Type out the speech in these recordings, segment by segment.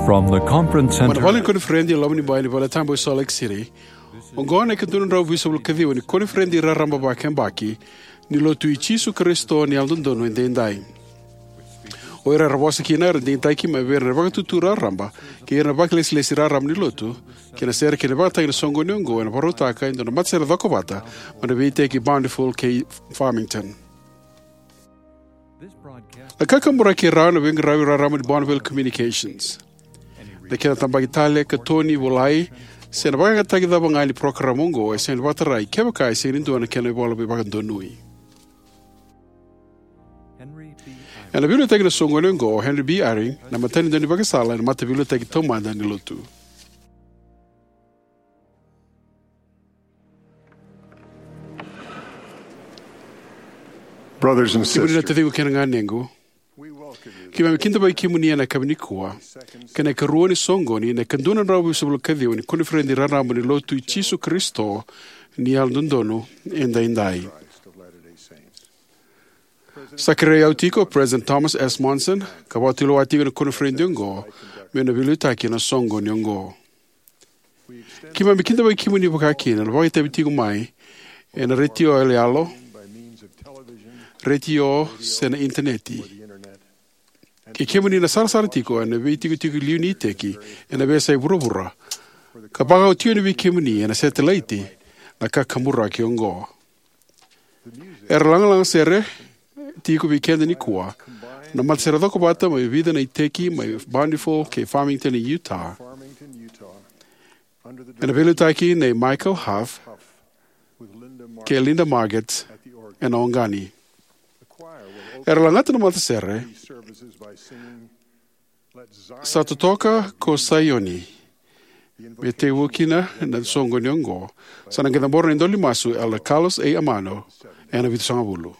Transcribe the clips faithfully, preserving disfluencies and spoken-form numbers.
From the conference center. Mai na vale ni koniferedi e Lomanibai ni Valetabu e Salt Lake City, oqo na ika dua na drau vitusagavulu ka ciwa ni koniferedi raraba vakayabaki ni Lotu i Jisu Karisito ni Yalododonu Edaidai. O ira era vosa kina era digitaki mai vei ira na vakatutu raraba kei ira na vakailesilesi raraba ni Lotu, kei na sere kei na ivakatagi ni soqoni oqo ena vakarautaka e dua na matasere cokovata mai na veiiteki Bountiful kei Farmington. Na kakaburaki e rawa na veiqaravi raraba ni Bonneville Communications. Na kena tabaki tale, katoni, volai, se na vakayagataki cava ga ni parokaramu oqo e sega ni vakatarai kevaka e sega ni dua na kena ivola veivakadonui. Ena veiliutaki na soqoni oqo o Henry B. Eyring, na matanitu ni ivakasala ena Mataveiliutaki Taumada ni Lotu. Brothers and sisters, kemuni na taciqu kei na ganequ, keimami kidavaki kemuni ena yakavi nikua kei na ikarua ni soqoni ena ika dua na drau vitusagavulu ka ciwa ni koniferedi raraba ni Lotu i Jisu Karisito ni Yalododonu Edaidai. Sa kerei au tiko o President Thomas S. Monson ka vakatulewa tiko ena koniferedi oqo me na veiliutaki ena soqoni oqo. Keimami kidavaki kemuni vakakina na vakaitavi tiko mai ena retio yaloyalo, retio, se na Initaneti. Kei kemuni na sarasara tiko ena veitikotiko liu ni iteki ena veiyasai vuravura, ka vakaotio yani vei kemuni ena setelaiti na kakaburaki oqo. Era lagalaga sere tiko vei keda nikua na matasere cokovata mai vica na iteki mai Bountiful kei Farmington e Utah, ena veiliutaki nei Michael Huff kei Linda Margetts ena oqani. Era lagata na matasere Sa Totoka ko Saioni, me tekivu kina na soqoni oqo. Sa na qai cabora na idola ni masu Elder Carlos A. Amano ena vitusagavulu.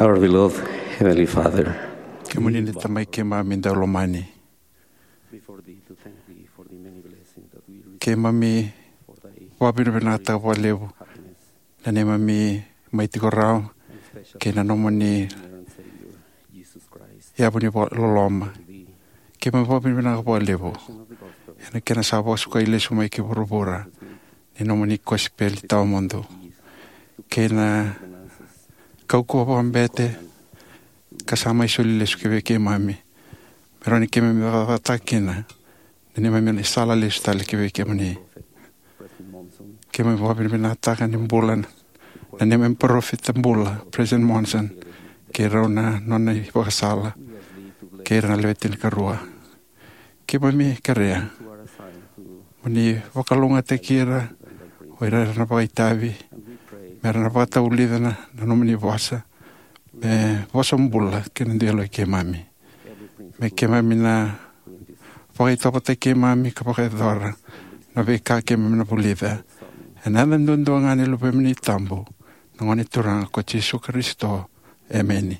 Our beloved Heavenly Father. Kemuni na Tamai keimami daulomani. Keimami vakavinavinakataka vakalevu na neimami mai tiko rawa kei na nomuni yavu ni loloma. Keimami vakavinavinaka vakalevu ena kena sa vakasukai lesu mai ki vuravura ni nomuni kosipeli tawamudu, kei na kaukauwa vakabete ka sa mai soli lesu ki vei keimami, me rawa ni keimami cakacakataka kina na neimami sala lesu tale ki vei kemuni. Keimami vakavinavinakataka ni bula na neimami parofita bula, President Monson, kei rau na nona ivakasala, kei ira na lewe tinikarua. Keimami kerea mo ni vakalougatataki ira o ira era na vakaitavi, me ra na vakatavulica na, na nomuni vosa, me vosa bula kei na dui yaloi keimami. Me keimami na vakaitavaki keimami ka vakayacora na veika keimami na vulica. Ena yaca duadua ga ni Luvemuni tabu, na Gone Turaga ko Jisu Karisito. Emeni.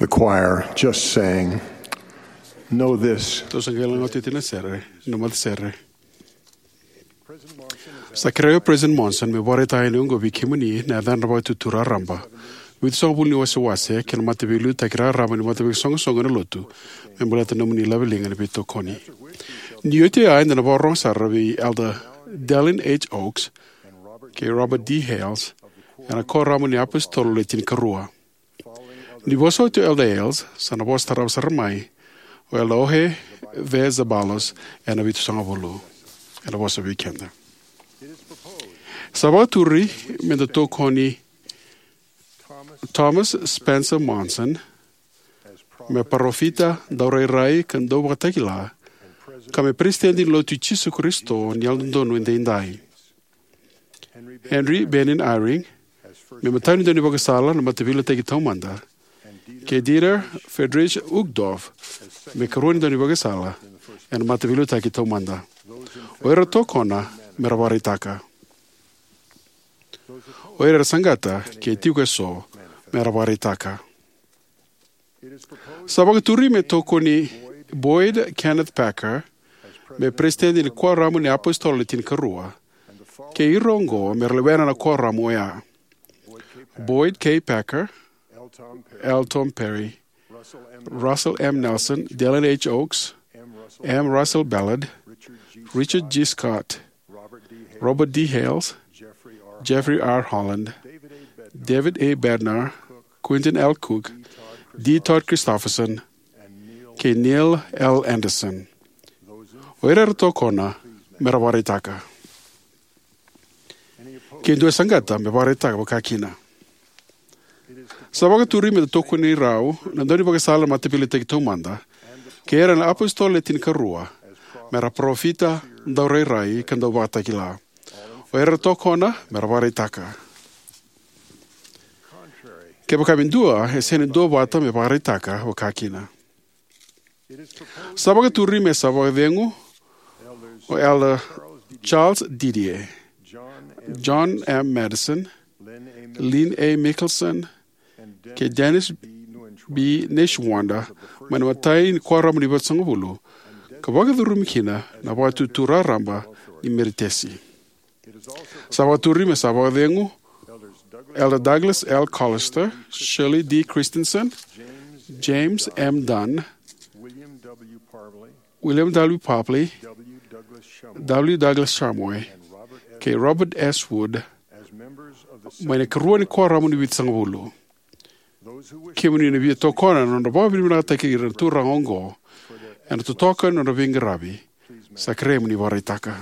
The choir just sang, "Know this." Tou sa qai lagata oti na sere, na matasere. Sa kerei au o President Monson meu vakaraitaka yani oqo vei kemuni na yacadra vakaitutu raraba, Vitusagavulu ni wasewase kei na mataveiliutaki raraba ni mataveisoqosoqo ena lotu me baleta na nomuni laveliga ni veitokoni. Ni oti oya eda na vakarorogo sara vei Elder Dallin H. Oaks kei Robert D. Hales ena Kuoramu ni iApositolo Le Tinikarua. Ni vosa oti o Elder Hales, sa na vosa tarava sara mai o Elder Jorge V. Zaballos ena Vitusagavulu. Ena vosa vei keda. Sa vakaturi meda tokoni Thomas Spencer Monson me parofita, daurairai ka dauvakatakila, ka me Peresitedi ni Lotu i Jisu Karisito ni Yalododonu Edaidai; Henry Bennion Eyring me iMatai ni Daunivakasala na Mataveiliutaki Taumada; kei Dieter Friedrich Uchtdorf me Ikarua ni Daunivakasala ena Mataveiliutaki Taumada. O ira era tokona me ra vakaraitaka. O ira era saqata, ke tiko eso, me ra vakaraitaka. Sa vakaturi me tokoni Boyd Kenneth Packer me Peresitedi ni Kuoramu ni iApositolo Le Tinikarua, kei ira oqo me ra lewena na kuoramu oya: Boyd K. Packer, L. Tom Perry, Russell M. Nelson, Dallin H. Oaks, M. Russell Ballard, Richard G. Scott, Robert D. Hales, Jeffrey R. Holland, David A. Bednar, Quentin L. Cook, D. Todd Christofferson, kei Neil L. Andersen. O ira era tokona me ra vakaraitaka. Ke dua e saqata, me vakaraitaka vakakina. Sa vakaturi me da tokoni rau na Daunivakasala na Mataveiliutaki Taumada kei ira na iApositolo Le Tinikarua me ra parofita, daurairai, ka dauvakatakila. O ira era tokona me ra vakaraitaka. Kevaka me dua, e sega ni duavata me vakaraitaka vakakina. Sa vakaturi me sa vakacegu o Elder Charles Didier, John M. Madison, Lynn A. Mickelson, kei Dennis B. Neshwanda mai na iMatai ni Kuoramu ni Vitusagavulu, ka vakacurumi kina na Vakatutu Raraba ni Meritesi. Sa vakaturi me sa vakacegu Elder Douglas L. Callister, Shirley D. Christensen, James M. Dunn, William W. Parpley, W. Douglas Shumway, kei Robert S. Wood mai na Ikarua ni Kuoramu ni Vitusagavulu. Kemuni na via tokona na nodra vakavinavinakataki ira na turaga oqo ena totoka ni nodra veiqaravi, sa kerei mo ni vakaraitaka.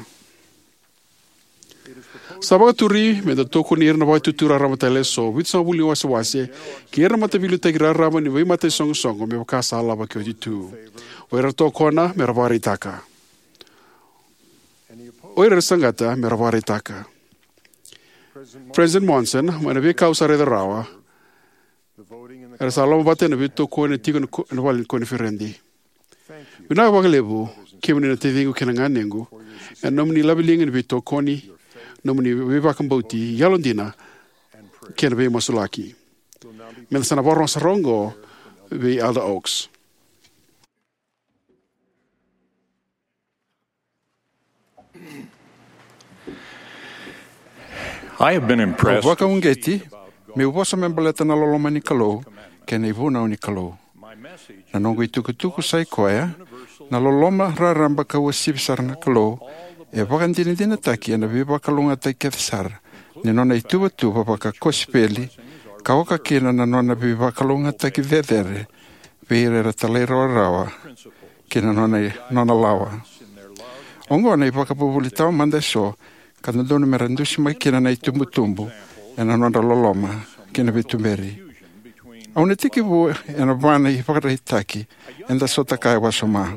Sa vakaturi me da tokoni ira na Vakatutu Raraba tale eso, Vitusagavulu ni wasewase, kei ira na mataveiliutaki raraba ni veimataisoqosoqo me vaka sa lavaki oti tu. O ira era tokona me ra vakaraitaka. O ira era saqata me ra vakaraitaka. President Monson, mai na veika au sa raica rawa, era sa lomavata ena veitokoni e tiko ena ko-, ena vale ni koniferedi. Vinaka vakalevu, kemuni na taciqu kei na ganequ, ena nomuni laveliga ni veitokoni, nomuni veivakabauti yalodina, kei na veimasulaki. Meda sa na vakarorogo sara oqo vei Elder Oaks. I have been Au impressed vakauqeti meu vosa me baleta na loloma ni Kalou kei na ivunau ni Kalou. Na noqu itukutuku sai koya, na loloma raraba ka uasivi sara na Kalou, e vakadinadinataki ena veivakalougatataki kece sara ni nona ituvatuva vakakosipeli, ka oka kina na nona veivakalougatataki cecere vei ira era talairawarawa ki na nona, nona lawa. Oqo na ivakavuvuli tawa mada eso ka dodonu me ra dusimaki kina na itubutubu ena nodra loloma ki na veituberi. Au na tekivu ena va na ivakaraitaki eda sota kaya wasoma.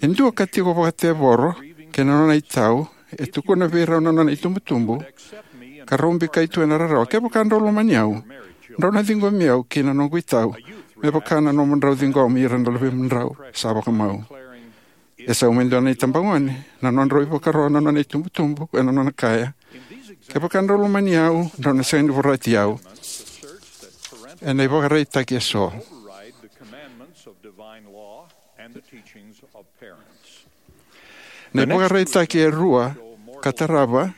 E dua ka tiko vakatevoro kei na nona itau, e tukuna vei rau na nona itubutubu, ka rau bikai tu ena rarawa, kevaka drau lomani au, drau na ciqomi au kei na noqu itau, me vaka na nomudrau ciqomi ira na luvemudrau sa vakamau. E sau me dua na itabagone na nodrau ivakaro na nona itubutubu ena nona kaya, kevaka drau lomani au, drau na sega ni vorati au. Ena ivakaraitaki eso. Na ivakaraitaki e rua ka tarava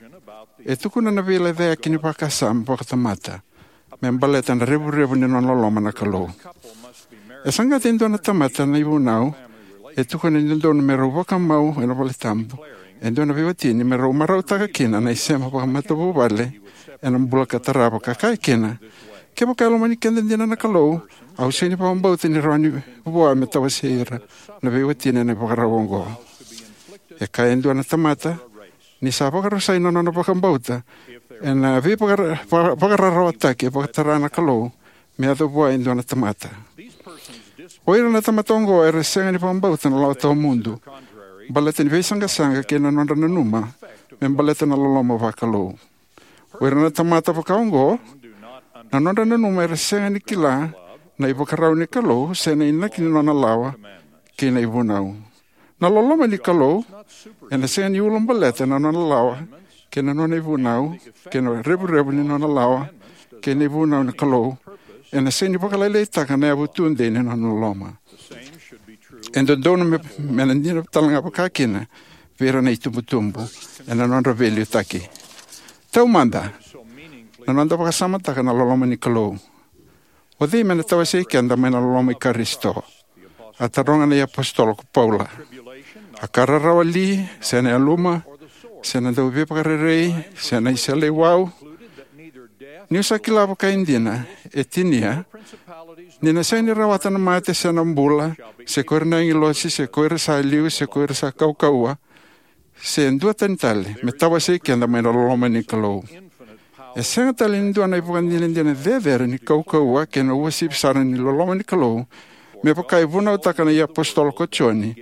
e tukuna na veilecayaki ni vakasama vakatamata me baleta na revurevu ni nona loloma na Kalou. E saqata e dua na tamata na ivunau, e tukuna ni dodonu me rau vakamau ena valetabu e dua na veiwatini me rau marautaka kina na isema vakamatavuvale ena bula ka tarava, ka kaya kina, kevaka e lomani keda dina na Kalou, au sega ni vakabauta ni rawa ni vua me tawasei ira na veiwatini ena ivakarau oqo. E kaya e dua na tamata ni sa vakarusai na nona vakabauta ena veivakara-, va-, vakararawataki e vakatara na Kalou me yaco vua e dua na tamata. O ira na tamata oqo era sega ni vakabauta na lawa tawamudu baleta ni veisaqasaqa kei na nodra nanuma me baleta na loloma vakalou. O ira na tamata vakaoqo, na nodra nanuma era sega ni kila na ivakarau ni Kalou se na inaki ni nona lawa kei na ivunau. Na loloma ni Kalou ena sega ni ulabaleta na nona lawa kei na nona ivunau, kei na revurevu ni nona lawa kei na ivunau ni Kalou ena sega ni vakalailaitaka na yavu tudei ni nona loloma. E dodonu me, me na dina tale ga vakakina vei ira na itubutubu ena nodra veiliutaki. Taumada, na noda vakasamataka na loloma ni Kalou. O cei me na tawasei keda mai na loloma i Karisito? A taroga na iapositolo ko Paula. A ka rarawa li, se na yaluma, se na dauveivakarerei, se na iseleiwau? Niu sa kila vakaidina, e tinia, ni na sega ni rawata na mate se na bula, se ko ira na agilosi, se ko ira sa liu, se ko ira sa kaukauwa, se dua tani tale, me tawasei keda mai na loloma ni Kalou. E sega tale ni dua na ivakadinadina cecere ni kaukauwa kei na uasivi sara ni loloma ni Kalou, me vaka e vunautaka na iapositolo ko Joni,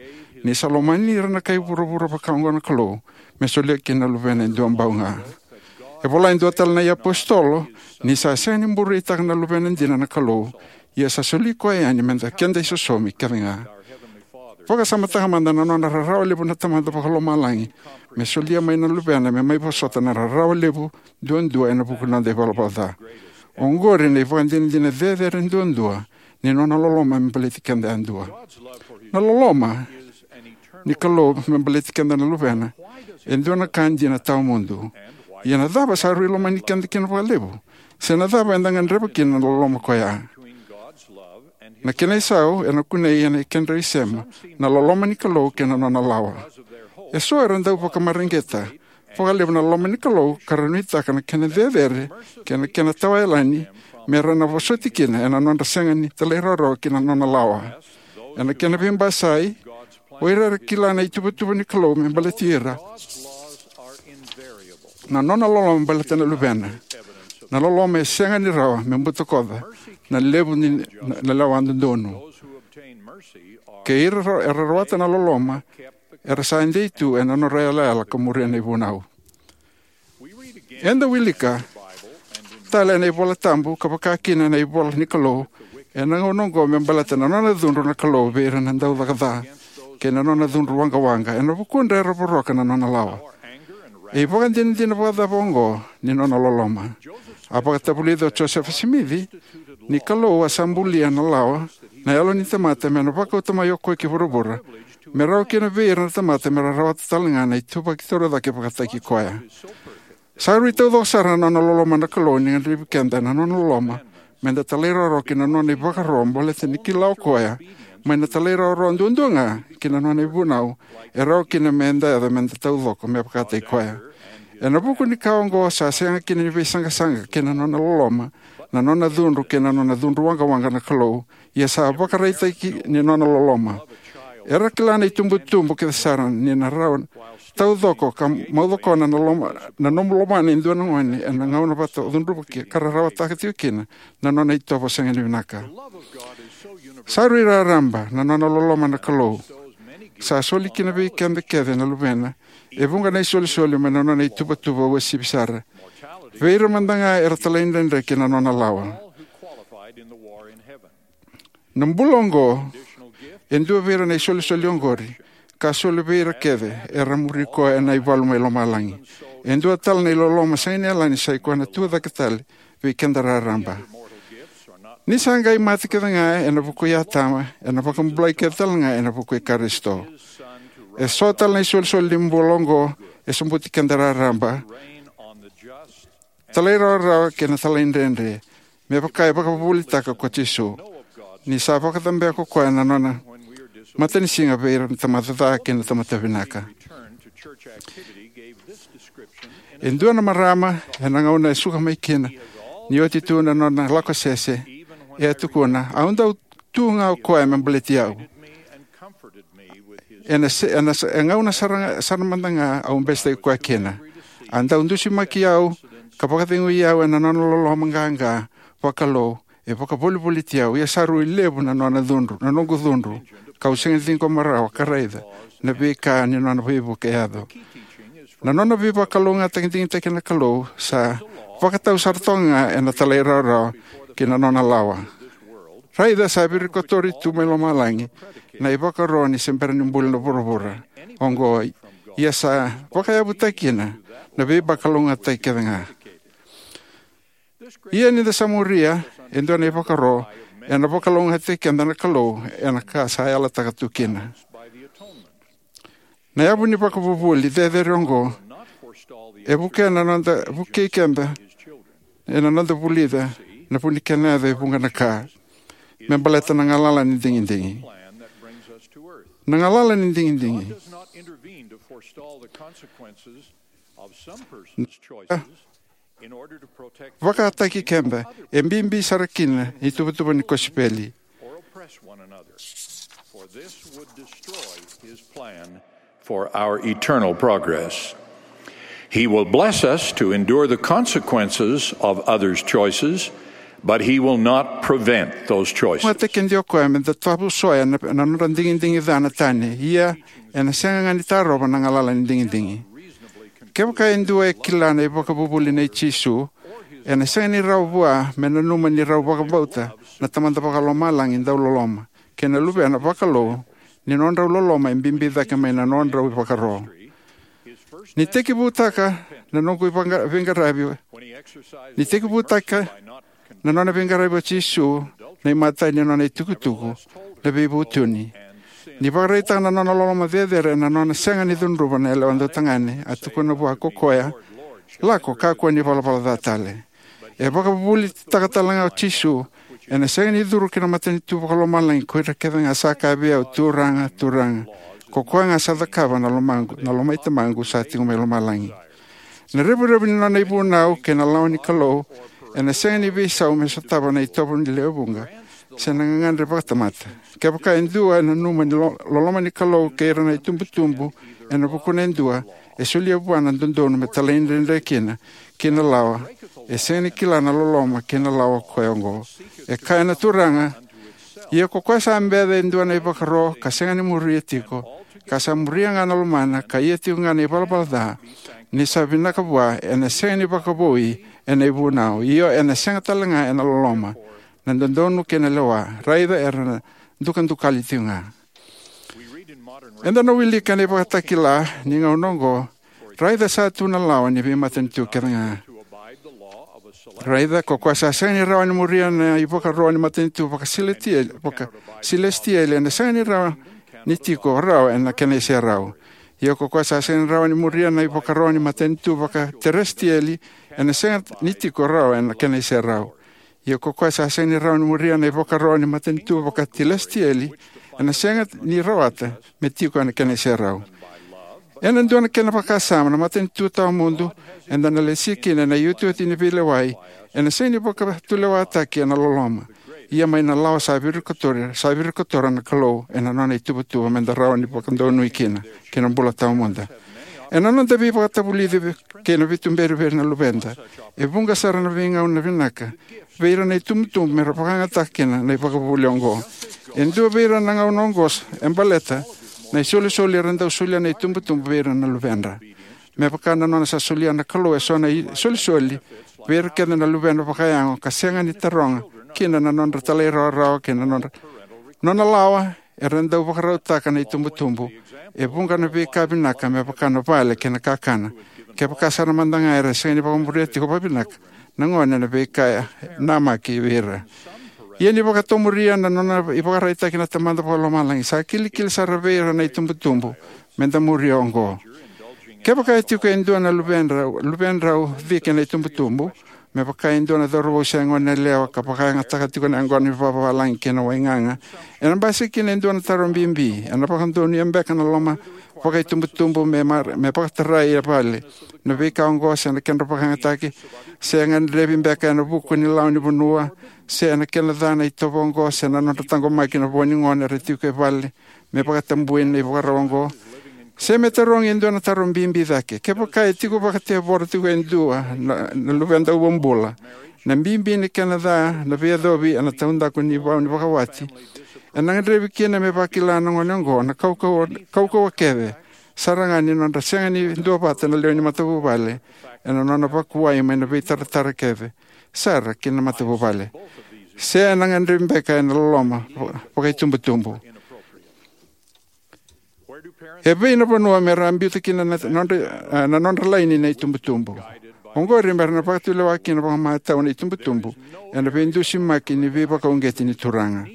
ni sa lomani ira na kai vuravura vakaoqo na Kalou, me solia kina na Luvena e dua bau ga. E vola e dua tale na iapositolo, ni sa sega ni bureitaka na Luvena dina na Kalou, ia sa soli koya yani meda keda isosomi kece ga. Vakasamataka mada na nona rarawa levu na Tamada Vakalomalagi me solia mai na Luvena me mai vosota na rarawa levu duadua ena vuku ni noda ivalavala ca. Oqori na ivakadinadina cecere duadua ni nona loloma me baleti keda yadua. Na loloma ni Kalou me baleti keda na Luvena e dua na ka dina tawamudu. Ia na cava sa rui lomani keda kina vakalevu? Se na cava eda gadreva kina na loloma koya? Na kena isau ena kunei ena ikedra isema na loloma ni Kalou kei na nona lawa. Eso era dau vakamareqeta vakalevu na loloma ni Kalou ka ra nuitaka na kena cecere kei na kena tawayalani me ra na vosoti kina ena nodra sega ni talairawarawa ki na nona lawa. Ena kena veibasai, o ira era kila na ituvatuva ni Kalou me baleti ira, na nona loloma baleta na Luvena, na loloma e sega ni rawa me butakoca na levu ni na, na lewa dodonu. Kei ira ra-, era rawata na loloma, era sa dei tu ena nodra yalayala ka muria na ivunau. Eda wilika tale ena iVola Tabu ka vakakina ena ivola ni Kalou ena gauna oqo me baleta na nona cudru na Kalou vei ira na daucaka ca kei na nona cudru waqawaqa ena vukudra era voroka na nona lawa. E ivakadinadina vakacava oqo ni nona loloma? A vakatavulica o Josefa Simici ni Kalou a sa bulia na lawa na yalo ni tamata me na vakauta mai o koya ki vuravura, me rawa kina vei ira na tamata me ra rawata tale ga na ituvaki torocake vakataki koya. Sa rui taucoko sara na nona loloma na Kalou ni gadrevi keda na nona loloma me da talairawarawa ki na nona ivakaro baleta ni kila o koya mai na talairawarawa duadua ga ki na nona ivunau e rawa kina me da yaco me da taucoko me vakataki koya. Ena vuku ni ka oqo sa sega kina ni veisaqasaqa kei na nona loloma, na nona cudru kei na nona cudru waqawaqa na Kalou, ia sa vakaraitaki ni nona loloma. Era kila na itubutubu kece sara ni na rawa taucoko ka maucokona na loma, na nomu lomana e dua na gone ena gauna vata o cudruvaki ka rarawataka tiko kina na nona itovo sega ni vinaka. Sa rui raraba na nona loloma na Kalou. Sa soli kina vei keda kece na luvena e vuqa na isolisoli mai na nona ituvatuva uasivi sara vei ira mada ga era talaidredre ki na nona lawa. Na bula oqo e dua vei ira na isolisoli oqori ka soli vei ira kece era muri koya ena ivalu mai lomalagi. E dua tale na iloloma sega ni yalani, sa i koya na tucake tale vei keda raraba. Ni sa qai mate kece ga ena vuku i Atama, ena vakabulai kece tale ga ena vuku i Karisito. E so tale na isolisoli ni bula oqo e sobuti keda raraba, talairawarawa kei na talaidredre, me vaka e vakavuvulitaka ko Jisu ni sa vakacabea ko koya na nona matanisiga vei ira na tamata ca kei na tamata vinaka. E dua na marama ena gauna e suka mai kina ni oti tu na nona lako sese, e a tukuna, au dau tu ga o koya me baleti au. Ena se, ena se, e gauna sara, sara mada ga au besetaki koya kina. A dau dusimaki au ka vakacegui au ena nona loloma qaqa vakalou E vakavolivoliti au, ia sa rui levu na nona cudru, na noqu cudru, kau sega ni ciqoma rawa ka raica na veika ni nona veivuke e yaco. Na nona veivakalougatataki digitaki na Kalou sa vakatau sara toka ga ena talairawarawa ki na nona lawa. Raica, sa virikotori tu mai lomalagi na ivakaro ni se bera ni buli na vuravura oqo, ia sa vakayavutaki kina na veivakalougatataki kece ga. Ia ni da sa muria e dua na ivakaro, ena vakalougatataki keda na Kalou ena ka sa yalataka tu kina. Na yavu ni vakavuvuli cecere oqo e vukea na noda, vukei keda ena noda vulica na vu ni kena yaco e vuqa na ka me baleta na galala ni digidigi. Na galala ni digidigi vakataki keda e bibi sara kina ni tuvatuva ni kosipeli. Or oppress one another, for this would destroy his plan for our eternal progress. He will bless us to endure the consequences of others' choices, but he will not prevent those choices. Mataki e dio koya me da tavusoya na, na nodra digidigi ca na tani, ia ena sega ga ni tarova na galala ni digidigi. Kevaka e dua e kila na ivakavuvuli nei Jisu, ena sega ni rawa vua me nanuma ni rau vakabauta na Tamada Vakalomalagi dauloloma kei na Luvena vakalou, ni nodrau loloma e bibi cake mai na nodrau ivakaro. Ni tekivutaka na noqu ivaqa-, veiqaravi, ni tekivutaka na nona veiqaravi o Jisu na imatai ni nona itukutuku na veivutuni. Ni vakaraitaka na nona loloma cecere ena nona sega ni cudruva na yalewa dautagane, a tukuna vua ko koya, "Lako, kakua ni valavala ca tale." E vakavuvulitaka tale ga o Jisu, "Ena sega ni curu ki na matanitu vakalomalagi ko ira kece ga sa kaya vei au, 'Turaga, Turaga,' ko koya ga sa cakava na lomaqu, na lomai Tamaqu sa tiko mai lomalagi." Na revurevu ni nona ivunau kei na lawa ni Kalou ena sega ni veisau me sotava na itovo ni lewe vuqa se na gagadre vakatamata. Kevaka e dua e nanuma ni lo-, loloma ni Kalou kei ira na itubutubu ena vukuna e dua, e solia vua na dodonu me talaidredre kina ki na lawa, e sega ni kila na loloma kei na lawa koya oqo. E kaya na Turaga, "Ia ko koya sa beca e dua na ivakaro ka sega ni muria tiko, ka sa muria ga na lomana ka ia tiko ga na ivalavala ca, ni sa vinaka vua, ena sega ni vakavoui ena ivunau, io ena sega tale ga ena loloma, na dodonu kei na lewa, raica era na dukadukali tiko ga." Eda na wilika ena iVakatakila ni gauna oqo, "Raica sa tu na lawa ni veimatanitu kece ga. Raica, ko koya sa sega ni rawa ni muria na ivakaro ni matanitu vakasilesitieli, vakasilesitieli, ena sega ni rawa ni tiko rawa ena kena iserau. Ia ko koya sa sega ni rawa ni muria na ivakaro ni matanitu vakateresitieli, ena sega ni tiko rawa ena kena iserau. Ia ko koya sa sega ni rawa ni muria na ivakaro ni matanitu vakatelesitieli, ena sega ni rawata me tiko ena kena iserau." Ena dua na kena vakasama, na matanitu tawamudu eda na lesi kina ena iotioti ni veilewai ena sega ni vakatulewataki ena loloma, ia mai na lawa sa virikotora, sa virikotora na Kalou ena nona ituvatuva meda rawa ni vakadonui kina ki na bula tawamudu. Ena noda veivakatavulici kei na veituberi vei ira na luveda, e vuqa sara na veigauna vinaka vei ira na itubutubu me ra vakayagataka kina na ivakavuvuli oqo. E dua vei ira na gauna oqo e baleta na isolisoli era dau solia na itubutubu vei ira na luvedra. Me vaka na nona sa solia na Kalou eso na isolisoli vei ira kece na luvena vakayago ka sega ni taroga kina na nodra talairawarawa kei na nodra, nona lawa, era dau vakarautaka na itubutubu e vuqa na veika vinaka me vaka na vale kei na kakana. Kevaka sara mada ga era sega ni vakamuria tiko vakavinaka na gone na veika e namaki vei ira. Ia ni vakatomuria na nona ivakaraitaki na Tamada Vakalomalagi, sa kilikili sara vei ira na itubutubu meda muria oqo. Kevaka e tiko e dua na luvedrau, luvedrau cike na itubutubu, me vaka e dua na cauravou se gone yalewa ka vakayagataka tiko na yaqona ni vavavalagi kei na waigaga, ena basika kina e dua na taro bibi: ena vakadonuya beka na loma vakaitubutubu me mar-, me vakatarai e vale na veika oqo, se na kedra vakayagataki, se gadrevi beka ena vuku ni lawa ni vanua, se na kena ca na itovo oqo, se na nodra taqomaki na vo ni gone era tiko e vale me vakatabui na ivakarau oqo? Se me tarogi e dua na taro bibi cake: kevaka e tiko vakatevoro tiko e dua na, na luvedra bula, Na bibi ni kena ca na veiyacovi ena taudaku ni vau ni vakawati, ena gadrevi kina me vakila na gone oqo na kaukauwa, kaukauwa kece sara ga ni nodra sega ni duavata na lewe ni matavuvale ena nona vakuwai mai na veitaratara kece sara ki na matavuvale. Se ena gadrevi beka ena loloma vakaitubutubu. E vei na vanua me ra biuta kina na nodra, a, na nodra laini na itubutubu? Oqori me ra na vakatulewa kina vakamatau na itubutubu ena veidusimaki ni veivakauqeti ni Turaga.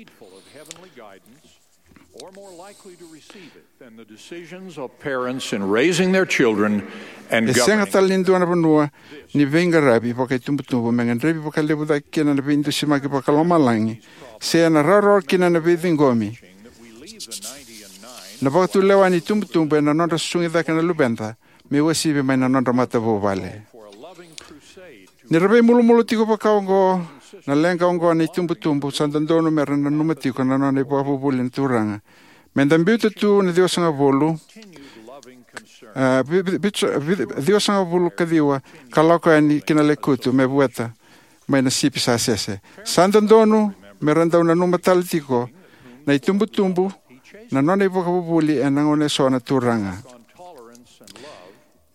E sega tale ni dua na vanua ni veiqaravi vakaitubutubu me gadrevi vakalevu cake kina na veidusimaki vakalomalagi se ena rawarawa kina na veiciqomi na vakatulewa ni itubutubu ena nodra susugi cake na luveda me uasivi mai na nodra matavuvale. Ni ra veimulumulu tiko vakaoqo na leqa oqo na itubutubu, sa dodonu me ra nanuma tiko na nona ivakavuvuli na Turaga. Me da biuta tu na ciwasagavulu, a, vi-, vi-, vi-, vi-, ciwasagavulu ka ciwa ka lako yani ki na lekutu me vueta mai na sipi sa sese. Sa dodonu me ra dau nanuma tale tiko na itubutubu na nona ivakavuvuli ena gauna eso na Turaga.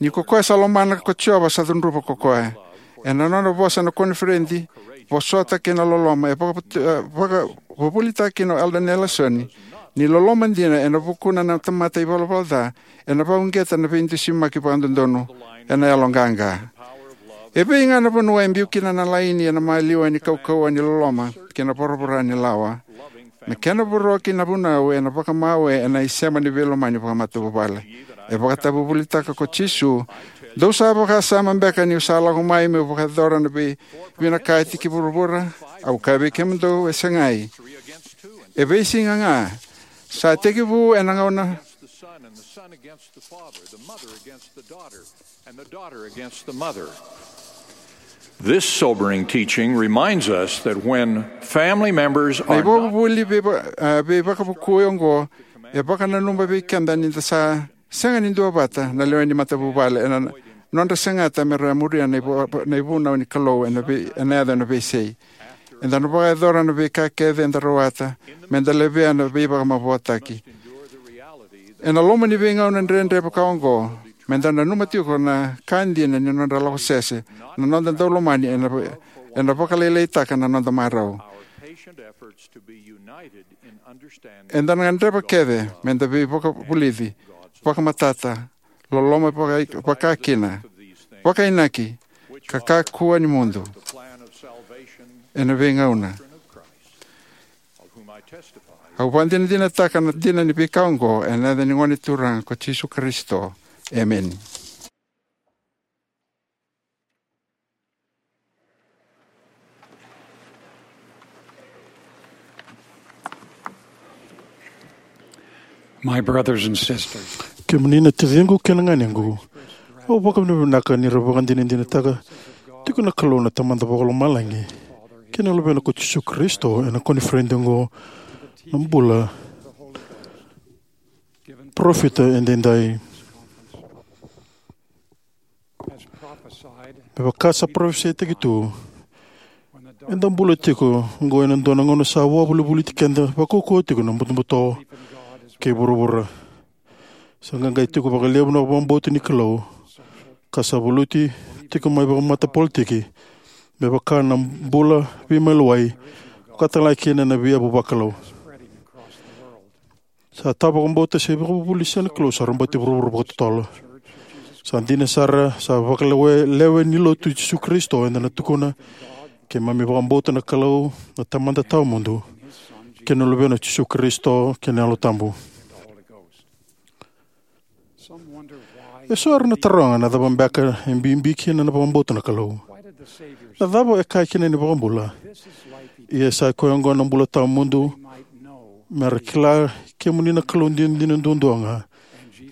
Ni ko koya sa lomana ko Jiova sa cudruva ko koya. Ena nona vosa na koniferedi, vosota kei na loloma, e vaka-, e vakavuvulitaka kina o Elder Nelson ni loloma dina ena vukuna na tamata ivalavala ca ena vakauqeta na veidusimaki vakadodonu ena yaloqaqa. E vei ga na vanua e biu kina na laini ena maliwa ni kaukauwa ni loloma kei na voravora ni lawa? Na kena voroki na vunau ena vakamawe ena isema ni veilomani vakamatavuvale. E vakatavuvulitaka ko Jisu: "Dou sa vakasama beka niu sa lako mai meu vakayacora na veivinakati ki vuravura? Au kaya vei kemudou, e segai. E veisiga ga sa tekivu ena gauna." And the daughter against the mother. This sobering teaching reminds us that when family members Na are not ivakavuvuli veiva-, a, veivakavukui oqo e vakananuma vei keda ni da sa sega ni duavata na lewe ni matavuvale ena nodra segata me ra muria na ivu-, na ivunau ni Kalou ena vei-, ena yaco ena veisei. Eda na vakayacora na veika kece eda rawata me da levea na veivakamavoataki. Ena loma ni veigauna dredre vaka oqo, me da nanuma tiko na ka dina ni nodra lako sese na noda daulomani ena va-, ena vakalailaitaka na noda marau. Eda na gadreva kece me da veivakavulici, vakamatata, loloma vaka-, vakakina, vakainaki, ka kakua ni mudu ena veigauna. Au vakadinadinataka na dina ni veika oqo ena yaca ni Gone Turaga ko Jisu Karisito. Emeni. My brothers and sisters, kemuni na taciqu kei na ganequ, au vakavinavinaka ni ra vakadinadinataka tiko na Kalou na Tamada Vakalomalagi kei na Luvena ko Jisu Karisito ena koniferedi oqo na bula parofita edaidai. Me vaka sa parofisaitaki tu, eda bula tiko oqo ena dua na gauna sa vakavulivuliti keda vakaukauwa tiko na butobuto kei vuravura. Sa qaqai tiko vakalevu na vakabauta ni Kalou, ka sa valuti tiko mai vakamatapolotiki, me vaka na bula veimaliwai, vaka talega kina na veiyavu vakalou. Sa tawavakabauta se ivakavuvuli ni siga ni Kalou sa rabati vuravura vakatotolo. Sa dina sara, sa vakalewe-, lewe ni lotu i Jisu Karisito eda na tukuna: "Keimami vakabauta na Kalou, na Tamada tawamudu, kei na Luvena o Jisu Karisito, kei na Yalo Tabu." Eso era na taroga na cava beka e bibi kina na vakabauta na Kalou. Na cava e kaya kina na iVakabula? Ia sa i koya oqo na bula tawamudu, me ra kila kemuni na Kalou dinadina duadua ga,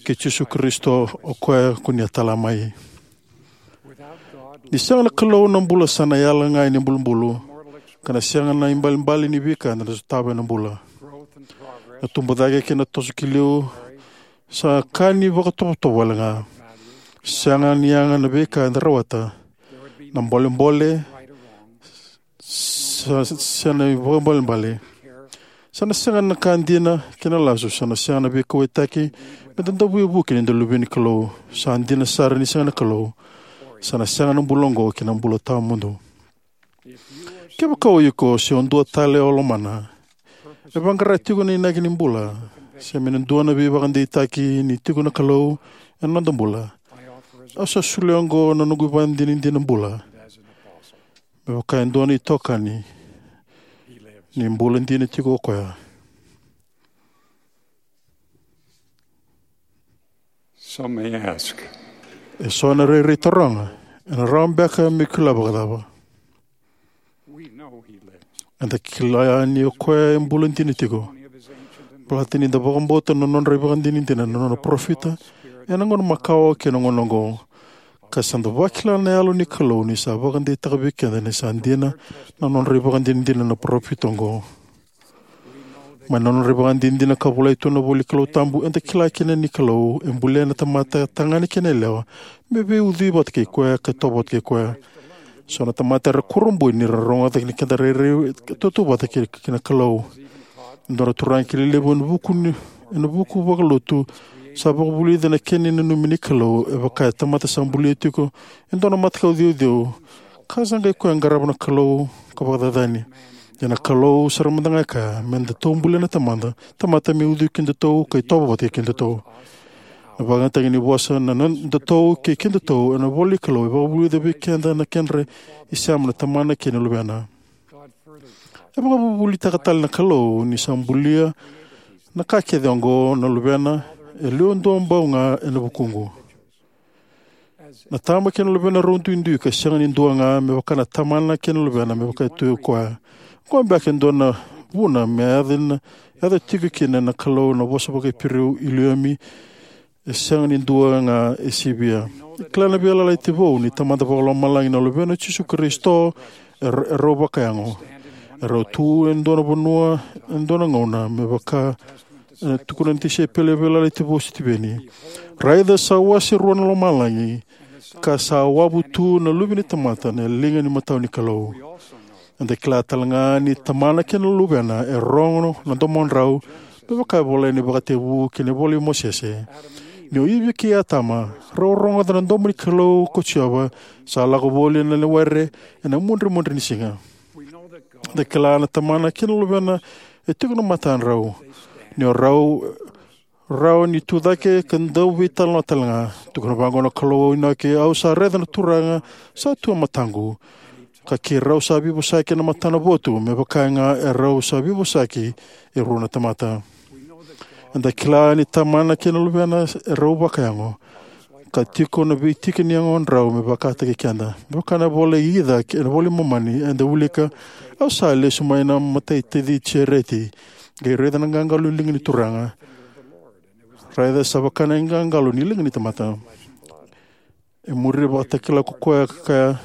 kei Jisu Karisito o koya ko ni a tala mai. Ni sega na Kalou, na bula sa na yala ga ni bulubulu, ka na sega na ibalebale ni veika eda na sotava ena bula. Na tubu cake kei na toso ki liu sa ka ni vakatovotovo wale ga. Sega ni yaga na veika eda rawata. Na bolebole Sa, sa na ivakaibalebale. Sa na sega na ka dina kei na lasu, sa na sega na veikauwaitaki me da dau veivuke ni da luve ni Kalou. Sa dina sara ni sega na Kalou. Sa na sega na bula oqo kei na bula tawamudu. Kevaka o iko se o dua tale o lomana, e vaqara tiko na inaki ni bula, se me na dua na veivakadeitaki ni tiko na Kalou ena noda bula, au sa solia oqo na noqu ivakadinadina bula me vaka e dua na itokani ni bula dina tiko o koya. Some may ask, e so na rairai taroga, ena rawa beka me kila vakacava? We know he lives. Eda kila ni o koya e bula dina tiko. Baleta ni da vakabauta na nodra ivakadinadina na nona parofita ena gauna makawa kei na gauna oqo, ka sa da vakila na Yalo ni Kalou ni sa vakadeitaka vei keda ni sa dina na nodra ivakadinadina na parofita oqo. Mai na nodra ivakadinadina ka volai tu na ivola ni Kalou tabu, eda kila kina ni Kalou e bulia na tamata, tagane kei na yalewa, me veiucui vata kei koya ka itovo vata kei koya. So na tamata era kurabui ni ra rogoca ni keda rairai tautauvata kei, kei na Kalou. E dua na turaga kilai levu ena vuku ni, ena vuku vakalotu, sa vakavulica na kena nanumi ni Kalou e vaka e tamata sa bulia tiko e dua na matakau ceuceu, ka sa qai koya qarava na Kalou ka vakacacani. Ia na Kalou sara mada ga e kaya me datou bulia na tamata, tamata me ucui kedatou ka itovo vata kei kedatou. Na vakayagataki ni vosa na nodatou kei kedatou ena ivola ni Kalou e vakavulica vei keda na kedra isema na Tamana kei na Luvena. E vakavuvulitaka tale na Kalou ni sa bulia na ka kece oqo na Luvena, e liu duabau ga ena vukuqu. Na Tama kei na Luvena rau duidui ka sega ni dua ga, me vaka na Tamana kei na Luvena me vaka e tu o koya. Oqo beka e dua na vuna me yaco na, yaco tiko kina na Kalou na vosa vakaIperiu, Iliumi, e sega ni dua ga, e sivia. E kila na Veiyalayalati Vou ni Tamada Vakalomalagi na Luvena o Jisu Karisito, e ra-, e rau vakayago. E rau tu e dua na vanua, e dua na gauna, me vaka e tukuna na tisaipeli e Veiyalayalati Vou o Sitiveni. Raica sa wase rua na lomalagi, ka sa wavu tu na Luve ni tamata na liga ni matau ni Kalou. Eda kila tale ga ni Tamana kei na Luvena e rogo na domodrau, me vaka e volai ena ivakatekivu kei na ivola i Mosese. Ni o Ivi kei Atama rau rogoca na domo ni Kalou ko Jiova, sa lako voli na were ena mudremudre ni siga. Eda kila na Tamana kei na Luvena e tiko na matadrau. Ni o rau rawa ni tu cake ka dau veitalanoa tale ga. Tukuna vaqo na Kalou o Inoke, au sa raica na Turaga sa tu e mataqu. Ka keirau sa veivosaki ena matana votu, me vaka ga e rau sa veivosaki e rua na tamata. Eda kila ni Tamana kei na Luvena e rau vakayago, ka tiko na veitika ni yagodrau me vakataki keda. Me vaka na ivola i Ica, ena ivola i Momani, eda wilika, au sa lesu mai na mataitaci Jereti, qai raica na qaqalo ni liga ni Turaga. Raica sa vaka na iqaqalo ni liga ni tamata. E muri vakatakila ko koya ka kaya,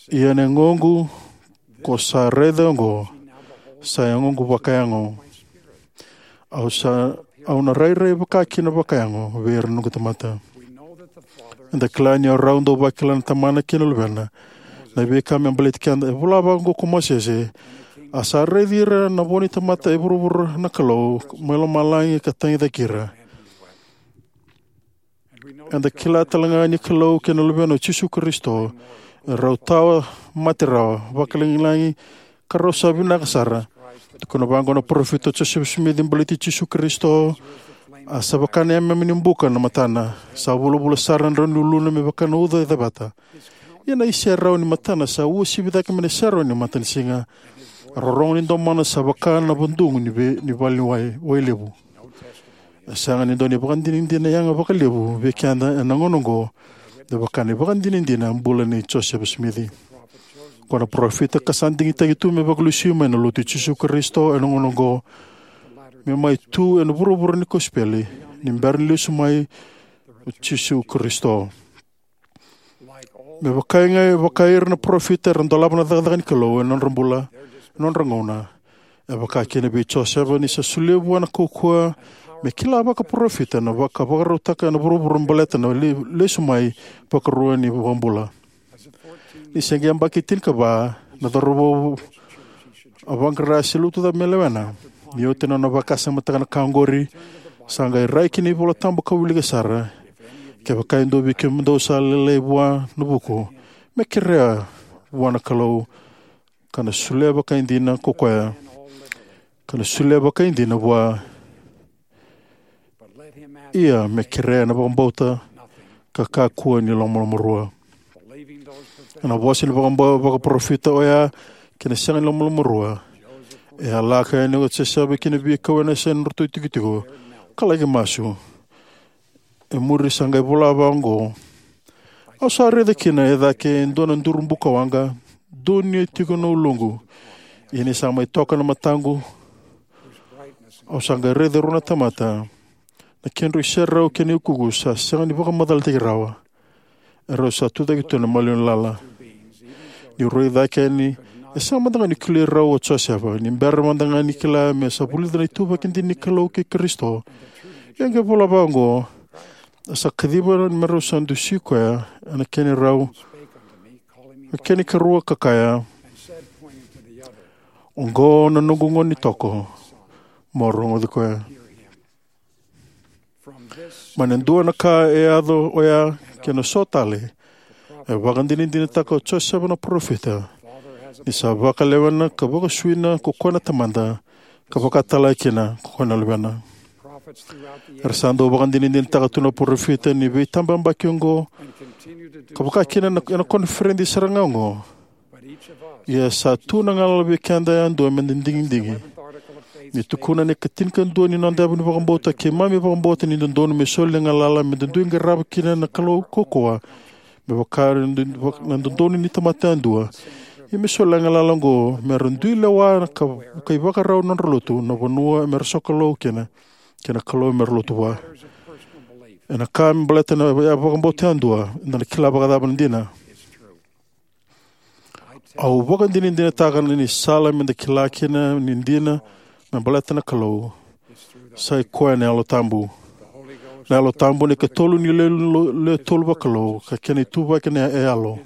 ia na yagoqu ko sa raica oqo, sa yagoqu vakayago. Au sa, au na rairai vaka kina vakayago vei ira na noqu tamata. Eda kila ni o rau dau vakila na Tamana kei na Luvena. Na veika me baleti keda, e vola vaqo ko Mosese, a sa raici ira na vo ni tamata e vuravura na Kalou mai lomalagi ka tagicaki ira. Eda kila tale ga ni Kalou kei na Luvena o Jisu Karisito, e rau tawa mate rawa, vakalagilagi, ka rau sa vinaka sara. Tukuna vaqo na parofita o Josefa Simici baleti Jisu Karisito, a sa vaka na yameyame ni buka na matana, sa vulavula sara na drau ni uluna me vaka na uca e caveta. Ia na iserau ni matana sa uasivi cake mai na iserau ni matanisiga. Rorogo ni domona sa vaka na vadugu ni ve-, ni vale ni wai, wai levu. E sega ni dua na ivakadinadina yaga vakalevu vei keda ena gauna oqo, me vaka na ivakadinadina bula nei Josefa Simici. Ko na parofita ka sa digitaki tu me vakalesui mai na Lotu i Jisu Karisito ena gauna oqo, me mai tu ena vuravura ni kosipeli, ni bera ni lesu mai o Jisu Karisito. Me vaka ga, vaka ira na parofita era dolava na cakacaka ni Kalou ena nodra bula, ena nodra gauna. E vaka kina vei Josefa ni sa solia vua na kaukauwa me kila vakaparofita na vaka, vakarautaka ena vuravura baleta na le-, lesu mai vakarua ni iVakabula. Ni se qai yabaki tinikava, Na cauravou a vaqara se lotu cava me lewena. Ni oti na nona vakasamataka na ka oqori, sa qai rai ki na iVola Tabu ka wilika sara: Kevaka e dua vei kemudou sa lailai vua na vuku, me kerea vua na Kalou, ka na solia vakaidina ko koya, ka na solia vakaidina vua; ia me kerea ena vakabauta, ka kakua ni lomalomarua. Ena vosa ni vakabau vakaparofita oya kei na sega ni lomalomarua, e a lako yani o Josefa ki na veikau ena yasa ni nodratou itikotiko, ka laki masu. E muri sa qai vola vaqo: Au sa raica kina e cake e dua na duru bukawaqa, donuya tiko na uluqu; ia ni sa mai toka na mataqu, au sa qai raica e rua na tamata, na kedrau iserau kei na iukuuku sa sega ni vakamacalataki rawa, erau sa tucake tu ena maliwa ni lala. Niu rai cake yani, e sega mada ga ni kilai rau o Josefa. Ni bera mada ga ni kila me sa vulica na ituvaki dina ni Kalou kei Karisito, e a qai vola vaqo: A sa kaciva me rau sa dusi koya ena kena ikarua, ka kaya: Oqo na noqu gone ni toko, mo rogoci koya. Mai na dua na ka e yaco oya kei na so tale, e vakadinadinataka o Josefa na parofita ni sa vakalewena ka vakasuina ko koya na Tamada, ka vaka talega kina ko koya na Luvena. Era sa dau vakadinadinataka tu na parofita ni veitabayabaki oqo, ka vakakina ena koniferedi sara ga oqo. Ia sa tu na galala vei keda yadua me da digidigi. Ni tukuna na ikatinikadua ni noda yavu ni vakabauta, keimami vakabauta ni dodonu me soli na galala me da dui qarava kina na Kalou kaukauwa, me vaka na dodonu ni tamata yadua, ia me soli na galala oqo me ra dui lewa ka ivakarau na nodra lotu, na vanua me ra sokalou kina, kei na Kalou me ra lotu vua. Ena ka me baleta na vakabauta yadua, eda na kila vakacava na dina? Au vakadinadinataka ni sala me da kila kina ni dina me baleta na Kalou sa ikoya na Yalo Tabu. Na Yalo Tabu na ikatolu ni lewe tolu vakalou, ka kena ituvaki na Yalo.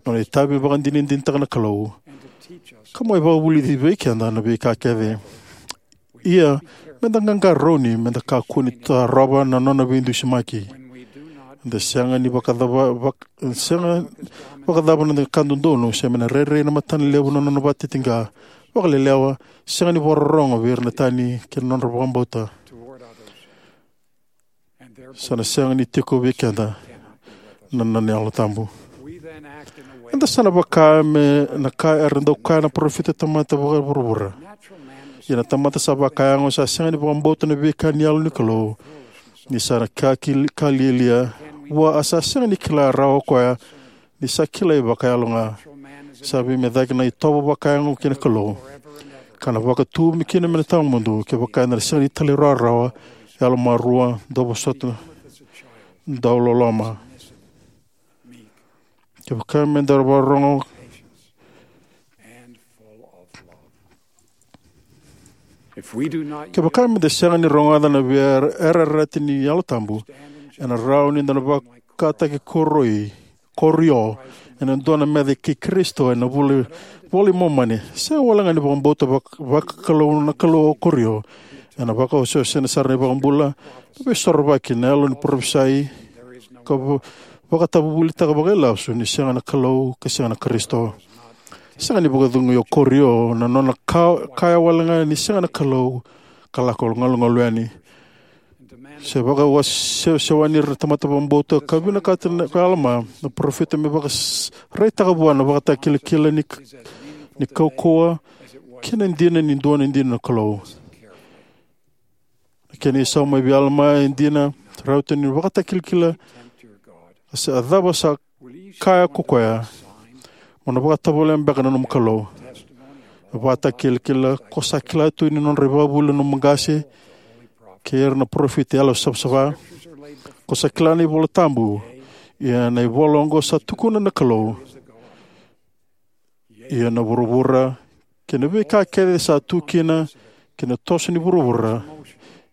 Nona itavi me vakadinadinataka na Kalou, ka mai vakavulici vei keda na veika kece. Ia, me da qaqarauni me da kakua ni tarova na nona veidusimaki. Eda sega ni vakacava, vak, sega vakacava na ka dodonu, se me na rairai na matana levu na nona vakatitiqa, vakalelewa, sega ni vakarorogo vei ira na tani kei na nodra vakabauta. Sa na sega ni tiko vei keda na nona Yalo Tabu. Eda sa na vaka me na ka era dau kaya na parofita tamata vakavuravura. Ia na tamata sa vakayago sa sega ni vakabauta na veika ni Yalo ni Kalou, ni sa na ka ki, ka lialia vua, a sa sega ni kila rawa o koya ni sa kilai vakayalo ga. Sa veimecaki na itovo vakayago kei na Kalou, ka na vakatu me kina me na tawamudu, kevaka eda na sega ni talairawarawa, yalomarua, dauvosota, dauloloma. Kevaka me da vakarorogo, kevaka me da sega ni rogoca na veiyarayarati ni Yalo Tabu, ena rawa ni da na vakataki koroi, Korio, ena dua na meca kei Karisito ena vula, Vola i Momani. Sega walega ni vakabauta vak, vakakalou na Kalou o Korio. Ena vakaoseosena sara na iVakabula, na Veisorovaki, na yalo ni parofisai, ka va, vakatavuvulitaka vakailasu ni sega na Kalou ka sega na Karisito. Sega ni vakacegui o Korio na nona ka, kaya walega ni sega na Kalou ka lako galugalu yani. Se vakasewasewani ira na tamata vakabauta ka vinakata na, ko Alama na parofita me vakaraitaka vua na vakatakilakila ni, ni kaukauwa kei na dina ni dua na dina na Kalou. Na kena isau mai vei Alama e dina, rauta ni vakatakilakila, a se a cava sa kaya ko koya, mo na vakatovolea beka na nomu Kalou. E vakatakilakila ko sa kila tu ni nodra ivakavuvuli na nomu qase kei ira na parofita yalo savasava. Ko sa kila na iVola Tabu, ia na ivola oqo sa tukuna na Kalou. Ia na vuravura kei na veika kece sa tu kina, kei na toso ni vuravura,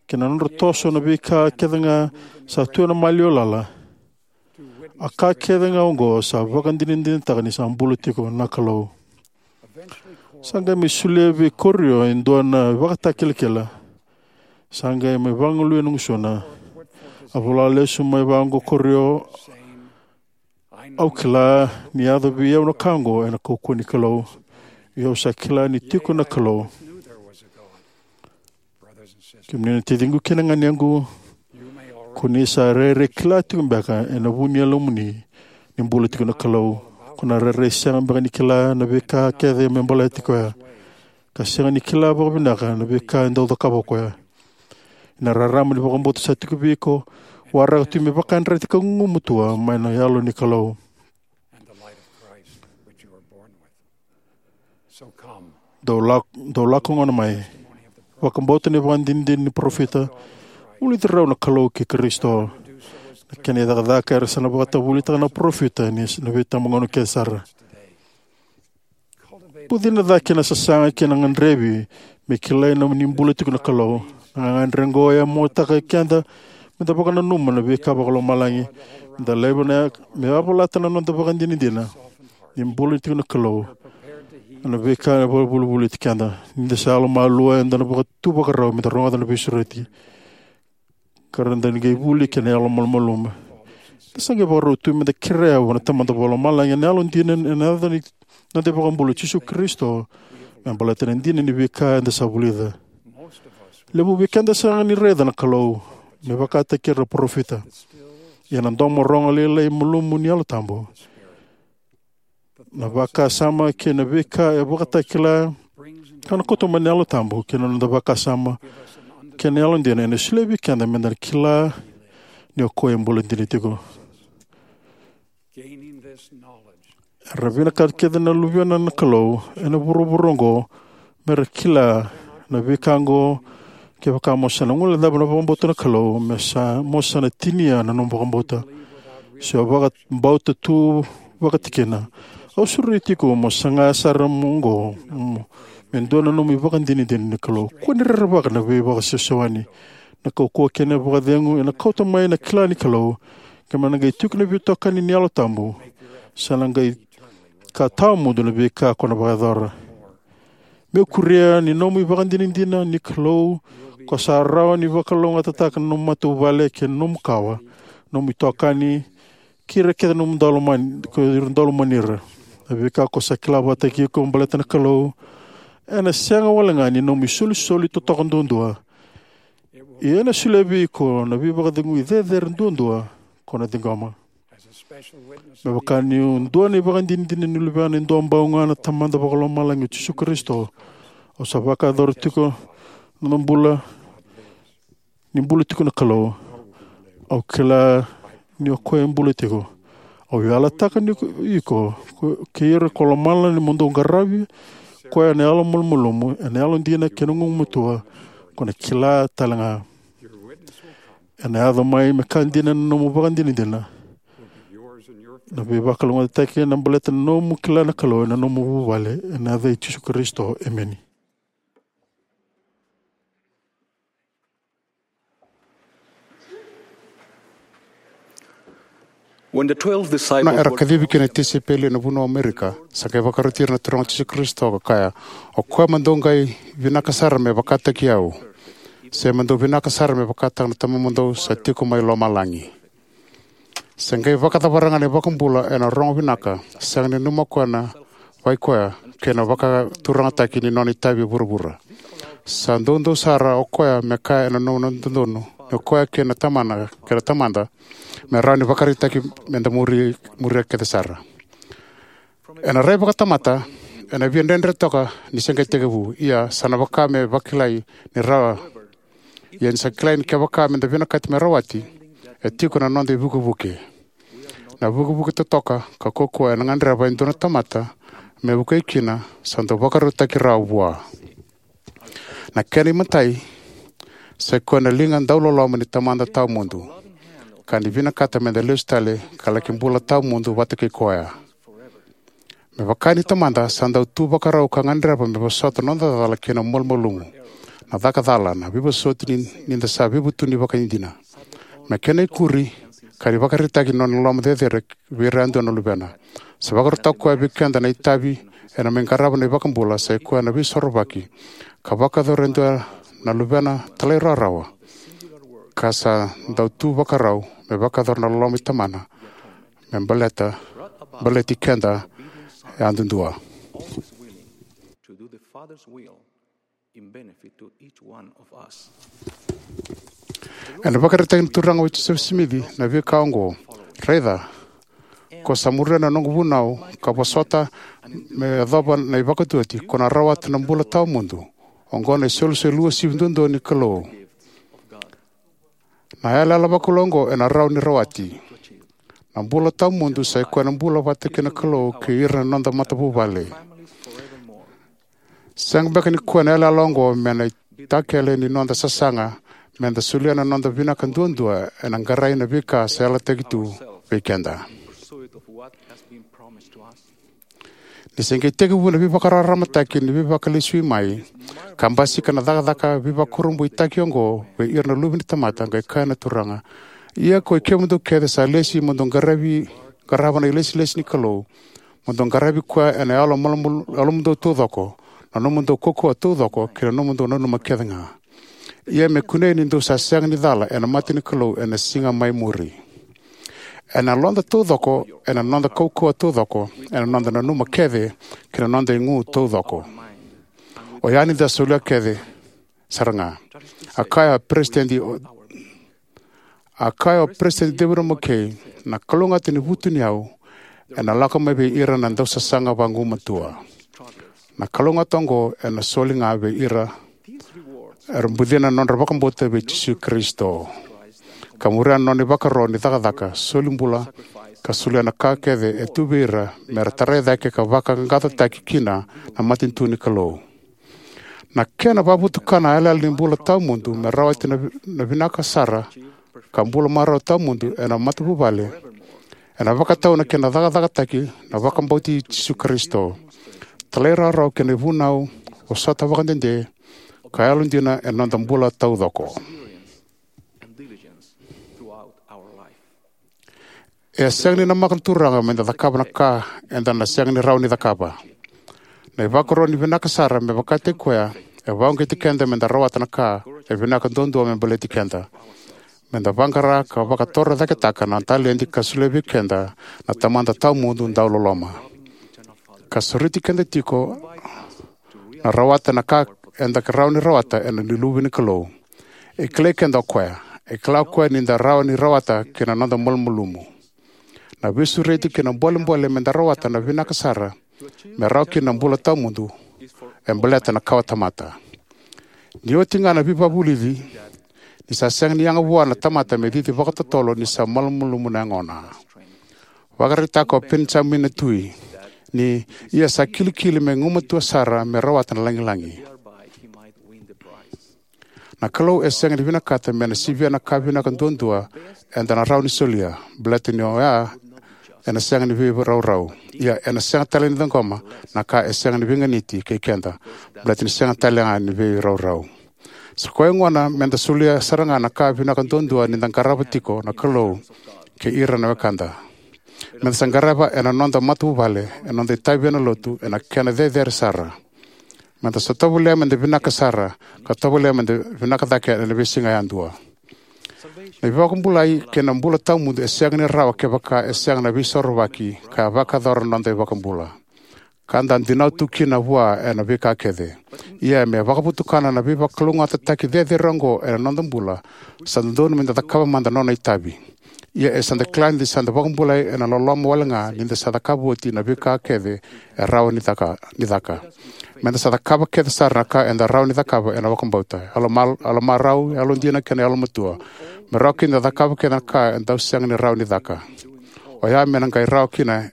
kei na nodra toso na veika kece ga sa tu ena maliwa lala. A ka kece ga oqo sa vakadinadinataka ni sa bula tiko na Kalou. Sa qai mai solia vei Korio e dua na ivakatakilakila. Sa qai mai vagalui ena gusuna. A vola lesu mai vaqo o Korio, "Au kila ni yaco vei au na ka oqo ena kaukauwa ni Kalou. Ia au sa kila ni tiko na Kalou." Kemuni na taciqu kei na ganequ, ko ni sa rairai kila tiko beka ena vu ni yalomuni ni bula tiko na Kalou. Ko na rairai sega beka ni kila na veika kece me baleti koya, ka sega ni kila vakavinaka na veika e dau cakava o koya. Na rarama ni vakabauta sa tiko vei iko, waraka tu me vakayadrati ka gugumatua mai na Yalo ni Kalou. Dou lako, dou lako gona mai. Vakabauta na ivakadinadina ni parofita. Vulici rau na Kalou kei Karisito. Na kena icakacaka era sa na vakatavulitaka na parofita ni na veitabagauna kece sara. Bucina cake na sasaga kei na gadrevi me kilai na ni bula tiko na Kalou. Na gagadre oqo e yamoataka keda me da vakananuma na veika vakalomalagi, me da laiva na, me yavalata na noda vakadinadina ni bula tiko na Kalou. Na veika e vakavolivoliti keda. Ni da sa yalomalua, eda na vakatuvakarau me da rogoca na veisureti, ka ra da ni qai vuli kei na yalo malumalumu. Da sa qai vakarau tu me da kerea na Tamada Vakalomalagi ena yalodina, ena yaca ni noda iVakabula o Jisu Karisito, me baleta na dina ni veika eda sa vulica. Levu vei keda sega ni raica na Kalou me vakataki ira na parofita. Ia na domo rogo lailai malumu ni Yalo Tabu, na vakasama kei na veika e vakatakila, ka na kauta mai na Yalo Tabu kei na noda vakasama kei na yalodina, ena solia vei keda me da kila ni o koya e bula dina tiko. Era vinakata kece na luvena na Kalou ena vuravura oqo me ra kila na veika oqo. Kevaka mo sa na guilecava na vakabauta na Kalou, me sa, mo sa na tinia na nomu vakabauta. Se o vakabauta tu vakatikina. Au sureti iko mo saga sara mo oqo, mo, me dua na nomu ivakadinadina ni Kalou. Kua ni rerevaka na veivakasewasewani. Na kaukauwa kei na vakacegu ena kauta mai na kila ni Kalou. Ke me na qai tiko na veitokani ni Yalo Tabu, sa na qai ka tawamudu na veika ko na vakayacora. Meu kuria ni nomu ivakadinadina ni Kalou, ko sa rawa ni vakalougatataka na nomu matavuvale kei na nomu kawa, nomu itokani, kei ira kece nomu daulomani, ko ira daulomani ira. Na veika ko sa kila vakataki iko baleta na Kalou, ena sega wale ga ni nomu isolisoli totoka duadua. Ia ena solia vei iko na veivakacegui cecere duadua ko na ciqoma. Me vaka niu dua na ivakadinadina ni luvena e duabau ga na Tamada Vakalomalagi o Jisu Karisito, au sa vakayacora tiko na bula, ni bula tiko na Kalou. Au kila ni o koya e bula tiko. Au yalataka ni iko, iko, ko, kei ira ko lomalagi mo dou qaravi koya ena yalo malumalumu, ena yalodina kei na gugumatua, ko na kila tale ga. Ena yaco mai me ka dina na nomu vakadinadina. Na veivakalougatataki ena baleta na nomu kila na Kalou ena nomu vuvale, ena yaca i Jisu Karisito. Emeni. When the twelve disciples Na era were kacivi kina na tisaipeli ena vanua o Amerika, sa qai vakaroti ira na Turaga o Jisu Karisito ka kaya, "O koya mo dou qai vinaka sara me vakataki au, se mo dou vinaka sara me vakataka na Tamamudou sa tiko mai lomalagi." Se qai vakacavara ga na iVakabula ena rogo vinaka, sega ni nanuma o koya na vei koya kei na vakaturagataki ni nona itavi e vuravura. Sa doudou sara o koya me kaya ena nona dodonu ni o koya kei na Tamana, kei na Tamada, me rawa ni vakaraitaki me da muri, muria kece sara. Ena rai vakatamata, ena via dredre toka ni se qai tekivu, ia sa na vaka me vakilai ni rawa. Ia ni sa kilai ni kevaka me da vinakati me rawati, e tiko na noda ivukevuke. Na vukevuke totoka ka kaukaua ena gadreva e dua na tamata me vukei kina, sa dau vakarautaki rawa vua. Na kena imatai, sa i koya na liga dauloloma ni Tamada tawamudu, ka ni vinakata me da lesu tale ka laki bula tawamudu vata kei koya. Me vaka ni Tamada, sa dau tu vakarau ka gadreva me vosota na noda cala kei na malumalumu, na caka cala, na veivosoti ni, ni da sa veivutuni vakaidina. Me kena ikuri, ka ni vakaraitaki na nona loloma cecere vei ira yadua na luvena. Sa vakarautaka o koya vei keda na itavi ena mai qarava na iVakabula, sa i koya na Veisorovaki, ka vakayacora e dua na Luvena talairawarawa, ka sa dau tu vakarau me vakayacora na loloma i Tamana me baleta, baleti keda yadudua. Ena vakaraitaki na Turaga o Josefa Simici na veika oqo: Raica, ko sa muria na noqu vunau ka vosota me yacova na ivakatuati, ko na rawata na bula tawamudu. Oqo na isolisoli uasivi duadua ni Kalou. Na yalayala vakalou oqo ena rawa ni rawati. Na bula tawamudu sa i koya na bula vata kei na Kalou kei ira na noda matavuvale. Sega beka ni koya na yalayala oqo me na itakele ni noda sasaga me da solia na noda vinaka duadua ena qarai na veika sa yalataki tu vei keda? Ni se qai tekivu na veivakararamataki ni Veivakalesui mai, ka basika na cakacaka veivakurabuitaki oqo vei ira na luve ni tamata, qai kaya na Turaga: Ia koi kemudou kece sa lesi mo dou qaravi, qarava na ilesilesi ni Kalou, mo dou qaravi koya ena yalo malumalumu, yalomudou taucoko, na nomudou kaukauwa taucoko, kei na nomudou nanuma kece ga. Ia me kunei ni dou sa sega ni cala ena mata ni Kalou ena siga mai muri, ena yaloda taucoko, ena noda kaukauwa taucoko, ena noda nanuma kece, kei na noda igu taucoko. Oya ni da solia kece sara ga. A kaya o Peresitedi o, a kaya o Peresitedi David O. McKay: Na kalougata ni vutuniyau ena lako mai vei ira na dausasaga vagumatua. Na kalougata oqo ena soli ga vei ira era bucina na nodra vakabauta vei Jisu Karisito, ka muria na nona ivakaro ni cakacaka, soli bula, ka solia na ka kece e tu vei ira me ra tarai cake ka vakaqaqacotaki kina na matanitu ni Kalou. Na kena vakavutukana na yalayala ni bula tawamudu me rawati na vi-, na vinaka sara ka bula marau tawamudu ena matavuvale, ena vakatau na kena cakacakataki na vakabauti Jisu Karisito, talairawarawa kei na ivunau, vosota vakadede, ka yalodina ena noda bula taucoko. E sega ni namaka na Turaga me da cakava na ka eda na sega ni rawa ni cakava. Na ivakaro ni vinaka sara me vakataki koya e vakauqeti keda me da rawata na ka e vinaka duadua me baleti keda. Me da vaqara ka vakatorocaketaka na taledi ka solia vei keda na Tamada tawamudu dauloloma, ka sureti keda tiko na rawata na ka eda rawa ni rawata ena luve ni Kalou. E kilai keda o koya. E kila o koya ni da rawa ni rawata kei na noda malumalumu. Na veisureti kei na bolebole me da rawata na vinaka sara me rawa kina na bula tawamudu e baleta na kawatamata. Ni oti ga na veivakavulici, ni sa sega ni yaga vua na tamata me cici vakatotolo ni sa malumalumu na yagona. Vakaraitaka o Penijamini na tui ni: Ia sa kilikili me gumatua sara me rawata na lagilagi. Na Kalou e sega ni vinakata me na sivia na ka vinaka duadua eda na rawa ni solia, baleta ni oya ena sega ni veiraurau. Ia ena sega tale ni ciqoma na ka e sega ni veiganiti kei keda, baleta ni sega tale ga ni veiraurau. Sa koya gona me da solia sara ga na ka vinaka duadua ni da qarava tiko na Kalou kei ira na wekada. Me da sa qarava ena noda matavuvale, ena noda itavi ena lotu, ena kena cecere sara. Me da sa tovolea me da vinaka sara, ka tovolea me da vinaka cake ena veisiga yadua. Na veivakabulai kei na bula tawamudu e sega ni rawa kevaka e sega na Veisorovaki ka vakayacora na noda iVakabula, ka da dinau tu kina vua ena veika kece. Ia me vakavutukana na veivakalougatataki cecere oqo ena noda bula, sa dodonu me da cakava mada na nona itavi. Ia e sa da kila ni sa da vakabulai ena loloma wale ga ni da sa cakava oti na veika kece e rawa ni caka, ni caka. Me da sa cakava kece sara na ka eda rawa ni cakava ena vakabauta, yalomal-, yalomarau, yalodina kei na yalomatua, me rawa kina da cakava kece na ka e dau sega ni rawa ni caka. Oya me na qai rawa kina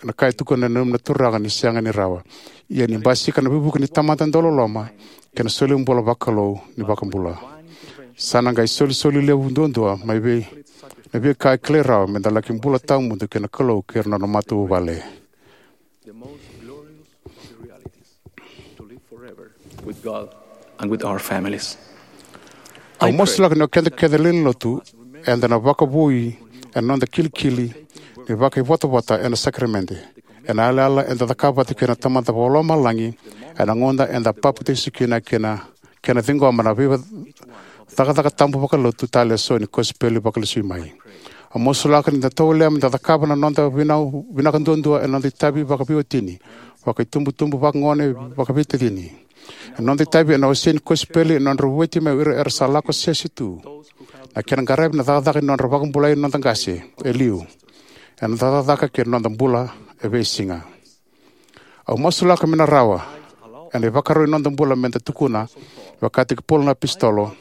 na ka e tukuna na neimami Turaga ni sega ni rawa. Ia ni basika na veivuke ni Tamada dauloloma kei na solibula vakalou ni iVakabula, sa na qai solisoli levu duadua mai vei na veika e kilai rawa me da laki bula tawamudu kei na Kalou kei ira na nona matavuvale. With God and with our families. Au masulaka ni o keda kece na lewe ni lotu eda na vakavoui ena noda kilikili ni vakaivotavota ena sakaramede, ena yalayala eda cakava vata kei na Tamada Vakalomalagi ena gauna eda papitaiso kina, kei na kena ciqoma na veicakacaka tabu vakalotu tale eso ni kosipeli vakalesui mai. Au masulaka ni da tovolea me da cakava na noda vinau vinaka duadua ena noda itavi vakaveiwatini, vakaitubutubu, vakagone, vakaveitacini. Ena noda itavi ena wasei ni kosipeli, ena nodra vueti mai o ira era sa lako sese tu, na kena qaravi na cakacaka ni nodra vakabulai na noda qase e liu, ena noda cakacaka kei na noda bula e veisiga. Au masulaka me na rawa, ena ivakarau ni noda bula, me da tukuna, vaka tiki Paula na apositolo: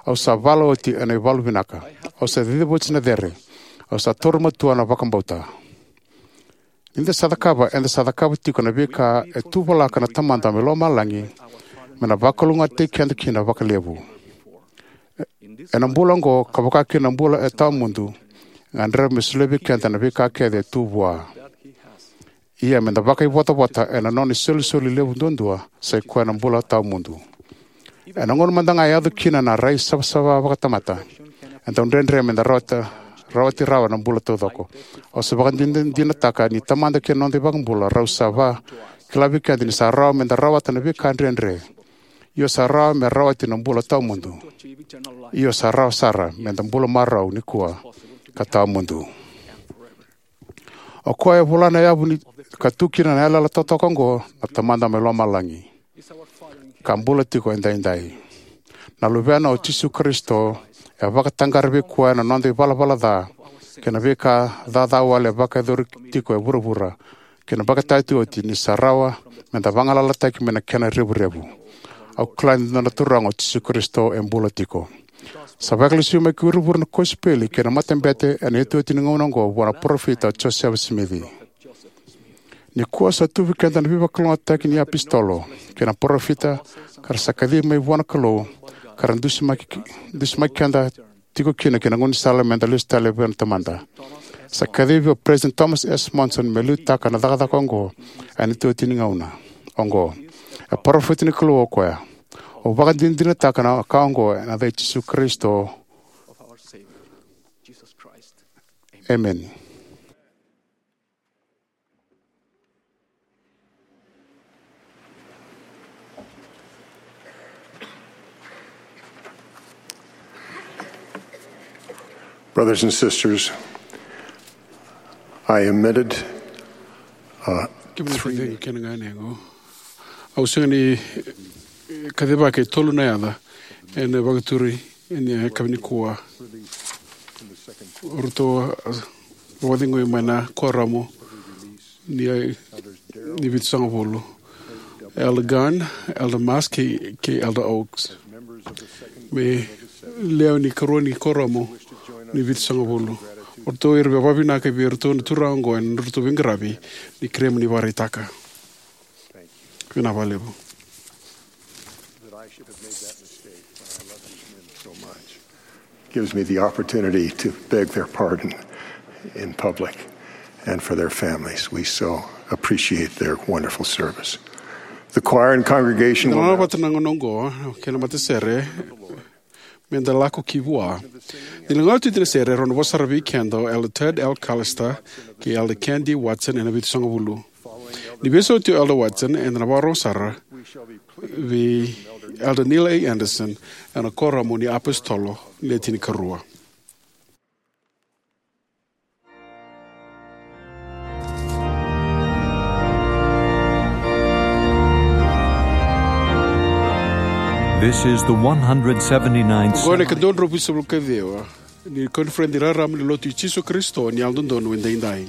"Au sa vala oti ena ivalu vinaka. Au sa cicivoti na cere. Au sa taura matua na vakabauta." Ni da sa cakava, eda sa cakava tiko na veika e tuvalaka na Tamada mai Lomalagi me na vakalougatataki keda kina vakalevu. Ena bula oqo, ka vaka kina na bula e tawamudu, e gadreva me solia vei keda na veika kece e tu vua. Ia, me da vakaivotavota ena nona isolisoli levu duadua, sa i koya na bula tawamudu. Ena gauna mada ga e yaco kina na rai savasava vakatamata, e dau dredre me da rawata, rawati rawa na bula taucoko. Au sa vakadinadinataka ni Tamada kei na noda iVakabula rau sa vakila vei keda ni sa rawa me da rawata na veika dredre. Io, sa rawa me rawati na bula tawamudu. Io, sa rawa sara me da bula marau nikua ka tawamudu. O koya e vola na yavu ni ka tu kina na yalayala totoka oqo na Tamada mai Lomalagi, ka bula tiko edaidai. Na Luvena o Jisu Karisito e vakataqara vei koya na noda ivalavala ca kei na veika caca wale e vakayacori tiko e vuravura, kei na vakatayati oti ni sa rawa me da vagalalataki mai na kena revurevu. Au kila ni dua na Turaga o Jisu Karisito e bula tiko. Sa vakalesui mai ki vuravura na kosipeli kei na matabete ena iotioti ni gauna oqo vua na parofita o Josefa Simici. Nikua sa tu vei keda na veivakalougatataki ni apositolo kei na parofita ka ra sa kacivi mai vua na Kalou, ka ra dusimaki, dusimaki keda tiko kina ki na gaunisala me da lesu tale vua na Tamada. Sa kacivi o President Thomas S. Monson me liutaka na cakacaka oqo ena iotioti ni gauna oqo. E parofita ni Kalou o koya. Au vakadinadinataka na ka oqo ena yaca i Jisu Karisito. Emeni. Brothers and sisters, I omitted, uh, Kemuni three three. Kemuni kena ganequ. Au sega ni, eh, kacivaka e tolu na yaca ena vakaturi ena yakavi nikua. O ratou, ah, vakacegui mai na kuoramu ni, ni vitusagavulu. Elder Gunn, Elder Musk, kei, kei Elder Oaks. Me lewe ni karua ni kuoramu ni vitusagavulu. O ratou era vakavinaka vei iratou na turaga oqo ena nodratou veiqaravi, ni kerea mo ni vakaraitaka. Vinaka vakalevu. That I should have made that mistake when I love these men so much. Gives me the opportunity to beg their pardon in public and for their families. We so appreciate their wonderful service. The choir and congregation will now vata na gauna oqo, kei na matasere, me da lako ki vua. Ni lagona tu na sere, rau na vosa sara vei keda o Elder Ted L. Callister kei Elder Ken D. Watson ena vitusagavulu. Ni veisau tu o Elder Watson, eda na vakarorogo sara vei Elder Neil A. Andersen ena kuoramu ni apositolo ni le tinikarua. This is the one hundred seventy-ninth. Oqo na ikadua drau vitusagavulu ka ciwa ni Koniferedi Raraba ni Lotu i Jisu Karisito ni Yalododonu Edaidai.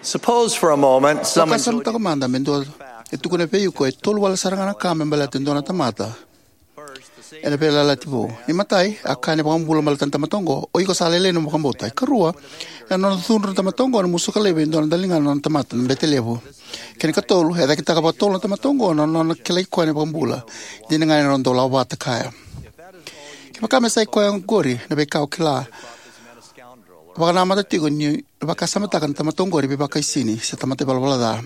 Suppose for a moment someone told you. Vakasamataka mada me dua e tukuna vei iko e tolu wale sara ga na ka me baleta e dua na tamata ena Veiyalayalati Vou. Ni matai, a kaya na iVakabula baleta na tamata oqo, "O iko sa lailai na nomu vakabauta." Ikarua, ena nona cudru na tamata oqo na musuka laivi e dua na daliga na nona tamata na bete levu. Kena ikatolu, e cakitaka vakatolu na tamata oqo na nona kilai koya na iVakabula. Dina ga ni rau dau lako vata kaya. Kevaka me sa i koya oqori na veika o kila, vakanamata tiko ni vakasamataka na tamata oqori veivakaisini se tamata ivalavala ca.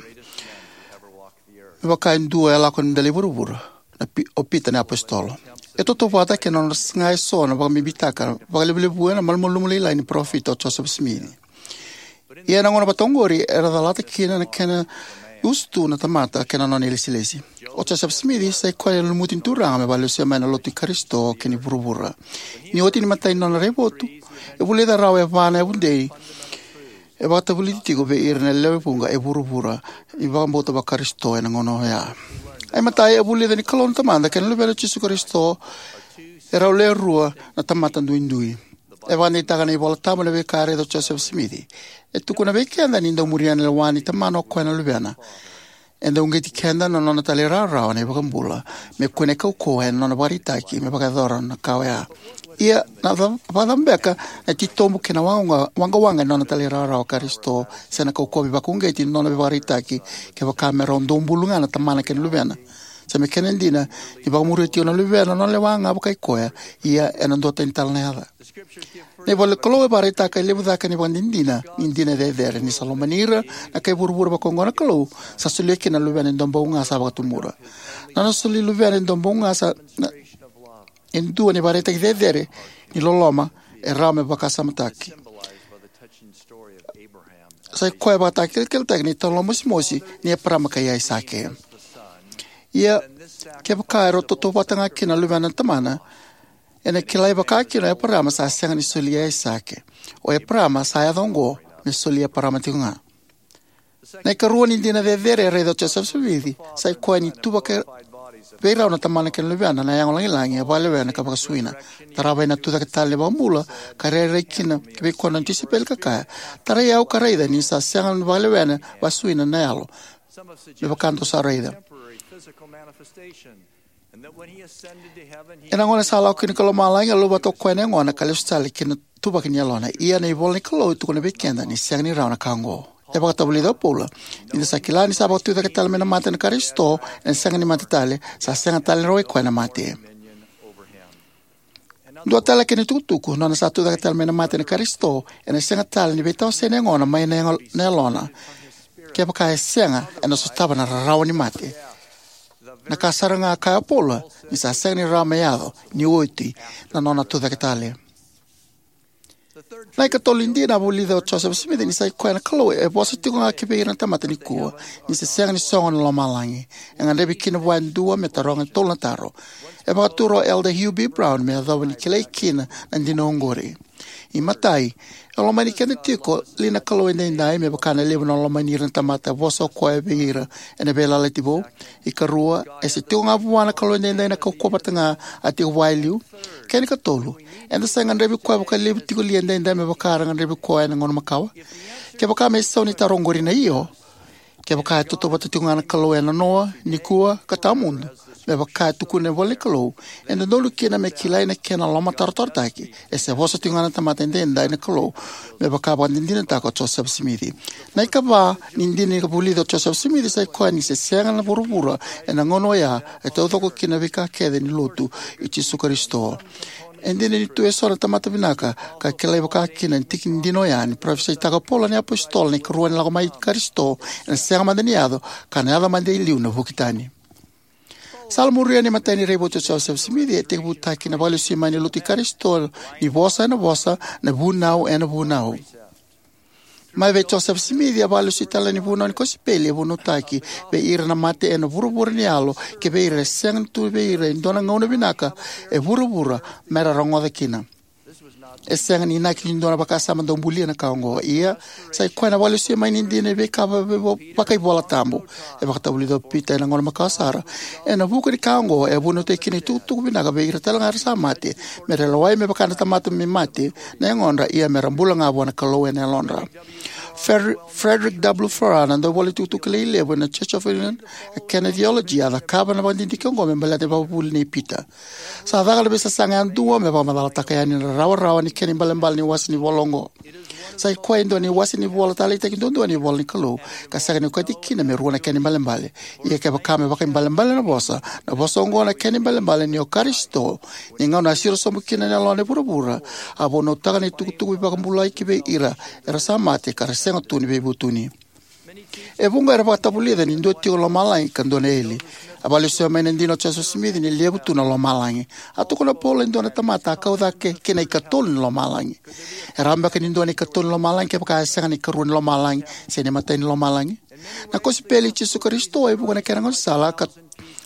Me vaka e dua e lako ni dela i vuravura, na Pi-, o Pita na iapositolo. E tautauvata kei na nona saga eso na vakabibitaka vakalevulevu ena malumalumu lailai ni parofita o Josefa Simici. Ia ena gauna vata oqori era calata kina na kena usutu na tamata kei na nona ilesilesi. O Josefa Simici sa i koya na lumuti ni Turaga me vakalesuya mai na lotu i Karisito kei na vuravura. Ni oti ni matai ni nona raivotu, e vulica rawa e va na yavudei e vakatavulici tiko vei ira na lewe vuqa e vuravura ni vakabauta vaKarisito ena gauna oya. Ai matai, e vulica ni Kalou na Tamada kei na Luvena o Jisu Karisito e rau lewe rua na tamata duidui. E vakadeitaka na iVola Tabu na veika e raica o Josefa Simici. E tukuna vei keda ni dau muria na lewa ni Tamana o koya na Luvena. E dau uqeti keda na nona talairawarawa na iVakabula me kune kaukauwa ena nona vakaraitaki me vakayacora na ka oya. Ia na ca-, vakacava beka na titobu kei na waqawaqa, waqawaqa ena nona talairawarawa Karisito, se na kaukauwa veivakauqeti ni nona veivakaraitaki kevaka me rau dau bulu ga na Tamana kei na Luvena? Sa me kena dina ni vakamuria tiko na Luvena na nona lewa ga vakai koya, ia ena duatani tale na yaca. Na ivola ni Kalou e vakaraitaka e levu cake na ivakadinadina ni dina cecere, ni sa lomani ira na kai vuravura vakaoqo na Kalou, sa solia kina na Luvena e dua bau ga sa vakatubura. Na nona soli Luvena e dua bau ga sa na, e dua na ivakaraitaki cecere ni loloma e rawa me vakasamataki. Sa i koya e vakatakilakilataki na italanoa mosimosi ni Eparama kei Aisake. Ia, kevaka e rau tautauvata ga kina na Luvena na Tamana, ena kilai vaka kina o Eparama sa sega ni soli Aisake. O Eparama sa yaco oqo me soli Eparama tiko ga. Na ikarua ni dina cecere e raica o Josefa Simici, sa i koya ni tuvaka vei rau na Tamana kei na Luvena na yago lagilagi e vakalewena ka vakasuina. Tarava ena tucake tale ni iVakabula ka rairai kina vei koya na nona tisaipeli ka kaya, "Tarai au ka raica ni sa sega ni vakalewena vakasuina na yalo me vaka dou sa raica." Ena gauna sa lako kina ki lomalagi, a luvata o koya na yagona ka lesu tale ki na ituvaki ni yalona. Ia na ivola ni Kalou e tukuna vei keda ni sega ni rawa na ka oqo. E vakatavulica o Paula, "Ni da sa kila ni sa vakatucake tale mai na mate na Karisito, ena sega ni mate tale, sa sega tale ni rawai koya na mate." Dua tale kei na itukutuku, nona sa tucake tale mai na mate na Karisito, ena sega tale ni veitawasei na yagona mai na yago-, na yalona. Kevaka e sega, ena sotava na rarawa ni mate. Na ka sara ga a kaya o Paula, ni sa sega ni rawa me yaco ni oti na nona tucake tale. Na ikatolu ni dina a vulica o Josefa Simici ni sa i koya na Kalou e vosa tiko ga ki vei ira na tamata nikua, ni se sega ni sogo na lomalagi. E gadrevi kina vua e dua me taroga e tolu na taro. E vakatura o Elder Hugh B. Brown me yacova ni kilai kina na dina oqori. Imatai, e lomani keda tiko li na Kalou edaidai me vaka na levu na lomani ira na tamata e vosa o koya vei ira ena Veiyalayalati Vou? Ikarua, e se tiko ga vua na Kalou edaidai na kaukauwa vata ga a tiko vua e liu? Kena ikatolu, eda sa gadrevi koya vakalevu tiko li edaidai me vaka era gadrevi koya ena gauna makawa? Kevaka me isau ni taro oqori na io, kevaka e tautauvata tiko ga na Kalou ena noa, nikua, ka tawamudu, me vaka e tukuna na ivola ni Kalou, e dodonu kina me kilai na kena lomatarotarotaki, e se vosa tiko ga na tamata edaidai na Kalou, me vaka vakadinadinataka o Josefa Simici. Na ikava ni dina ni vulica o Josefa Simici sa i koya ni se sega na vuravura ena gauna oya e taucoko kina na veika kece ni lotu i Jisu Karisito. E dina ni tu eso na tamata vinaka ka kilai vaka kina na tiki ni dina oya ni parofisaitaka o Paula na iapositolo na ikarua ni lako mai i Karisito, ena sega mada ni yaco, ka na yaco mada e liu na vuki tani. Sa la muria na imatai ni raivotu o Josefa Simici, e tekivutaki na vakalesui mai ni lotu i Karisito, ni vosa ena vosa, na vunau ena vunau. Mai vei Josefa Simici, a vakalesui tale ni vunau ni kosipeli e vunautaki vei ira na mate ena vuravura ni yalo, kei vei ira e sega ni tu vei ira e dua na gauna vinaka e vuravura mera rogoca kina. E sega ni inaki ni dua na vakasama dau bulia na ka oqo. Ia, sa i koya na vakalesui mai ni dina ni veika va-, va-, vakaivolatabu. E vakatavulica o Pita ena gauna makawa sara, ena vuku ni ka oqo e vunautaki kina na itukutuku vinaka vei ira tale ga era sa mate, mera lewai me vaka na tamata me mate na yagodra, ia mera bula ga vua na Kalou ena yalodra. Frederick W. Farrar, na dauvolatukutuku kilai levu ena Church of England, a kena theology a cakava na vakadidike oqo me baleta na ivakavuvuli nei Pita. Sa caka na veisasaga yadua me vakamacalataka yani na rawarawa ni kena ibalebale ni wase ni vola oqo. Sa i koya e dua na iwase ni vola taleitaki duadua ni ivola ni Kalou, ka sega ni okati kina me rua na kena ibalebale. Ia kevaka me vakaibalebale na vosa, na vosa oqo na kena ibalebale ni o Karisito, ni gauna a siro sobu kina na yalona e vuravura, a vunautaka na itukutuku veivakabulai ki vei ira era sa mate ka ra sega tu ni veivutuni. E vuqa era vakatavulica ni dua tiko na lomalagi ka dua na eli. A vakalesui mai na dina o Josefa Simici ni levu tu na lomalagi. A tukuna o Paula e dua na tamata a kau cake ki na ikatolu ni lomalagi. E rawa beka ni dua na ikatolu ni lomalagi kevaka e sega na ikarua ni lomalagi se na imatai ni lomalagi? Na kosipeli i Jisu Karisito e vuqa na kena gaunisala ka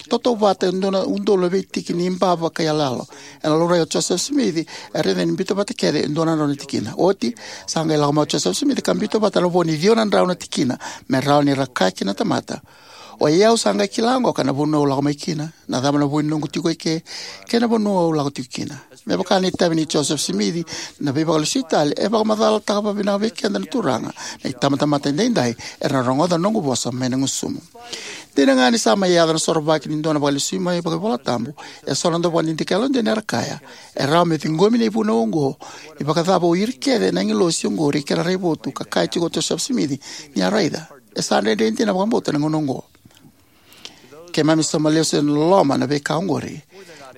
tautauvata e dua na udolu na veitiki ni bava ka iyaloyalo. Ena laurai o Josefa Simici, e raica ni biuta vata kece e dua na drau na tikina. Oti, sa qai lako mai o Josefa Simici ka biuta vata na vo ni ciwa na drau na tikina me rawa ni ra kaya kina na tamata: O i au sa qai kila oqo ka na vanua au lako mai kina, na cava na vo ni noqu tiko eke, kei na vanua au lako tiko kina. Me vaka na itavi nei Josefa Simici, na Veivakalesui tale e vakamacalataka vakavinaka vei keda na Turaga. Na itabatamata edaidai era na rogoca na noqu vosa mai na gusumu. Dina ga ni sa mai yaco na sorovaki ni dua na vakalesui mai vakaivolatabu, e so na dauvakadidike yalodina era kaya: E rawa me ciqomi na ivunau oqo ni vakacava o ira kece na agilosi oqori kei na raivotu ka kaya tiko o Josefa Simici ni a raica. E sa dredre dina vakabauta na gauna oqo. Keimami sauma lesu ena loloma na veika oqori.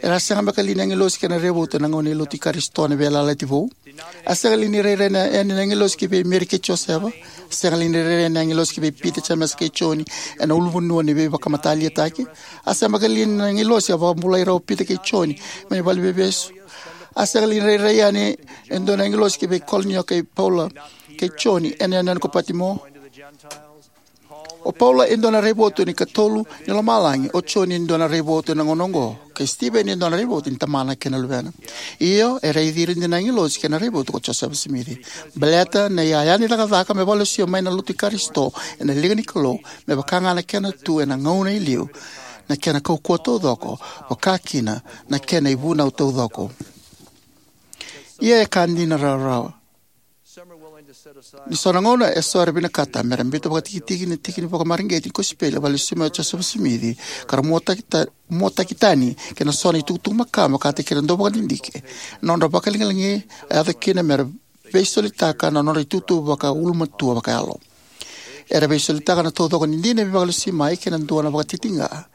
Era a sega beka li ni agilosi kei na raivotu ena gauna ni lotu i Karisito ena Veiyalayalati Vou? A sega li ni rairai yani na agilosi ki vei Meri kei Josefa? A sega li ni rairai yani na agilosi ki vei Pita, Jemesa kei Joni ena ulunivanua ni veivakamatatayalitaki? A sega beka li ni agilosi a vakabulai ira o Pita kei Joni mai na valeniveivesu? A sega li ni rairai yani e dua na agilosi ki vei Kolinio kei Paula kei Joni ena yanuyanu ko Patimo? O Paula e dua na raivotu ni ikatolu ni lomalagi, o Joni e dua na raivotu ena gauna oqo, kei Stiveni e dua na raivotu ni Tamana kei na Luvena. Io, e raici ira dina na agilosi kei na raivotu ko Josefa Simici. Baleta na iyaya ni cakacaka me vakalesui mai na lotu i Karisito ena liga ni Kalou, me vaka ga na kena tu ena gauna e liu, na kena kaukauwa taucoko, vaka kina na kena ivunau taucoko. Ia e ka dina rawarawa. Ni so na gauna e so era vinakata me ra biuta vakatikitiki na tiki ni vakamareqeti ni kosipeli a vakalesui mai o Josefa Simici, ka ra muataki ta-, muataki tani kei na so na itukutuku makawa me vakataki ira na dauvakadidike, na nodra vakalagilagi e yaco kina me ra veisolitaka na nodra itutu vakaulumatua vakayalo. Era veisolitaka na taucoko ni dina ni vakalesui mai kei na dua na vakatitiqa.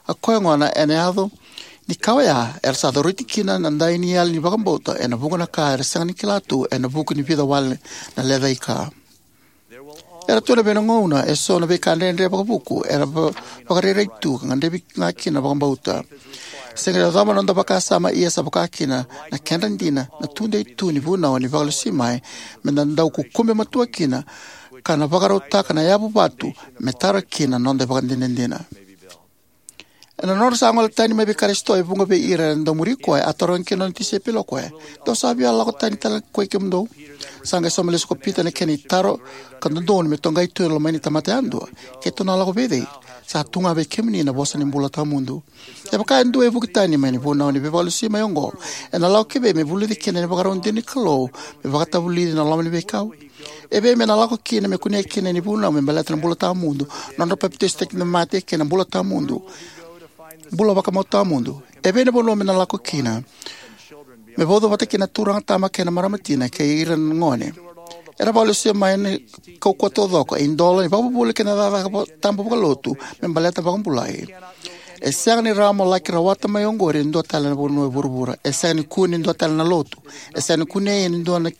A koya gona ena yaco ni ka oya, era sa coriti kina na dai ni yali ni vakabauta ena vuqa na ka era sega ni kila tu ena vuku ni vica wale na lecaika. Era tu na veigauna e so na veika dredre vakavuku era va-, vakarairai tu ka gadrevi ga kina na vakabauta. Sega ni yacova na noda vakasama, ia sa vaka kina na kedra dina na tudei tu ni vunau ni vakalesui mai, me da dau kukube matua kina, ka na vakarautaka na yavu vatu me tara kina na noda ivakadinadina. Ena nodra sa gole tani mai vei Karisito e vuqa vei ira era dau muri koya, a tarogi kina na nona tisaipeli o koya: Dou sa via lako tani tale koi kemudou? Sa qai sauma lesu ko Pita ena kena itaro ka dodonu me toqai tu e lomai ni tamata yadua: Keitou na lako vei cei? Sa tu ga vei kemuni na vosa ni bula tawamudu. Kevaka e dua e vuki tani mai na vunau ni veivakalesui mai oqo, ena lako ki vei me vulici kina na ivakarau dina ni Kalou me vakatavulici na loma ni veikau? E vei me na lako kina me kunea kina na ivunau me baleta na bula tawamudu, nodra papitaisotaki na mate kei na bula tawamudu, bula vakamau tawamudu? E vei na vanua me na lako kina me vauca vata kina na turaga tama kei na marama tina kei ira na gone? Era vakalesui mai na kaukauwa taucoko, idola ni vakavuvuli kei na cakacaka va-, tabu vakalotu me baleta na vakabulai. E sega ni rawa mo laki rawata mai oqori e dua tale na vanua e vuravura. E sega ni kune e dua tale na lotu. E sega ni kunei e dua na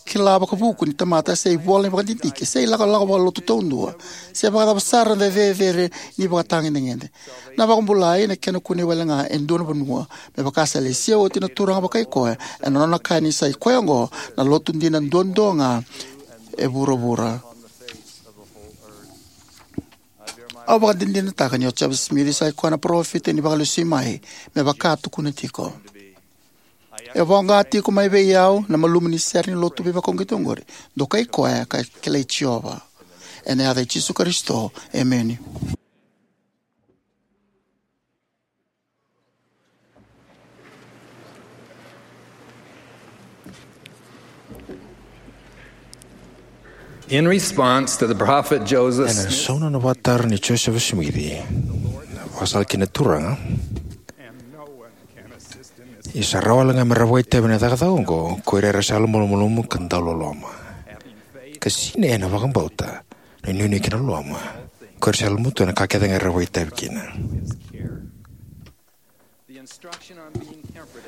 kila vakavuku ni tamata, se ivola ni vakadidike, se ilakolako vakalotu taudua, se vakacava sara na cecere ni ivakatagedegede. Na vakabulai na kena kunei wale ga e dua na vanua, me vaka sa lesia oti na Turaga vakai koya ena nona kaya ni sa i koya oqo na lotu dina duadua ga e vuravura. Au vakadinadinataka ni o Josefa Simici sa i koya na parofita ni vakalesui mai, me vaka a tukuna tiko. E voqa tiko mai vei au na malumu ni sere ni lotu veivakauqeti oqori. Dokai koya ka kilai Jiova. Ena yaca i Jisu Karisito, emeni. In response to the prophet Joseph Ena Smith, sauna na vakataro ni Josefa Simici, vakasala kina na Turaga, ia sa rawa wale ga me ra vakaitavi ena cakacaka oqo ko ira era sa yalomalumalumu ka dauloloma, ka sinai ena vakabauta, na inuinui kei na loloma, ko ira sa yalomatua ena ka kece ga era vakaitavi kina.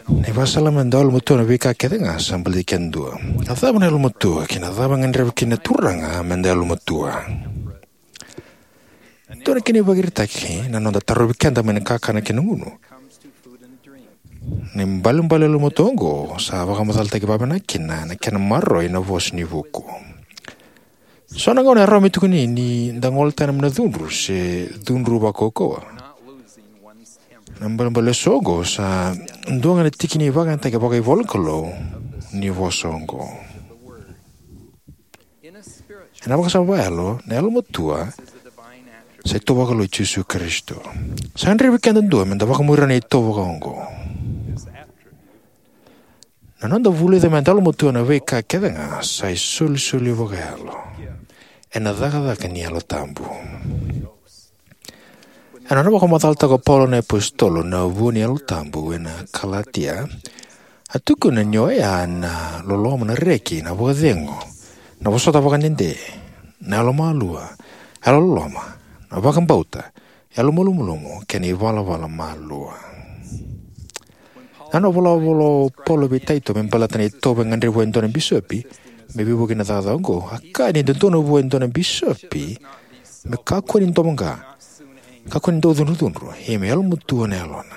Na ivakasala me da yalomatua ena veika kece ga sa baleti keda dua. Na cava na yalomatua, kei na cava e gadreva kina na Turaga me da yalomatua? Dua na kena ivakaraitaki na noda tarovi keda mai na kakana kei na gunu. Na ibalebale yalomatua oqo sa vakamacalataki vakavinaka kina na kena maroroi na vosa ni vuku. So na gauna e rawa me tukuni ni da gole tani mai na cudru se cudru vakaukauwa. Na ibalebale eso oqo sa dua ga na tiki ni vakayagataki vakaivolanikalou ni vosa oqo. Ena vakasama vakayalo, na yalomatua sa itovo vakalou i Jisu Karisito. Sa gadrevi keda dua me da vakamuria na itovo vaka oqo. Na noda vulica me da yalomatua ena veika kece ga sa isolisoli vakayalo ena cakacaka ni Yalo Tabu. Ena nona vakamacalataka o Paula na iApositolo na vua ni Yalo Tabu ena Kalatia, a tukuna ni oya na loloma, na reki, na vakacegu, na vosota vakadede, na yalomalua, yalololoma, na vakabauta, yalomalumalumu, kei na ivalavala malua. Na nona volavola o Paula vei Taito me baleta na itovo e gadrevi vua e dua na bisopi me veivuke ena cakacaka oqo, a kaya ni dodonu vua e dua na bisopi me kakua ni domoqa, kakua ni dau cudrucudru, ia me yalomatua na yalona.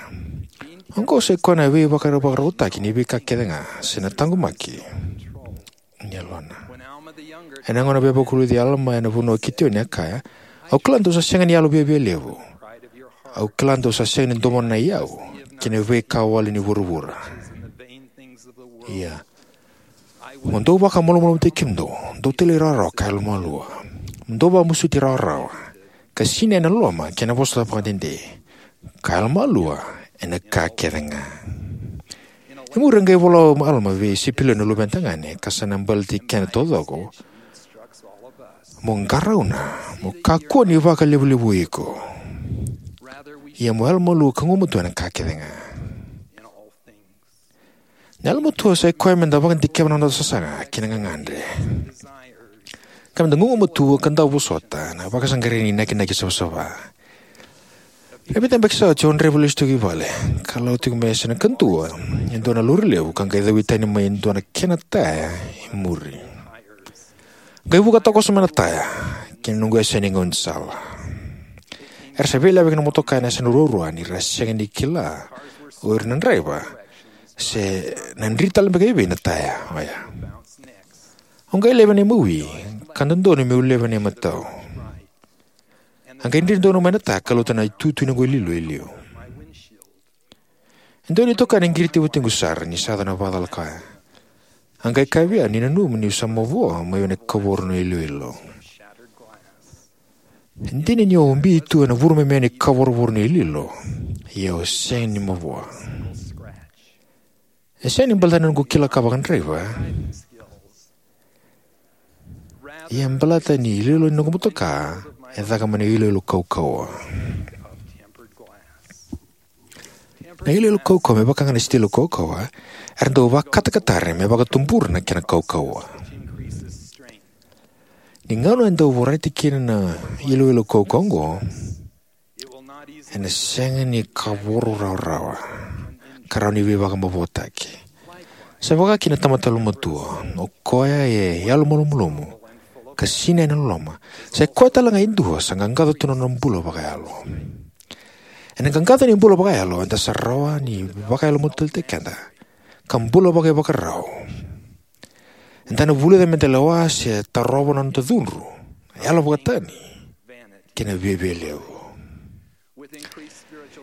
Oqo sai koya na veivakarau, vakarautaki ni veika kece ga se na taqomaki ni yalona. Ena gauna e veivakavulici Alama ena vanua o Kitioni, a kaya, "Au kila dou sa sega ni yalo viavialevu. Au kila dou sa sega ni domona na iyau kei na veika wale ni vuravura. Ia, mo dou vakamalumalumutaki kemudou, dou talairawarawa ka yalomalua. Mo dou vakamasuti rawarawa, ka sinai ena loloma kei na vosota vakadede, ka yalomalua ena ka kece ga." E muri a qai vola o Alama vei Sipilio na luvena tagane, ka sa na baleti keda taucoko, "Mo qarauna, mo kakua ni vakalevulevui iko. Ia mo yalomalua ka gumatua ena ka kece ga." Na yalomatua sai koya me da vakadikeva na noda sasaga kei na gagadre, ka me da gugumatua ka dau vosota na vakasaqarai ni nakinaki savasava. Ena vica na yabaki sa oti au draiva lesu tiko i vale, ka lako tiko mai e yasana kadua e dua na lori levu, ka qai cawi tani mai e dua na kena taya e muri. Qai vuka toka sobu mai na taya ki na noqu yasana ni gaunisala. Era sa veilaveki na motoka ena yasana ruarua, ni ra sega ni kila o ira na draiva se na dri tale beka i vei na taya oya. Au qai laiva na imawi, ka dodonu meu laiva na imatau. A qai dri donu mai na taya ka lauta na itutu ni noqu iloilo e liu. E dua na itokani e qiriti vatiqu sara ni sa yaco na vakacalaka oya. A qai kaya vei au ni nanuma niu sa mavoa mai vei na kavoro ni iloilo. E dina ni au ubi tu ena vurumemeya ni kavorovoro ni iloilo, ia au sega ni mavoa. E sega ni baleta ni noqu kila ka vakadraiva, ia e baleta ni iloilo ni noqu motoka e caka mai na iloilo kaukauwa. Na iloilo kaukauwa, me vaka ga na sitilo kaukauwa, era dau vakatakatari me vakatubura na kena kaukauwa. Ni gauna e dau vorati kina na iloilo kaukauwa oqo, ena sega ni kavoro rawarawa ka rawa ni veivakamavoataki. Sa vaka kina na tamata yalomatua, o koya e yalomalumalumu ka sinai ena loloma, sa i koya tale ga e dua sa qaqaco tu na nona bula vakayalo. Ena qaqaco ni bula vakayalo, eda sa rawa ni vakayalomatua tale keda ka bula vakaivakarau. Eda na vulica me da lewa se tarova na noda cudru, yalo vakatani, kei na viavialevu.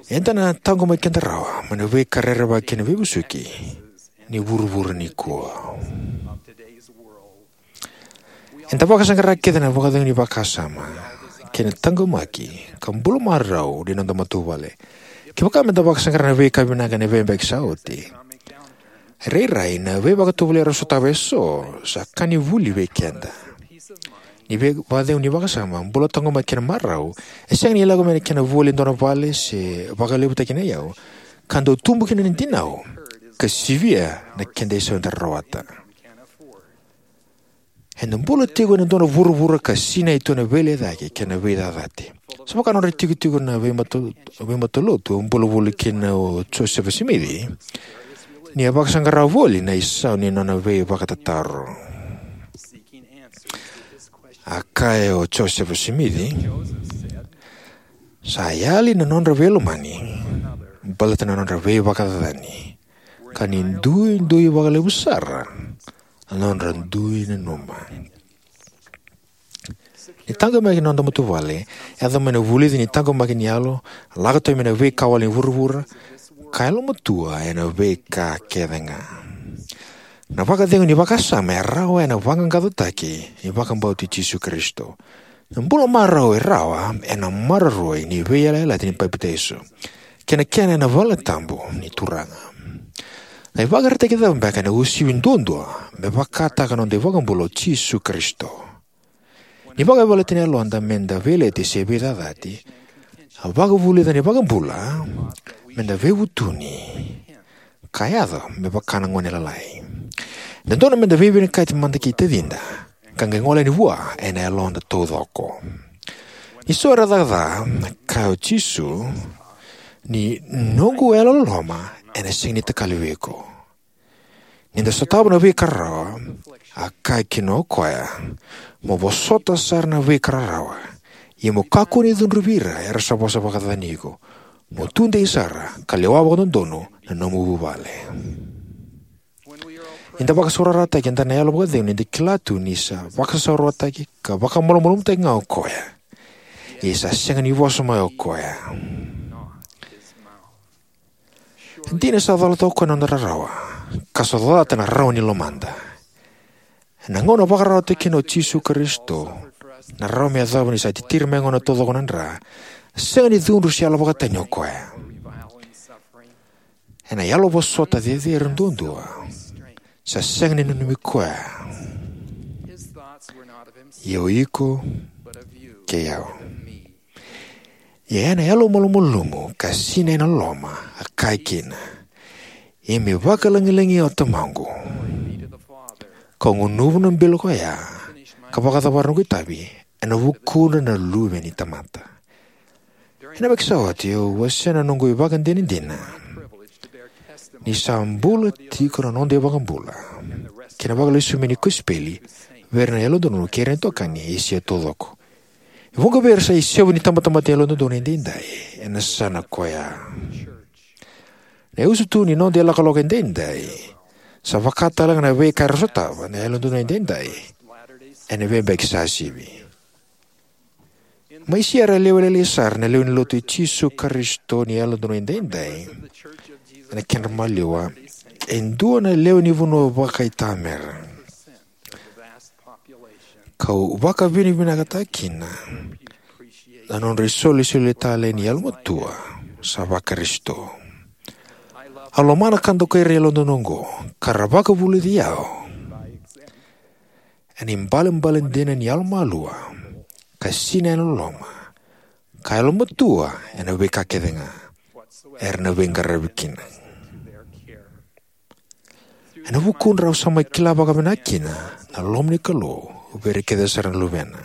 Eda na taqomaki keda rawa mai na veika rerevaki kei na veivosoti ni vuravura nikua. Eda vakasaqara kece na vakacegu ni vakasama kei na taqomaki ka bula marau ni noda matavuvale. Kevaka me da vakasaqara na veika vinaka ena veiyabaki sa oti, e rairai na veivakatovolei era sotava eso sa ka ni vuli vei keda. Ni vei vakacegu ni vakasama, bula taqomaki kei na marau, e sega ni lako mai na kena voli e dua na vale se vakalevutaki na iyau, ka dau tubu kina na dinau ka sivia na keda isau eda rawata. Eda bula tiko ena dua na vuravura ka sinai tu ena veilecayaki kei na veicacati. Sa vaka nodra itikotiko na veimato-, veimatalotu a bula voli kina o Josefa Simici, ni a vakasaqara voli na isau ni nona veivakatataro. A kaya o Josefa Simici, sa yali na nodra veilomani baleta na nodra veivakacacani, ka ni duidui vakalevu sara na nodra dui nanuma. Ni taqomaki na noda matavuvale, e yaco mai na vulici ni taqomaki ni yalo, lako tani mai na veika wale ni vuravura, ka yalomatua ena veika kece ga. Na vakacegu ni vakasama e rawa ena vaqaqacotaki ni vakabauti Jisu Karisito. Na bula marau e rawa ena maroroi ni veiyalayalati ni papitaiso kei na kena ena valetabu ni Turaga. Na ivakaraitaki cava beka ena uasivi duadua me vakataka na noda iVakabula o Jisu Karisito? Ni vakayavalati na yaloda meda veileti se veicacati, a vakavulica na iVakabula meda veivutuni ka yaco me vaka na gone lalai. E dodonu meda veivinakati mada kei tacida ka qai gole yani vua ena yaloda taucoko. Ni so era caka ca, a kaya o Jisu, ni noqu yalololoma ena sega ni takali vei iko. Ni da sotava na veika rarawa, a kaya kina o koya, mo vosota sara na veika rarawa, ia mo kakua ni cudruvi ira era sa vosa vakacacani iko. Mo tudei sara ka lewa vakadodonu na nomu vuvale. Ni da vakasaurarataki, eda na yalo vakacegu ni da kila tu ni sa vakasaurarataki ka vakamalumalumutaki ga o koya. Ia sa sega ni vosa mai o koya. E dina sa colata o koya na noda rarawa, ka sa colata na rarawa ni lomada. Ena gauna vakararawataki kina o Jisu Karisito, na rarawa me yacova ni sa titiri mai gona taucoko na dra, sega ni cudru se yalo vakatani o koya. Ena yalo vosota cecere duadua, sa sega ni nanumi koya. Ia o iko kei au. Ia ena yalo malumalumu ka sinai ena loloma, a kaya kina, ia me vakalagilagi o Tamaqu, kau gunuva na bilo ko ya, ka vakacavara noqu itavi ena vukudra na luve ni tamata. Ena veki sa oti au wasea na noqu ivakadinadina ni sa bula tiko na noda iVakabula kei na vakalesui mai ni kosipeli vei ira na yalododonu kei ira na itokani e Esia taucoko. E vuqa vei ira sa isevu ni tabatamata ni yalododonu edaidai ena yasana koya. Na iusutu ni noda ilakolako edaidai sa vaka talega na veika era sotava na yalododonu edaidai ena veiyabaki sa sivi. Mai Siera e lewe lailai sara na lewe ni Lotu i Jisu Karisito ni Yalododonu Edaidai ena kedra maliwa, e dua na lewe ni vanua vakaitamera. Kau vakavinavinakataka kina na nodra isolisoli tale ni yalomatua sa vaKarisito. Au lomana ka dokai ira na yalododonu oqo, ka ra vakavulici au ena ibalebale dina ni yalomalua, ka sinai ena loloma, ka yalomatua ena veika kece ga era na veiqaravi kina. Ena vukudra au sa mai kila vakavinaka kina na loma ni Kalou vei ira kece sara na luvena.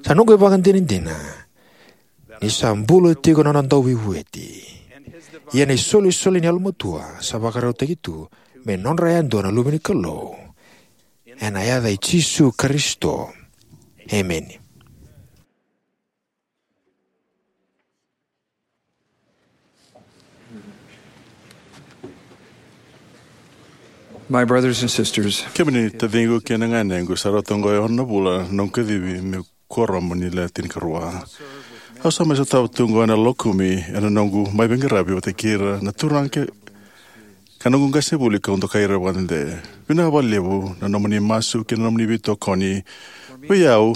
Sa noqu ivakadinadina ni sa bula tiko na nona dauveivueti, ia na isolisoli ni yalomatua sa vakarautaki tu me nodra yadua na luve ni Kalou. Ena yaca i Jisu Karisito, emeni. My brothers and sisters, kemuni taciqu kei na ganequ, sa rauta oqo e ono na vula na noqu kacivi meu kuoramu ni Le Tinikarua. Au sa mai sotava tu oqo ena loma ni Lotu ena noqu mai veiqaravi vata kei ira na turaga kei, ka noqu qasenivuli kau dokai ira vakadede. Vinaka vakalevu na nomuni masu kei na nomuni veitokoni vei au.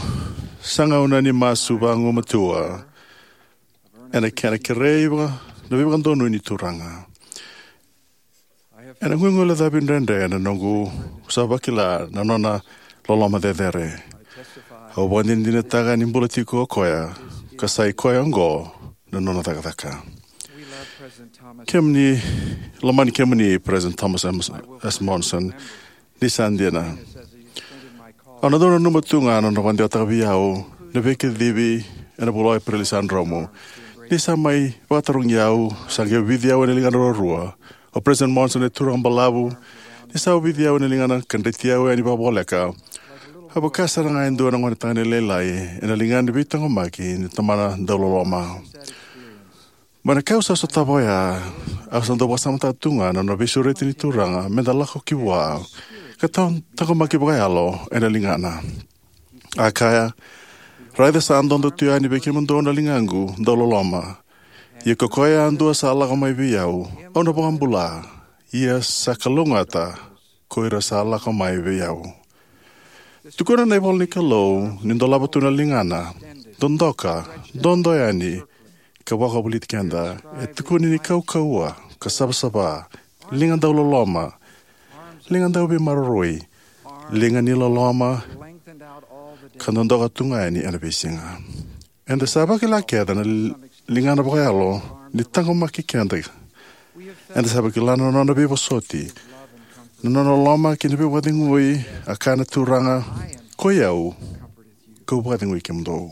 Sa gauna ni masu vagumatua ena kena kerei vaka, na veivakadonui ni Turaga. Ena guiguilecavi dredre ena noqu sa vakila na nona loloma cecere. Au vakadinadinataka ni bula tiko o koya, ka sa i koya oqo na nona cakacaka. Kemuni, lomani kemuni President Thomas M. S. Monson, ni sa dina. Au na dau nanuma tu ga na nona vakadewataka vei au na veikacivi ena vula o Epereli sa dromu. Ni sa mai vakatarogi au, sa qai ovici au ena ligana ruarua. O President Monson e turaga balavu, ni sa ovici au ena ligana ka dreti au yani vakavoleka. A vaka sara ga e dua na gone tagane lailai ena ligana ni veitaqomaki ni tamana dauloloma. Mai na ka au sa sotava oya, au sa dau vakasamataka tu ga na nona veisureti ni Turaga me da lako ki vua ka taqomaki vakayalo ena ligana. A kaya, "Raica sa dodo tu yani vei kemudou na ligaqu dauloloma. Ia ko koya yadua sa lako mai vei au, au na vakabula. Ia sa kalougata ko ira sa lako mai vei au." Tukuna na ivola ni Kalou ni dolava tu na ligana, dodoka, dodo yani, ka vakavulici keda. E tukuni ni kaukauwa, ka savasava, liga dauloloma, liga dauveimaroroi, liga ni loloma, ka dodoka tu ga yani ena veisiga. Eda sa vakila kece na li-, ligana vakayalo ni taqomaki keda. Eda sa vakila na nona veivosoti, na nona loloma kei na veivakacegui. A kaya na Turaga, "Koi au, kau vakacegui kemudou."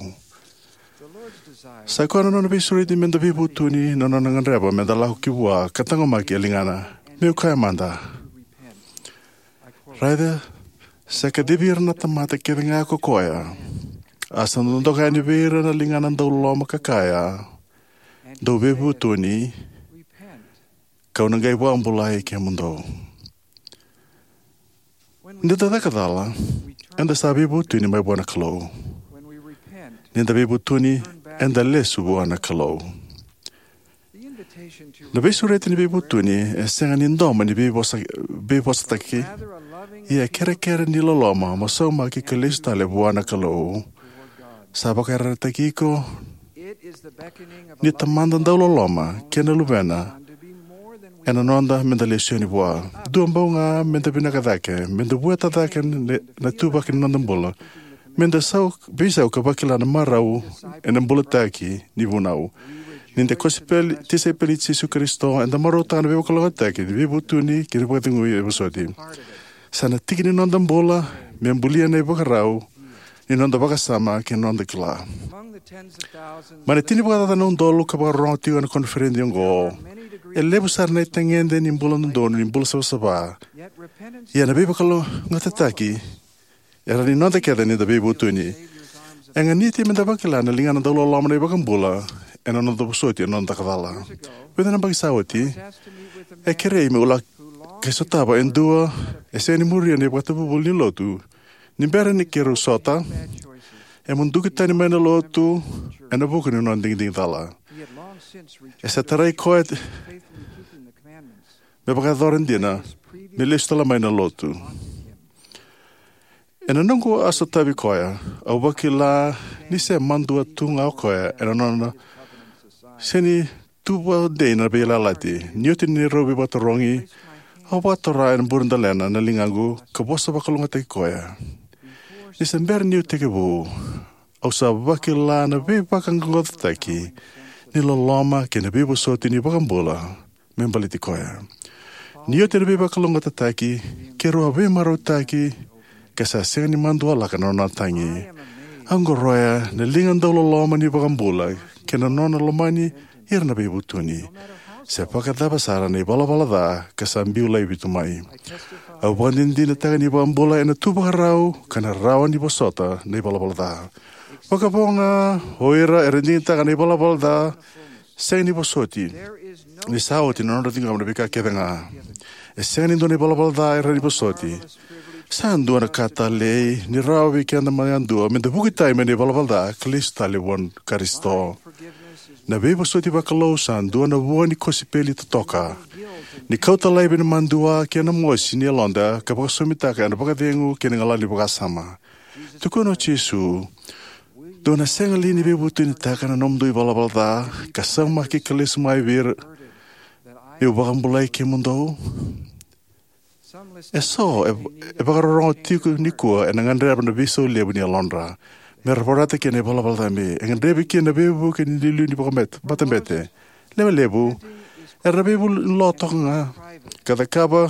Sa koya na nona veisureti me da veivutuni, na nona gadreva me da lako ki vua ka taqomaki e ligana. Meu kaya mada, raica, sa kacivi ira na tamata kece ga ko koya. A sa dodoka yani vei ira na ligana dauloloma ka kaya, "Dou veivutuni, kau na qai vakabulai kemudou." Ni da caka cala, eda sa veivutuni mai vua na Kalou. Ni da veivutuni, eda lesu vua na Kalou. Na veisureti ni veivutuni e sega ni domo ni veivosa, veivosataki, ia e kerekere ni loloma mo saumaki ka lesu tale vua na Kalou. Sa vakayarayarataki iko ni Tamada dauloloma kei na Luvena ena noda me da lesu yani vua. Dua bau ga me da vinaka cake, me da vueta cake na, na ituvaki ni noda bula, me da sau, veisau ka vakila na marau ena bulataki ni vunau. Ni da kosipeli, tisaipeli i Jisu Karisito, eda marautaka na veivakalougatataki ni veivutuni kei na vakacegui e vosoti. Sa na tiki ni noda bula me bulia na ivakarau ni noda vakasama kei na noda kila. Mai na tini vakacaca na udolu ka vakarorogo tiko ena koniferedi oqo, e levu sara na itagede ni bula dodonu, ni bula savasava. Ia na veivakalougatataki e rawa ni noda kece ni da veivutuni. E ganiti me da vakila na ligana dauloloma na iVakabula ena noda vosoti ena noda caka cala. Vica na yabaki sa oti, e kerei meu laki sotava e dua e sega ni muria na ivakatavuvuli ni lotu. Ni bera ni keirau sota, e muduki tani mai na lotu ena vuku ni nona digidigi cala. E sa tarai koya me vakayacora dina me lesu tale mai na lotu. Ena noqu a sotavi koya, au vakila ni se madua tu ga o koya ena nona sega ni tuva dei na veiyalayalati. Ni oti na neirau veivakatarogi, au vakatora ena buradalena na ligaqu ka vosa vakalougatataki koya. Ni se bera niu tekivu, au sa vakila na veivakaqaqacotaki ni loloma kei na veivosoti ni iVakabula me baleti koya. Ni oti na veivakalougatataki, keirau a veimarautaki, ka sa sega ni madua laka na nona tagi. Au qoroya na liga dauloloma ni iVakabula kei na nona lomani ira na veivutuni, se vakacava sara na ivalavala ca ka sa biu laivi tu mai. Au vakadinadinataka ni iVakabula ena tu vakarau ka na rawa ni vosota na ivalavala ca. Vakavo ga o ira era digitaka na ivalavala ca sega ni vosoti, ni sa oti na nodra ciqoma na veika kece ga. E sega ni dua na ivalavala ca e rawa ni vosoti. Sa dua na ka talei ni rawa vei keda mai yadua me da vuki tani mai na ivalavala ca ka lesu tale vua Karisito. Na veivosoti vakalou sa dua na vua ni kosipeli totoka, ni kauta laivi na madua kei na mosi ni yaloda ka vakasomitaka ena vakacegu kei na galala ni vakasama. Tukuna o Jisu, "Dou na sega li ni veivutunitaka na nomudou ivalavala ca ka saumaki ka lesu mai vei ira, meu vakabulai kemudou?" E so e, e vakarorogo tiko nikua ena gadreva na veisau levu ni yalodra me ra vorata kina na ivalavala cabe. E gadrevi kina na veivuke ni liuliu ni vakamatabete. Lewe levu era na veivuli ni lo toka ga ka cakava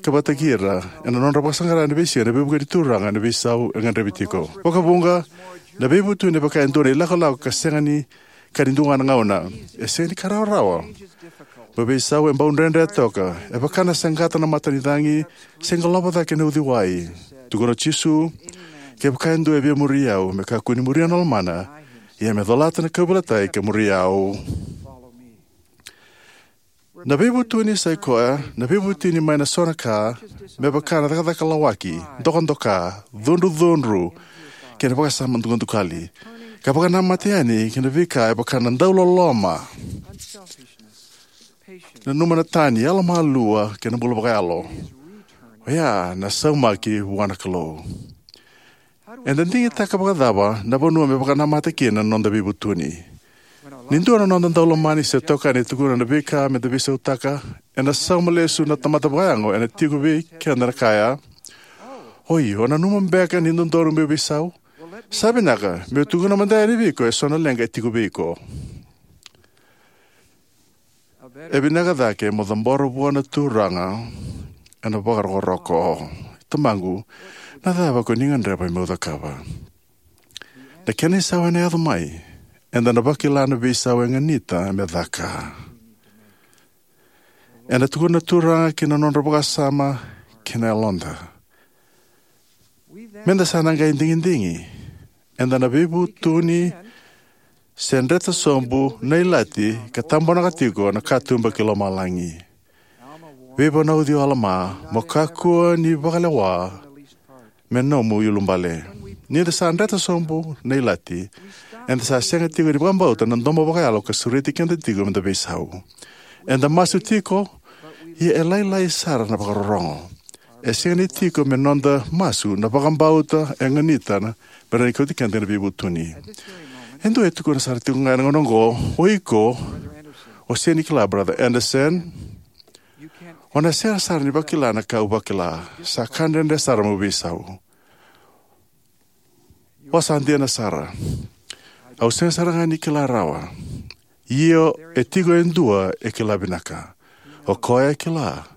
ka vakataki ira ena nodra vakasaqara ena veisiga na veivuke ni Turaga ena veisau e gadrevi tiko. Vakavuqa, na veivutuni e vaka e dua na ilakolako ka sega ni ka ni dua ga na gauna. E sega ni ka rawarawa. Mo veisau e bau dredre toka. E vaka na saqata na matanicagi se qolova cake na uciwai. Tukuna o Jisu, kevaka e dua e via muri au, me kakua ni muria na lomana, ia me colata na kauveilatai ka muri au. Na veivutuni sai koya na veivutuni mai na so na ka, me vaka na cakacaka lawaki, dokadoka, cudrucudru, kei na vakasama dukadukali, ka vakanamata yani ki na veika e vaka na dauloloma, nanuma na tani, yalomalua, kei na bula vakayalo. Oya na saumaki vua na Kalou. Eda digitaka vakacava na vanua me vakanamata kina na noda veivutuni? Ni dua na noda daulomani se tokani e tukuna na veika meda veisautaka, ena sauma lesu na tamata vakayago ena tiko vei keda na kaya, "Oi, o nanuma beka ni dodonu meu veisau? Sa vinaka, meu tukuna mada yani vei iko eso na leqa e tiko vei iko." E vinaka cake mo cabora vua na Turaga ena vakarokoroko, "Tamaqu, na cava ko ni gadreva meu cakava?" Na kena isau ena yaco mai, eda na vakila na veisau e ganita me caka. Ena tukuna na Turaga ki na nodra vakasama kei na yaloda. Meda sa na qai digidigi, eda na veivutuni se dreta sobu na ilati ka tabonaka tiko na katuba ki lomalagi. Veivunauci o Alama, mo kakua ni vakalewa me nomu iulubale. Nida sa dreta sobu na ilati, eda sa sega tiko ni vakabauta na domo vakayalo ka sureti keda tiko meda veisau. Eda masu tiko, ia e lailai sara na vakarorogo. E sega ni tiko me noda masu na vakabauta e ganita me rawa ni kauti keda ena veivutuni. E dua e tukuna sara tiko ga ena gauna oqo, "O iko, o sega ni kila, Brother Anderson, o na sega sara ni vakila na ka au vakila. Sa ka dredre sara meu veisau. O sa dina sara. Au sega sara ga ni kila rawa. Io, e tiko e dua e kila vinaka. O koya e kila.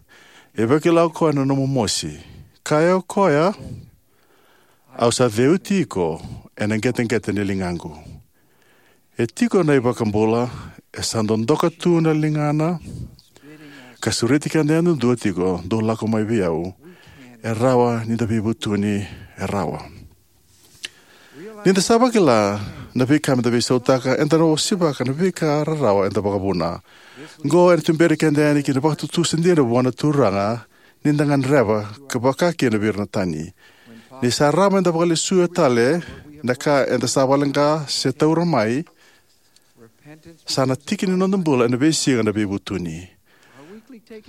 E vakila o koya na nomu mosi. Kaya o koya, au sa ceuti iko ena qeteqete ni ligaqu." E tiko na iVakabula, e sa dodoka tu na ligana, ka sureti keda yadudua tiko, "Dou lako mai vei au." E rawa nida veivutuni, e rawa. Nida sa vakila na veika meda veisautaka, eda na osivaka na veika rarawa eda vakavuna. Qo ena tuberi keda yani ki na vakatutusa dina vua na Turaga, nida gadreva ka vaka kina vei ira na tani. Ni sa rawa meda vakalesuya tale na ka eda sa vakaleqa se taura mai, sa na tiki ni noda bula ena veisiga na veivutuni.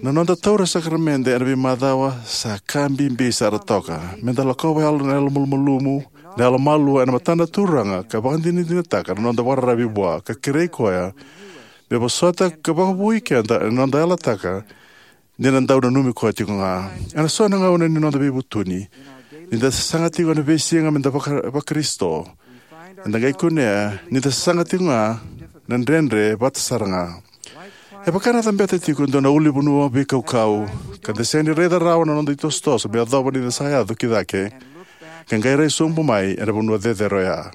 Na noda taura sakaramede ena veimacawa sa ka bibi sara toka. Meda lakova yalo na yalo malumalumu, na yalo malua ena matana na Turaga, ka vakadinadinataka na noda vakararavi vua, ka kerei koya me vosota ka vakavoui keda ena noda yalataka ni na dau nanumi koya tiko ga. Ena so na gauna ni noda veivutuni, nida sasaga tiko ena veisiga meda vaka-, Vakarisito, eda qai kunea nida sasaga tiko ga na dredre vata sara ga. E vaka na cabeta tiko e dua na ulunivanua veikaukau, ka da sega ni raica rawa na noda itosotoso me yacova ni da sa yaco ki cake, ka qai rai sobu mai ena vanua cecere oya.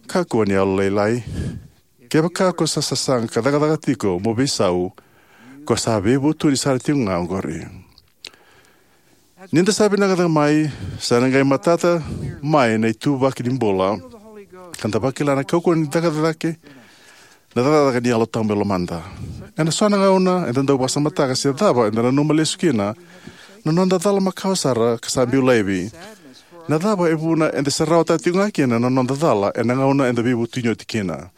Kakua ni yalolailai. Kevaka ko sa sasaga ka cakacaka tiko mo veisau, ko sa veivutuni sara tiko ga oqori. Nida sa vinaka cake mai, sa na qai matata mai na ituvaki ni bula, ka da vakila na kaukauwa ni cakacaka, na cakacaka ni Yalo Tabu e lomada. Ena so na gauna eda dau vakasamataka se cava eda nanuma lesu kina na noda cala makawa sara ka sa biu laivi. Na cava e vuna eda se rawata tiko ga kina na noda cala ena gauna eda veivutuni oti kina?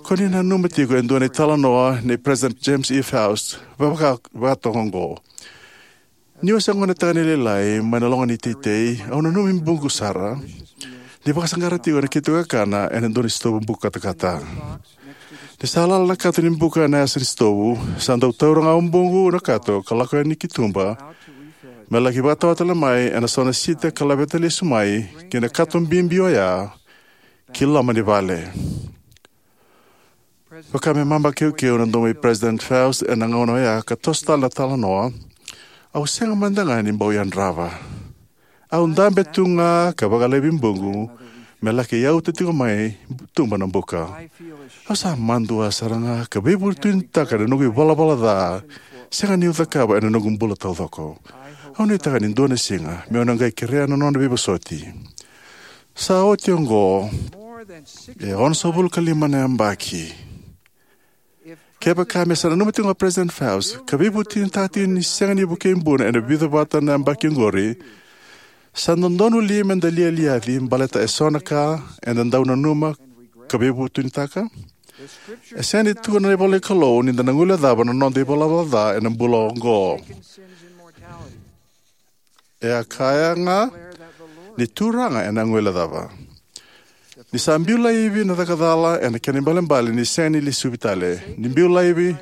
Ko ni nanuma tiko e dua na italanoa nei President James E. Faust, vaka, vakatoka oqo. Niu se gonetagane lailai mai na loga ni teitei, au nanumi buqu sara ni vakasaqara tiko na keitou kakana ena dua na sitovu buka katakata. Ni sa lala na kato ni buka ena yasa ni sitovu, sa dau taura ga o buqu na kato ka lako yani ki tuba me laki vakatawa tale mai ena so na sita ka laveta lesu mai ki na kato bibi oya ki loma ni vale. Vaka me mamakekeu na domo i President Faust ena gauna oya ka toso tale na talanoa, au sega mada ga ni bau yadrava. Au dabe tu ga ka vakalaivi buqu me laki yauta tiko mai tuba na buka. Au sa madua sara ga ka veivutunitaka na noqu ivalavala ca sega niu cakava ena noqu bula taucoko. Au nuitaka ni dua na siga meu na qai kerea na nona veivosoti. Sa oti oqo e ono sagavulu ka lima na yabaki. Kevaka me sa nanuma tiko ga o President Faust ka veivutunitaka tiko ni sega ni vukei buna ena vica vata na yabaki oqori, sa dodonu li me da lialiaci baleta e so na ka eda dau nanuma ka veivutunitaka? E sega ni tukuna na ivola ni Kalou ni da na guilecava na noda ivalavala ca ena bula oqo. E a kaya ga ni Turaga ena guilecava. Ni sa biu laivi na cakacala ena kena ibalebale ni sega ni lesuvi tale. Ni biu laivi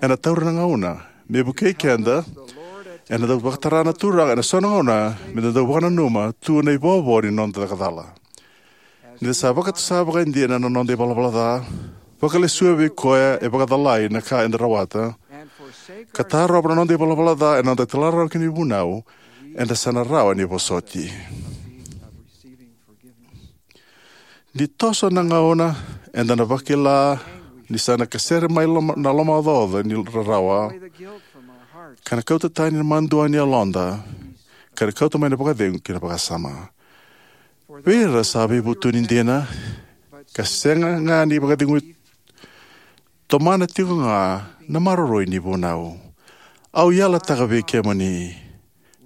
ena taura na gauna me vukei keda, ena dau vakatara na Turaga ena so na gauna me da dau vakananuma tu na ivovo ni noda cakacala. Ni da sa vakatusa vakaidina na noda ivalavala ca, vakalesuya vei koya e vakacalai na ka eda rawata, ka tarova na noda ivalavala ca ena noda talairawarawa ki na ivunau, eda sa na rawa ni vosoti. Ni toso na gauna, eda na vakila ni sa na kasere mai loma, na lomaocaoca ni rarawa, ka na kauta tani na madua ni yaloda, ka na kauta mai na vakacegu ki na vakasama. Vei ira sa veivutuni dina ka sega ga ni vakacegui, tomana tiko ga na maroroi ni vunau. Au yalataka vei kemuni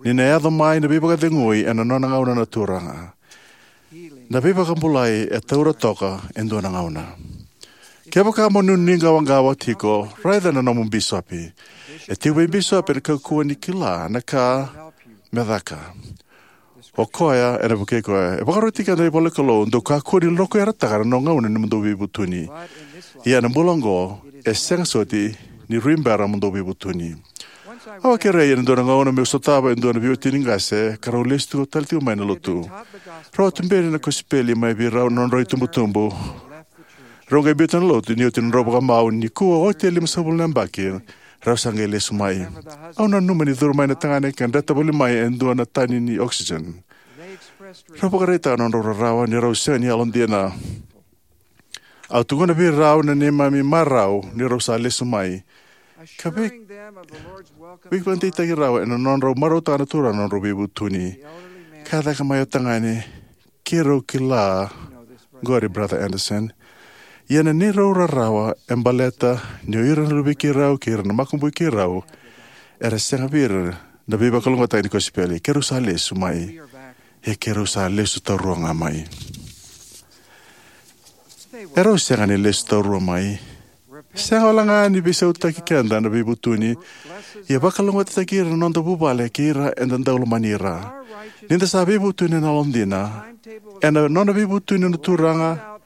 ni na yaco mai na veivakacegui ena nona gauna na Turaga. Na veivakabulai e taura toka e dua na gauna. Kevaka mo nuiqawaqawa tiko, raica na nomu bisopi. E tiko vei bisopi ena kaukauwa ni kila na ka me caka. O koya ena vukei koya. E vakaroti keda na ivola ni Kalou, dou kakua ni lokuyarataka na gauna ni mo dou veivutuni. Ia ena bula oqo, e sega soti ni rui bera mo dou veivutuni. Au a kerei ena dua na gauna meu sotava e dua na veiwatini qase ka rau lesu tiko tale tiko mai na lotu. Rau a tuberi na kosipeli mai vei rau na nodrau itubutubu. Rau qai biuta na lotu ni oti na nodrau vakamau. Nikua oti e lima sagavulu na yabaki, rau sa qai lesu mai. Au nanuma ni curu mai na tagane ka dreta voli mai e dua na tani ni oxygen. Rau vakaraitaka na nodrau rarawa ni rau sega ni yalodina. Au tukuna vei rau na neimami marau ni rau sa lesu mai, ka vei, veivakadeitaki rau ena nodrau marautaka na Turaga na nodrau veivutuni. Ka caka mai o tagane, keirau kila qori, Brother Anderson. Ia na neirau rarawa e baleta ni o ira na luvei keirau kei ira na makubui keirau era sega vei ira na veivakalougatataki ni kosipeli. Keirau sa lesu mai. Ia keirau sa lesu taurua ga mai. Erau sega ni lesu taurua mai. Sega wale ga ni veisautaki keda na veivutuni, ia vakalougatataki ira na noda vuvale kei ira eda dau lomani ira. Ni da sa veivutuni ena yalodina, ena nona veivutuni na Turaga,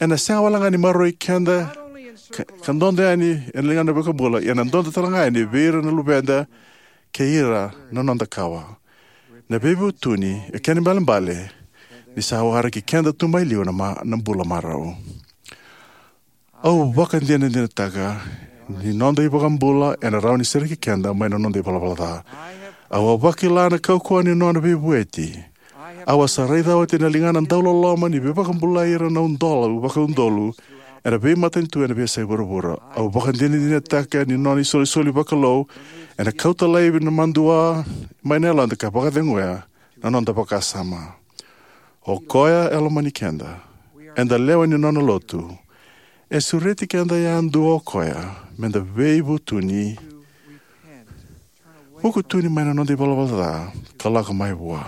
ena sega wale ga ni maroroi keda ka, ka dodo yani ena ligana na iVakabula, ia na dodo tale ga yani vei ira na luveda kei ira na noda kawa. Na veivutuni e kena ibalebale ni sa waraki keda tu mai liu na, ma, na bula marau. Au vakadinadinataka ni noda iVakabula ena rawa ni sereki keda mai na noda ivalavala ca. Au a vakila na kaukauwa ni nona veivueti. Au a sa raica oti na ligana dauloloma ni veivakabulai ira na udolu vakaudolu ena veimatanitu ena veiyasai vuravura. Au vakadinadinataka ni nona isolisoli vakalou ena kauta laivi na madua mai na yaloda ka vakaceguya na noda vakasama. O koya e lomani keda. Eda lewe ni nona lotu. E sureti keda yadua o koya meda veivutuni, vukutuni mai na noda ivalavala ca ka lako mai vua.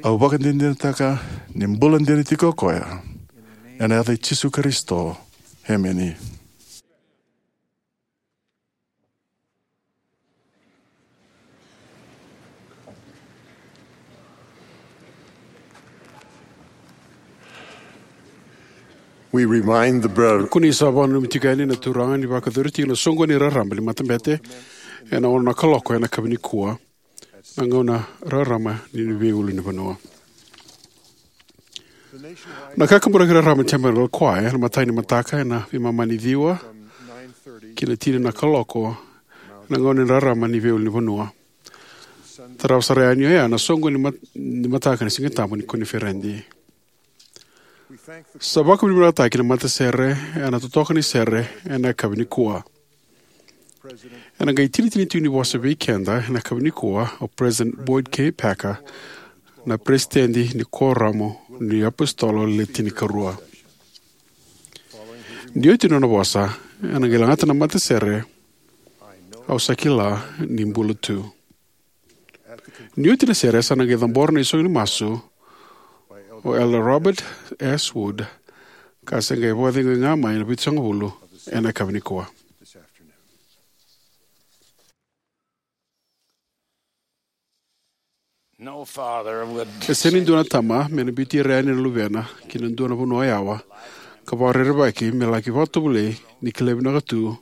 Au vakadinadinataka ni bula dina tiko o koya. Ena yaca i Jisu Karisito. Emeni. We remind the brother. Kua ni sa vakananumi tiko yani na turaga ni vakayacori tiko na soqoni raraba ni matabete ena ono na kaloko ena yakavi nikua, na gauna rarama ni veiulunivanua. Na kakaburaki rarama ni Tabernacle Choir ena imatai ni mataka ena veimama ni ciwa ki na tini na kaloko ena gauna ni rarama ni veiulunivanua. Tarava sara yani oya na soqo ni mat-, ni mataka ni Siga Tabu ni koniferedi. Sa vakavinavinakataki na matasere ena totoka ni sere ena yakavi nikua. Ena qai tini-, tini-, tini tiko ni vosa vei keda ena yakavi nikua o President Boyd K. Packer, na Peresitedi ni Kuoramu ni iApositolo Le Tinikarua. Ni oti na nona vosa, ena qai lagata na matasere, "Au sa kila ni bula tu." Ni oti na sere, sa na qai cabora na isogo ni masu o Elder Robert S. Wood, ka se qai vakacegui ga mai na vitusagavulu ena yakavi nikua. No father would E sega ni dua na tama me na biuti ira yani na luvena ki na dua na vanua yawa ka vakarerevaki me laki vakatovolei ni kilai vinaka tu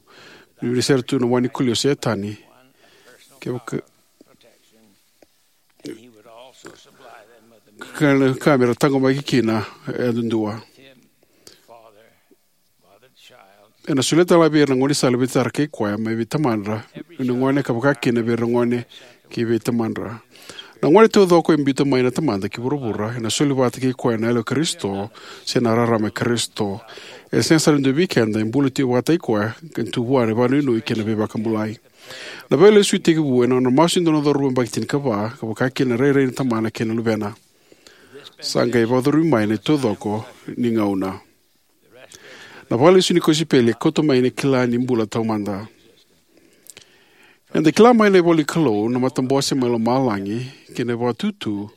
ni veisereki tu na wai ni koli o Setani. Kevaka ka, ka me ra taqomaki kina e duadua. Ena solia tale vei ira na gaunisala veitara kei koya mai vei tamadra, vei na gone ka vaka kina vei ira na gone kei vei tamadra. Na gone taucoko e biuta mai na Tamada ki vuravura ena soli vata kei koya na Yalo i Karisito se na rarama i Karisito. E sega sara ni dua vei keda e bula tiko vakataki koya ka tu vua na vakanuinui kei na veivakabulai. Na veilesui tekivu ena nona masu e dua na cauravou yabaki tinikava, ka vaka kina na rairai ni tamana kei na luvena. Sa qai vakacurumi mai na taucoko ni gauna. Na vakalesui ni kosipeli e kauta mai na kila ni bula taumada. Eda kila mai na ivola ni Kalou na matabose mai lomalagi kei na vakatutu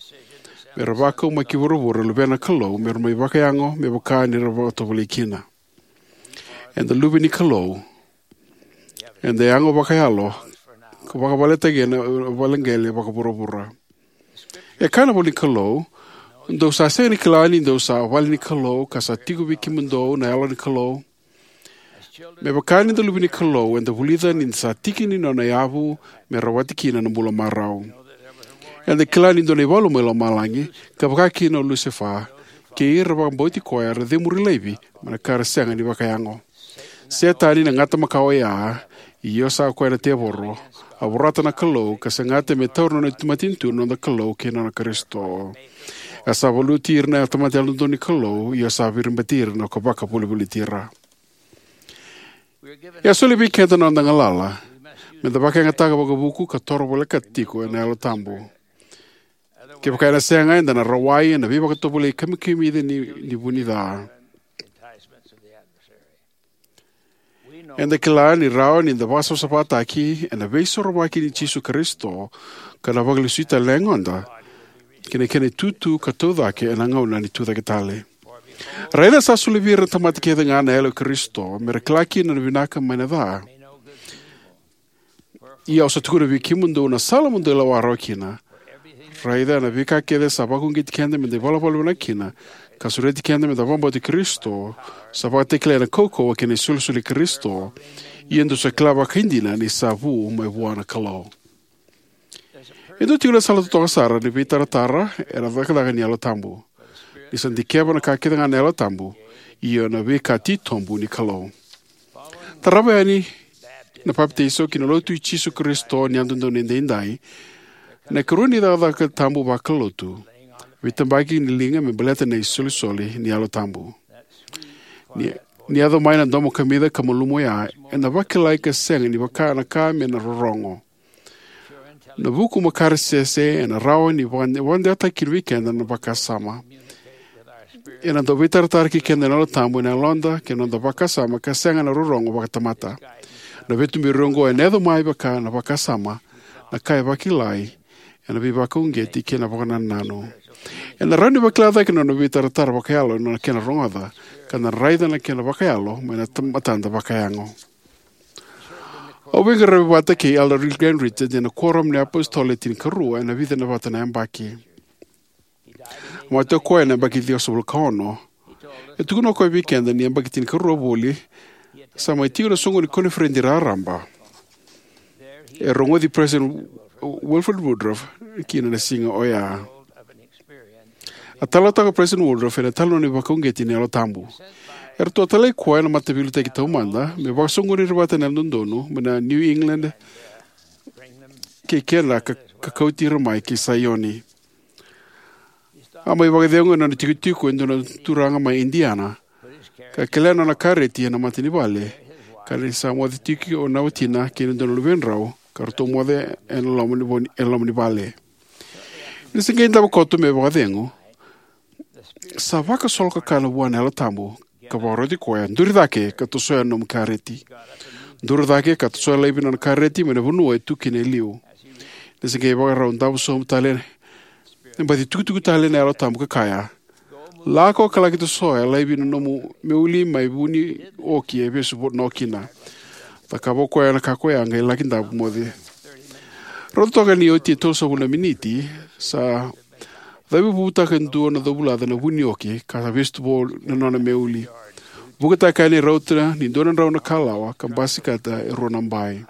me ra vakau mai ki vuravura na luvena na Kalou me ra mai vakayago me vaka ni ra vakatovolei kina. Eda luve ni Kalou. Eda yago vakayalo ka vakavaletaki ena vale qele vakavuravura. E kaya na ivola ni Kalou, "Dou sa sega ni kila ni dou sa vale ni Kalou ka sa tiko vei kemudou na Yalo ni Kalou?" Me vaka ni da luve ni Kalou, eda vulica ni da sa tiki ni nona yavu me rawati kina na bula marau. Eda kila ni dua na ivalu mai lomalagi, ka vaka kina o Lusefa kei ira vakabauti koya, era cemuri laivi mai na ka era sega ni vakayago. Setani na gata makawa oya, ia sa koya na tevoro, a vorata na Kalou ka sagata me taura na nona matanitu na noda Kalou kei na nona Karisito. A sa valuti ira na tamata yalododonu ni Kalou, ia sa viribati ira na ka vakavolivoliti ira. E a soli vei keda na noda galala me da vakayagataka vakavuku ka toro voleka tiko ena Yalo Tabu. Kevaka ena sega, eda na rawai ena veivakatovolei kamikamica ni, ni vu ni ca. Eda kila ni rawa ni da vakasavasavataki ena veisorovaki ni Jisu Karisito ka na vakalesui tale na yagoda ki na kena itutu ka taucake ena gauna ni tucake tale. Raica sa soli vei ira na tamata kece ga na Yalo i Karisito me ra kila kina na vinaka mai na ca. Ia au sa tukuna vei kemudou na sala mo dou lewa rawa kina. Raica na veika kece sa vakauqeti keda me da ivalavala vinaka kina ka sureti keda me da vakabauti Karisito, sa vakatakilai ena kaukauwa kei na isolisoli i Karisito. Ia dou sa kila vakaidina ni sa vu mai vua na Kalou. E dua tiko na sala totoka sara ni veitaratara ena cakacaka ni Yalo Tabu. Ni sa dikeva na ka kece ga na Yalo Tabu, io na veika titobu ni Kalou. Tarava yani na papitaiso ki na Lotu i Jisu Karisito ni Yalododonu Edaidai, na ikarua ni cakacaka tabu vakalotu, veitabaki ni liga me baleta na isolisoli ni Yalo Tabu. Ni, ni yaco mai na domo kamica ka malumu oya, ena vakilai ka sega ni vaka na ka me na rorogo. Na vuku makaresese ena rawa ni vaka-, vakadewataki kina vei keda na vakasama. Ena dau veitaratara kei keda na Yalo Tabu ena yaloda kei na noda vakasama ka sega na rorogo vakatamata. Na veituberi oqo ena yaco mai vaka na vakasama, na ka e vakilai ena veivakauqeti kei na vakanananu. Ena rawa ni vakila cake na nona veitaratara vakayalo ena kena rogoca, ka na raica na kena vakayalo mai na ta-, matada vakayago. Au veiqaravi vata kei Elder Grant Richards ena Kuoramu ni iApositolo Le Tinikarua ena vica na vata na yabaki. A mate o koya ena yabaki ciwasagavulu ka ono. E tukuna o koya vei keda ni yabaki tinikarua voli sa mai tiko na soqo ni koniferedi raraba. E rogoci President Wilford Woodruff kina na siga oya. A talanoataka o President Woodruff ena italanoa ni vakauqeti ni Yalo Tabu. Eratou a talai koya na mataveiliutaki taumada me vakasoqoni ira vata na Yalododonu mai na New England kei Canada ka, ka kauti ira mai ki Saioni. A mai vakacegu ena nona itikotiko e dua na turaga mai Indiana, ka kelea na nona kareti ena mata ni vale, ka ni sa moce tiko na watina kei na dua na luvedrau, ka ratou moce ena loma ni, vo- ena loma ni vale. Ni se qai davo koto me vakacegu, sa vakasolokakana vua na Yalo Tabu ka vakaroti koya, "Duri cake ka tosoya na nomu kareti." Duri cake ka tosoya laivi na nona kareti mai na vanua e tu kina e liu. Ni se qai vakarau davo sobu tale, e baci tukutuku tale na Yalo Tabu ka kaya, "Lako ka laki tosoya laivi na nomu meuli mai Vunioki e vesu vo- no kina." Cakava o koya na ka koya, qai laki davo moce. Rauta toka ni oti e tolusagavulu na miniti, sa cavivutaka e dua na covulaca na Vunioki ka sa vesu tu vo na nona meuli. Vukataka yani e rauta ni dua na drau na kalawa ka basikata e rua na bai.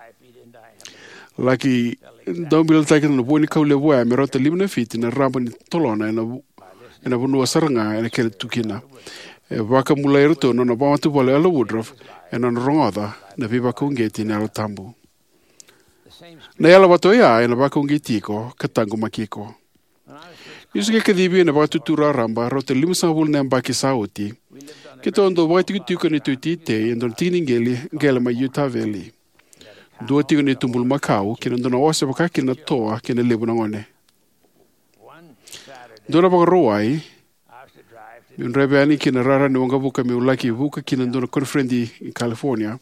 Laki daubilataki na vua ni kau levu oya me rauta lima na fiti na raba ni tolona ena, ena vanua sara ga ena kele tu kina. E vakabulai iratou na nona vakamatavuvale o Elder Woodruff ena nona rogoca na veivakauqeti ni Yalo Tabu. Na yalo vata oya ena vakauqeti iko ka taqomaki iko. Niu se qai kacivi ena Vakatutu Raraba rauta limasagavulu na yabaki sa oti, keitou a dau vakaitikotiko ena neitou teitei e dua na tiki ni qele, qele mai Utah Valley. Dua tiko na neitou bulumakau kei na dua na ose vaka kina na toa kei na levu na gone. Dua na Vakarauwai, meu draiva yani ki na rara ni waqavuka meu laki vuka ki na dua na koniferedi i California.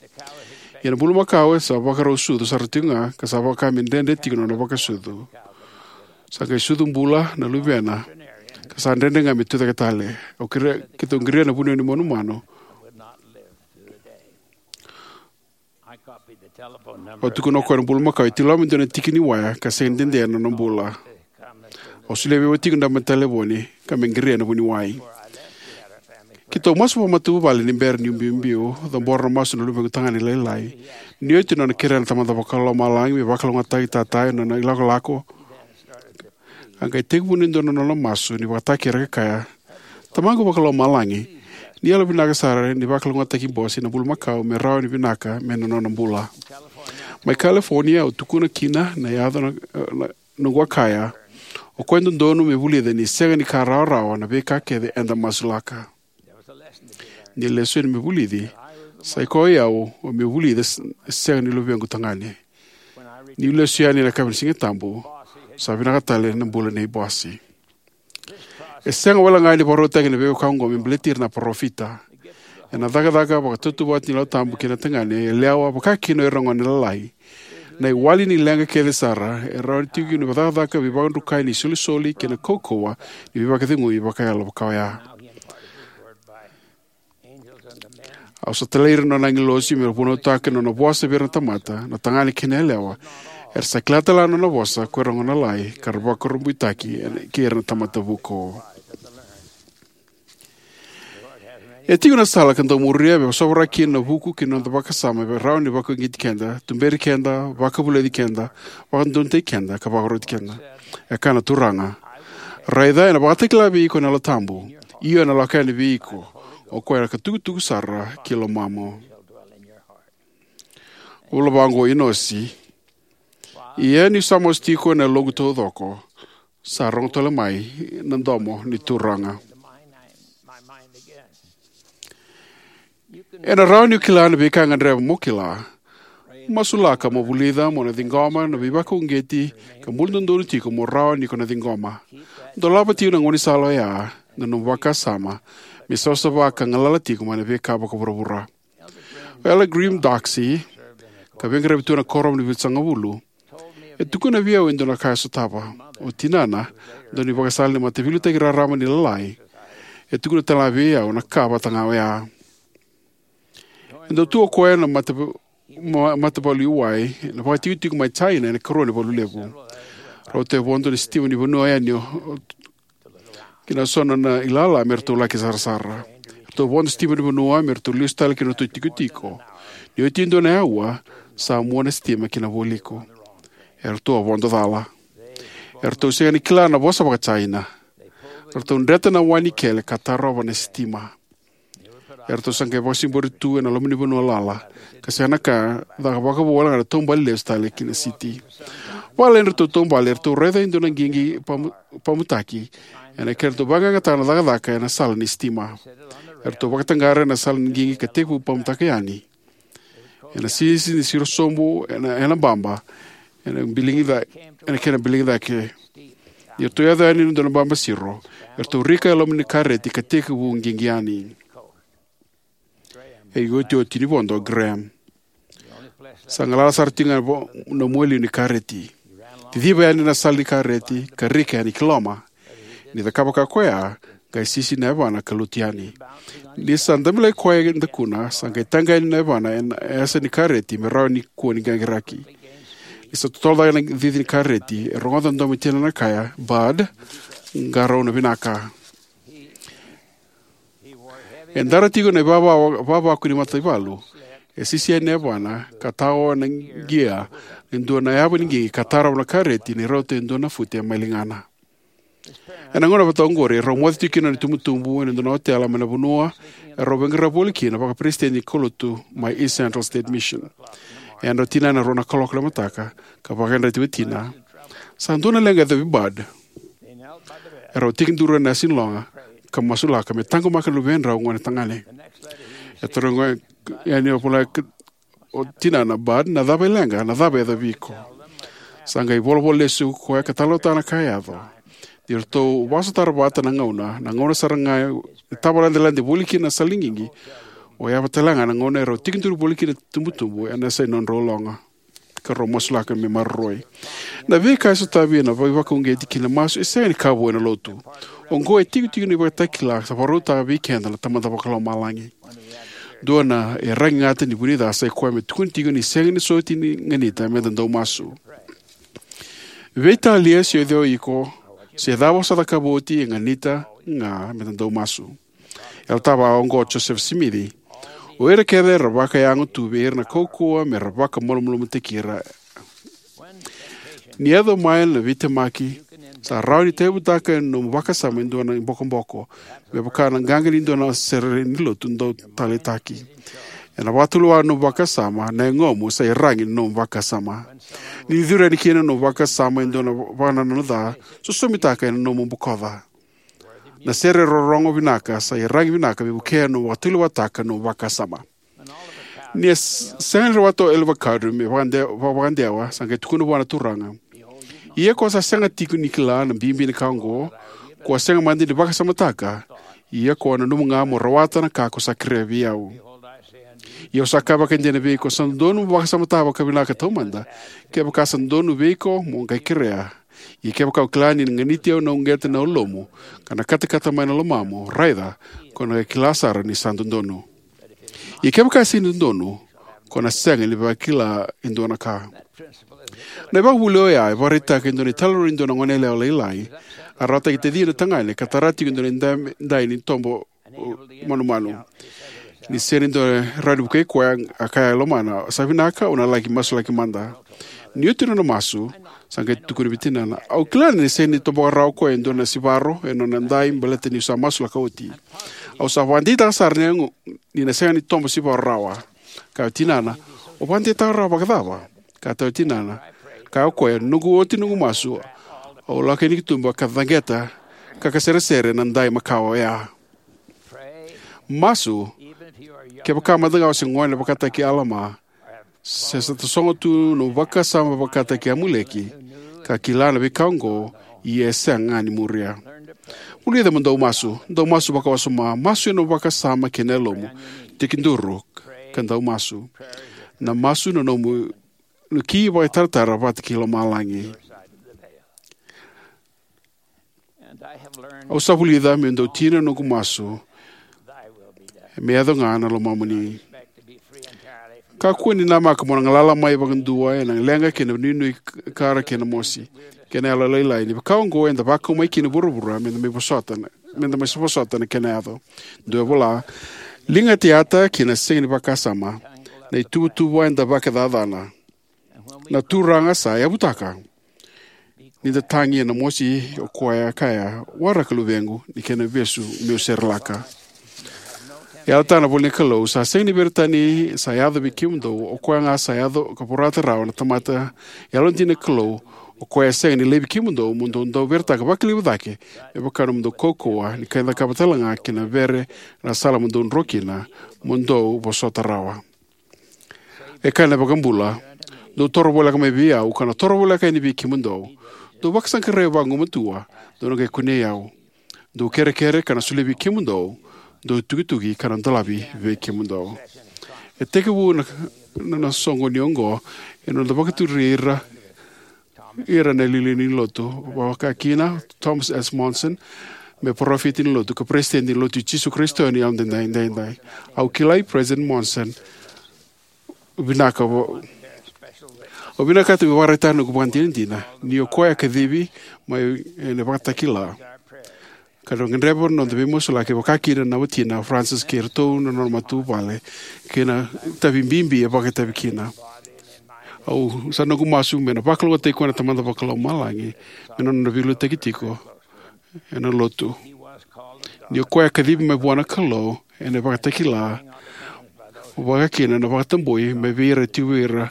Ia na bulumakau e sa vakarau sucu sara tiko ga ka sa vaka me dredre tiko na nona vakasucu. Sa qai sucu bula na luvena ka sa dredre ga me tucake tale. Au kerea, keitou qiri na vuniwai ni manumanu. Au tukuna o koya na bulumakau e tiko loma e dua na tiki ni waya ka sega ni dede na nona bula. Au solia vei au tiko na dabe ni talevoni ka me qiria na vuniwai. Keitou masu vakamatavuvale ni bera niu biubiu, cabora na masu na luvequ tagane lailai. Ni oti na nona kerea na Tamada Vakalomalagi me vakalougatataki tata ena nona ilakolako, a qai tekivu e dua na nona masu ni vakatakekere ka kaya, "Tamaqu Vakalomalagi, ni yalovinaka sara ni vakalougatataki Bosi na bulumakau me rawa ni vinaka me na nona bula." Mai California au tukuna kina na yaco na, na, noqu a kaya, "O koya e dodonu me vulica ni sega ni ka rawarawa na veika kece eda masulaka." Ni lesu yani me vulici, sa i koya o au me vulica s- sega ni luvequ tagane. Niu lesu yani ena yakavi ni Siga Tabu, sa vinaka tale na bula nei Bosi. E sega wale ga ni vakarautaki na veika oqo me baleti ira na parofita. Ena cakacaka vakatautauvata ni Yalo Tabu kei na tagane yalewa, vaka kina o ira na gone lalai, na iwali ni leqa kece sara e rawa ni tiko ni vakacakacaka veivakadrukai ni isolisoli kei na kaukauwa ni veivakacegui vakayalo vaka oya. Au sa talai ira na nona agilosi me ra vunautaka na nona vosa vei ira na tamata, na tagane kei na yalewa. Era sa kila tale ga na nona vosa ko ira na gone lalai ka ra vakurabuitaki ena- kei ira na tamata vuku. E tiko na sala ka dau muria me sovaraki kina na vuku ki na noda vakasama me rawa ni vakauqeti keda, tuberi keda, vakavulici keda, vakadodonutaki keda, ka vakaroti keda. E kaya na Turaga, "Raica, ena vakatakila vei iko na Yalo Tabu, io ena lako yani vei iko, o koya ena ka tukutuku sara ki lomamu." Vola vaqo o Inosi, "Ia niu sa masu tiko ena yaloqu taucoko, sa rogo tale mai na domo ni Turaga." Ena rawa niu kila na veika e gadreva mo kila. Masulaka mo vulica mo na ciqoma na veivakauqeti ka bula dodonu tiko mo rawa ni ko na ciqoma. Dolava tiko na gaunisala oya, na nomu vakasama, me savasava ka galala tiko mai na veika vakavuravura. O Elder Graham Doxey, ka veiqaravi tu ena Kuoramu ni Vitusagavulu, e tukuna vei au e dua na ka e sotava. O tinana, dua na ivakasala ni mataveiliutaki raraba ni Lalai, e tukuna tale ga vei au na ka vata ga oya. E dau tu o koya ena mata, ma, mataivalu i wai ena vakaitikotiko mai China ena ikarua ni valu levu. Rauta e vodo na sitima ni vanua yani o, o, kina so na nona ilala me ratou laki sarasara. Ratou vodo sitima ni vanua me ratou lesu tale ki na nodratou itikotiko. Ni oti e dua na aua, sa mua na sitima ki na vualiku. Eratou a vodo cala. Eratou sega ni kila na vosa vaka-Jaina. Eratou dreta na wa ni kele ka tarova na sitima. Eratou sa qai vakasigibori tu ena loma ni vanua lala, ka sega na ka, caka vakavo wale ga na taubale lesu tale ki na siti. Vakalailai ni ratou taubale, eratou raica e dua na qiqi pamu-, pamutaki ena kedratou vaqaqataka na cakacaka ena sala ni sitima. Eratou vakataqara ena sala ni qiqi ka tekivu pamutaka yani. Ena sisi ni siro sobu ena, ena baba, ena biligi ca-, ena kena biligi cake. Ni ratou yaco yani ena dua na baba siro, eratou rika e loma ni kareti ka tekivu qiqi yani. E iotioti ni vodo o Graham. Sa galala sara tiko ga vo-, na mualiu ni kareti. Ciciva yani na sala ni kareti ka rika yani ki loma. Ni cakava ka koya, qai sisi na yavana ka lutu yani. Ni sa dabe lagi koya e dakuna, sa qai taqa yani na yavana ena yasa ni kareti me rawa ni kua ni qaqiraki. Ni sa totolo cake na cici ni kareti, e rogoca na domo i tinana kaya, "Bud, qarauna vinaka." E dara tiko na ivava-, ivavaku ni mataivalu. E sisi yani na yavana ka tao na qia e dua na yava ni qiqi ka tarova na kareti ni rauta e dua na fute mai ligana. Ena gauna vata oqori, erau moce tiko kina na itubutubu ena dua na otela mai na vanua erau veiqaravi voli kina vakaperesitedi ni kaulotu mai East Central State Mission. E yadra o tinana ena rua na kaloko ni mataka ka vakayadrati vei tina, "Sa dua na leqa e yacovi Bud." Erau tekiduru ena yasa ni loga ka masulaka me taqomaka na luvedrau gone tagane. E taroga yani o vola o tinana, "Bud, na cava e leqa, na cava e yacovi iko?" Sa qai volavola lesu koya ka talanoataka na ka e yaco. Ni ratou vakasotara vata na gauna, na gauna sara ga e tavaladiladi voli kina na sala ni qiqi, o yava tale ga na gauna erau tekiduru voli kina na itubutubu ena yasa ni nodrau loga ka rau masulaka me maroroi. Na veika e sotavi ena veivakauqeti kei na masu e sega ni ka vou ena lotu. Oqo e itikotiko ni ivakatakila sa vakarautaka vei keda na Tamada Vakalomalagi. Dua na iyaragi gata ni vunica sa i koya me tukuni tiko ni sega ni soti ni ganita meda dau masu. Veitalia se o cei o iko, se cava o sa cakava oti, e ganita ga meda dau masu. E yalataka vakaoqo o Josefa Simici: "O ira kece era vakayago tu vei ira na kaukauwa me ra vakamalumalumutaki ira." Ni yaco mai na veitemaki, sa rawa ni tauyavutaka ena nomu vakasama e dua na ibokoboko, me vaka na qaqa ni dua na sere ni lotu dau taleitaki. Ena vakatulewa na nomu vakasama, na yagomu sa iyaragi na nomu vakasama. Ni curu yani kina na nomu vakasama e dua na vakanananu ca, sosomitaka ena nomu bokoca. Na sere rorogo vinaka sa iyaragi vinaka me vukea na nomu vakatulewataka na nomu vakasama. Ni a s-, sega ni rawata o Oliver Cowdery me vakade-, va-, vakadewa, sa qai tukuna vua na Turaga: "Ia ko sa sega tiko ni kila na bibi ni ka oqo, ko a sega mada ni vakasamataka, ia ko a nanuma ga mo rawata na ka ko sa kerea vei au. Ia au sa kaya vakaidina vei iko, sa dodonu mo vakasamataka vakavinaka taumada, kevaka sa dodonu vei iko mo qai kerea. Ia kevaka o kila ni na ganiti au na uqeta na yalomu, ka na katakata mai na lomamu, raica, ko na qai kila sara ni sa dodonu. Ia kevaka e sega ni dodonu, ko na sega ni vakila e dua na ka." Na ivakavuvuli oya e vakaraitaka e dua na italanoa ni dua na goneyalewa lailai, a rawataki tacina tagane ka tara tiko e dua na idai, idai ni tobo, o, manumanu. Ni sega ni dua e rawa ni vukei koya, a kaya e lomana, "Sa vinaka, au na laki masulaki mada." Ni oti nona masu, sa qai tukuna vei tinana: "Au kila ni sega ni toboka rawa o koya e dua na sivaro ena nona idai baleta niu sa masulaka oti. Au sa vakadeitaka sara ni, ni na sega ni tobo sivaro rawa." Kaya o tinana: "O vakadeitaka rawa vakacava?" Kaya o tinana, kaya o koya: "Noqu oti noqu masu, au lako yani ki tuba ka caqeta ka, ka seresere na idai makawa oya." Masu, kevaka mada ga o se gone vakataki Alama, se sa tasogo tu na nomu vakasama vakataki Amuleki, ka kila na veika oqo, ia e sega ga ni muria. Vulica mo dau masu, dau masu vakawasoma, masu ena nomu vakasama kei na yalomu, tekiduru ka dau masu. Na masu na nomu, na ki vakaitaratara vata kei lomalagi. Au sa vulica meu dau tina na noqu masu, me yaco ga na lomamuni. Kakua ni namaka mo na galala mai vakadua ena leqa kei na nuinui kara kei na mosi kei na yalolailai. Ni vaka oqo eda vakau mai kina vuravura meda mai vosota na, meda mai vosota na kena yaco. Dua e vola: "Liga tiata kei na sega ni vakasama, na ituvatuva eda vakacacana." Na Turaga sa yavutaka. Ni da tagi ena mosi, o koya e kaya, waraka luvequ, ni kena vesu meu serelaka. E yalataka na ivolanikalou, sa sega ni veretani sa yaco vei kemudou, o koya ga sa yaco ka vorata rawa na tamata yalodina ni Kalou, o koya e sega ni laivi kemudou mo dou dau veretaka vakalevu cake me vaka na nomudou kaukauwa, ni qai cakava talega kina vere na sala mo dou dro kina, mo dou vosota rawa. E kaya na iVakabula, dou toro voleka mai vei au, kau na toro voleka yani vei kemudou. Dou vakasaqarai vagumatua, dou na qai kunei au. Dou kerekere, ka na solia vei kemudou. Dou tukituki, ka na dolavi vei kemudou. E tekivu na, na, na soqo ni oqo, ena noda vakaturi ira, ira na iliuliu ni lotu, vakakina Thomas S. Monson, me parofita ni lotu, ka peresitedi ni lotu i Jisu Karisito ni Yalododonu Edaidai. Au kilai President Monson, vinaka vo-, au vinakata me vakaraitaka na noqu vakadinadina, ni o koya e kacivi mai ena ivakatakila. Ka na gadreva na noda veimasulaki vakakina na watina o Francis kei iratou na nona matavuvale, kei na itavi bibi e vakaitavi kina. Au sa noqu masu me na vakalougatataki koya na Tamada Vakalomalagi, me na nona veiliutaki tiko ena lotu. Ni o koya e kacivi mai vua na Kalou, ena ivakatakila, vakakina na vakatabui, mai vei ira e tiko vei ira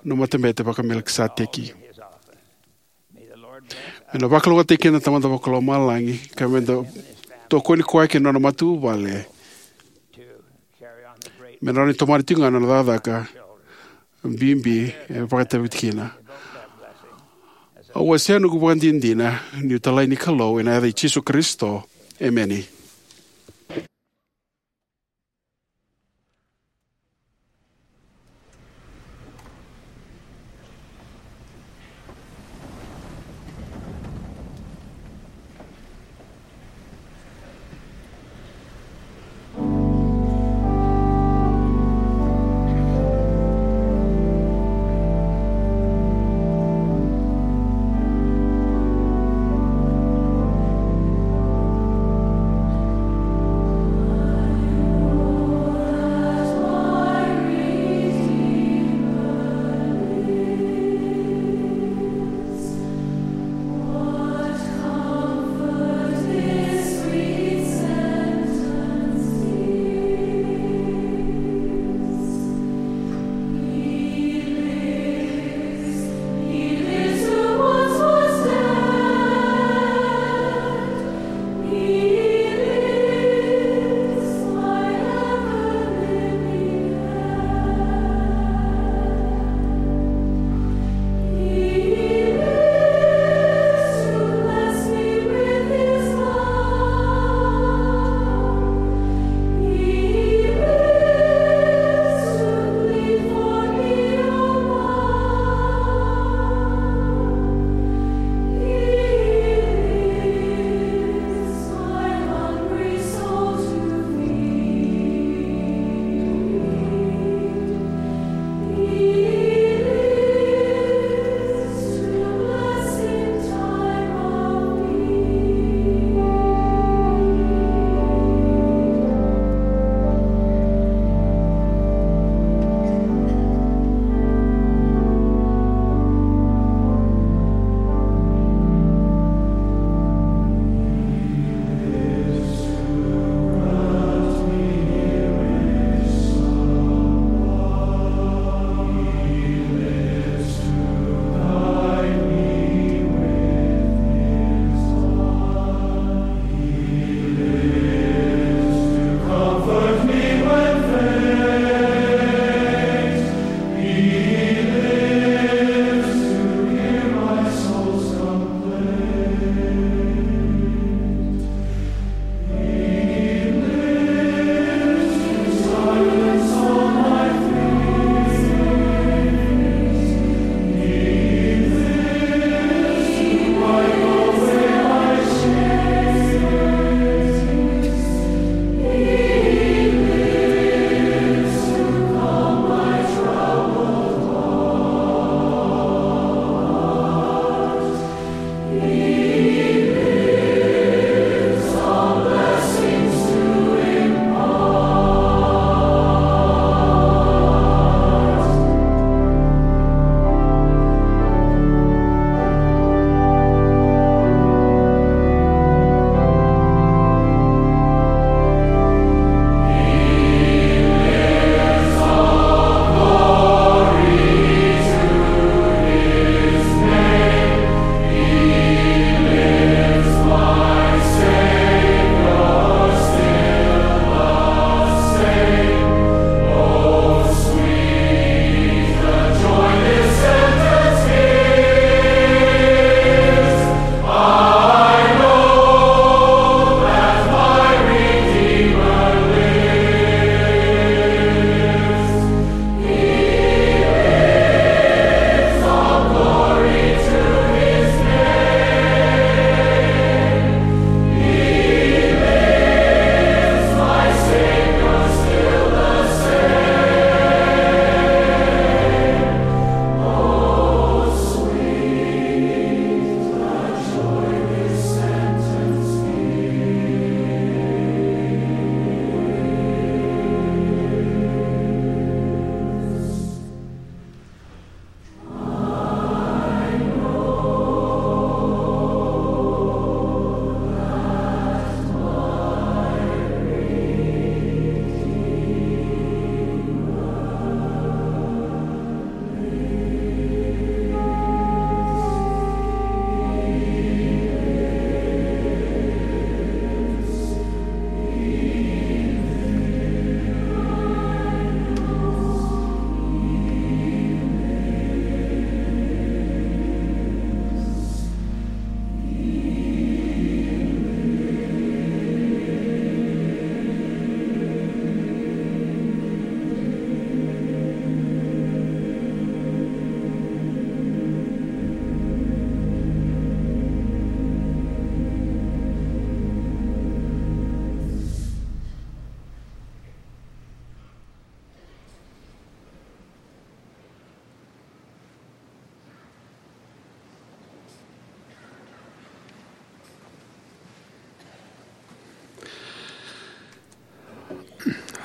na matabete vaka-Melikiseteki. Me na vakalougatataki keda na Tamada Vakalomalagi, ka me da tokoni koya kei na nona matavuvale. Me na rawa ni tomana tiko ga na nona cakacaka bibi e vakaitavi kina. Au wasea noqu vakadinadina, niu talai ni Kalou, ena yaca i Jisu Karisito. Emeni.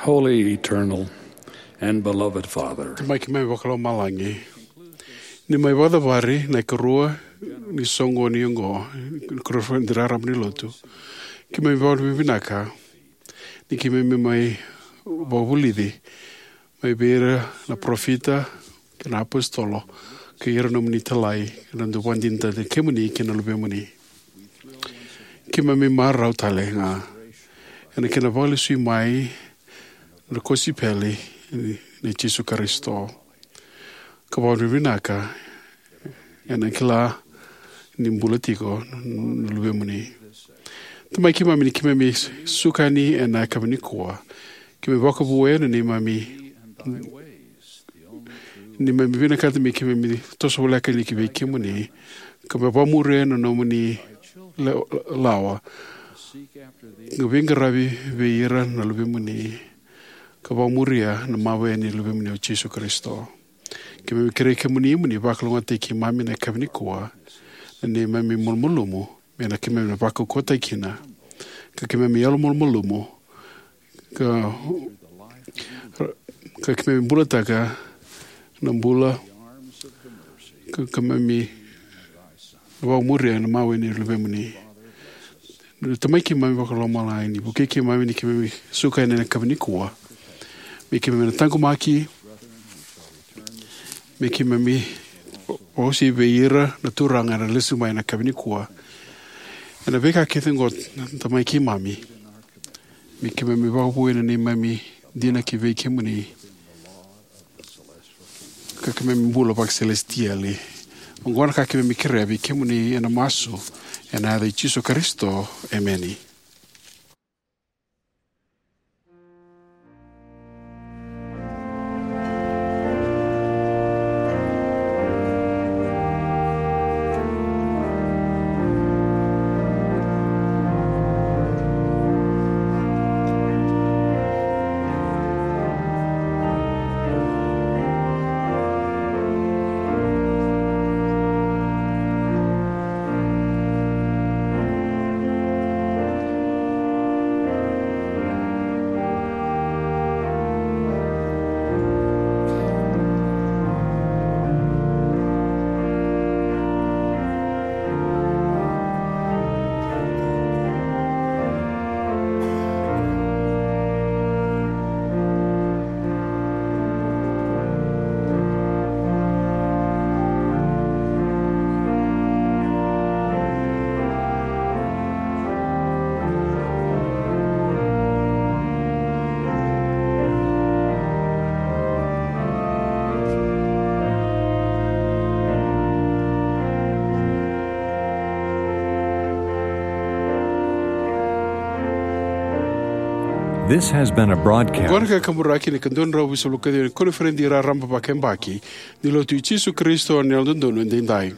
Holy, eternal, and beloved Father, Tamai keimami vakalomalagi, ni mai vakacavari na ikarua ni soqoni oqo, ni koro ni rarama ni lotu, keimami vakavinavinaka ni keimami mai vakavulici mai vei ira na parofita kei na apositolo, kei ira nomuni italai, na dau vakadinadina kemuni kei na luvemuni. Keimami marau tale ga ena kena vakalesui mai na kosipeli nei Jisu Karisito, ka vakavinavinaka ena kila ni bula tiko na luvemuni. Tamai keimami, ni keimami suka yani ena yakavi nikua, keimami vakavuya na neimami, neimami vinakata me keimami toso voleka yani ki vei kemuni, ka me vakamuria na nomuni la-, lawa, ka veiqaravi vei ira na luvemuni, ka vakamuria na mawe ni luvemuni o Jisu Karisito. Keimami kerei kemuni mo ni vakalougatataki keimami ena yakavi nikua, na neimami malumalumu, me na keimami na vakaukauwataki kina, ka keimami yalomalumalumu, ka, ka keimami bulataka na bula, ka, ka keimami vakamuria na mawe ni luvemuni. Tamai keimami vakalomalagi, ni vukei keimami ni keimami suka yani ena yakavi nikua, me keimami na taqomaki, me keimami vakaosi vei ira na turaga era lesu mai ena yakavi nikua. Ena veika kece oqo, Tamai keimami, me keimami vakavuya na neimami dina ki vei kemuni, ka keimami bula vakaselesitieli. Oqo na ka keimami kerea vei kemuni ena masu, ena yaca i Jisu Karisito. Emeni. This has been a broadcast. Oqo na Kakaburaki ni ka dua na drau visalu ka ciwa ni koniferedi raraba vakayabaki ni Lotu i Jisu Karisito ni Yalododonu Edaidai.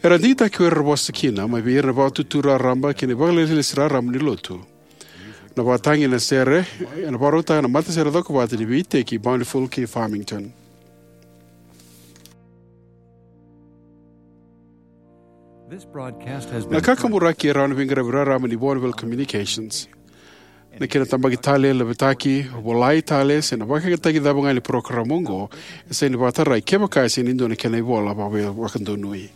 Era digitaki ko ira era vosa kina mai vei ira na vakatutu raraba kei na vakalesilesi raraba ni Lotu. Na vakatagi ena sere ena vakarautaka na Matasere Cokovata ni Veiiteki Bountiful kei Farmington. This broadcast has been Na Kakaburaki e rawa ni veiqaravi raraba ni Bonneville Communications. Na kena tabaki tale, laveti, volai tale, se na vakayagataki cava ga ni parokaramu oqo, e sega ni vakatarai kevaka e sega ni dua na kena ivola vaka-, vakadonui.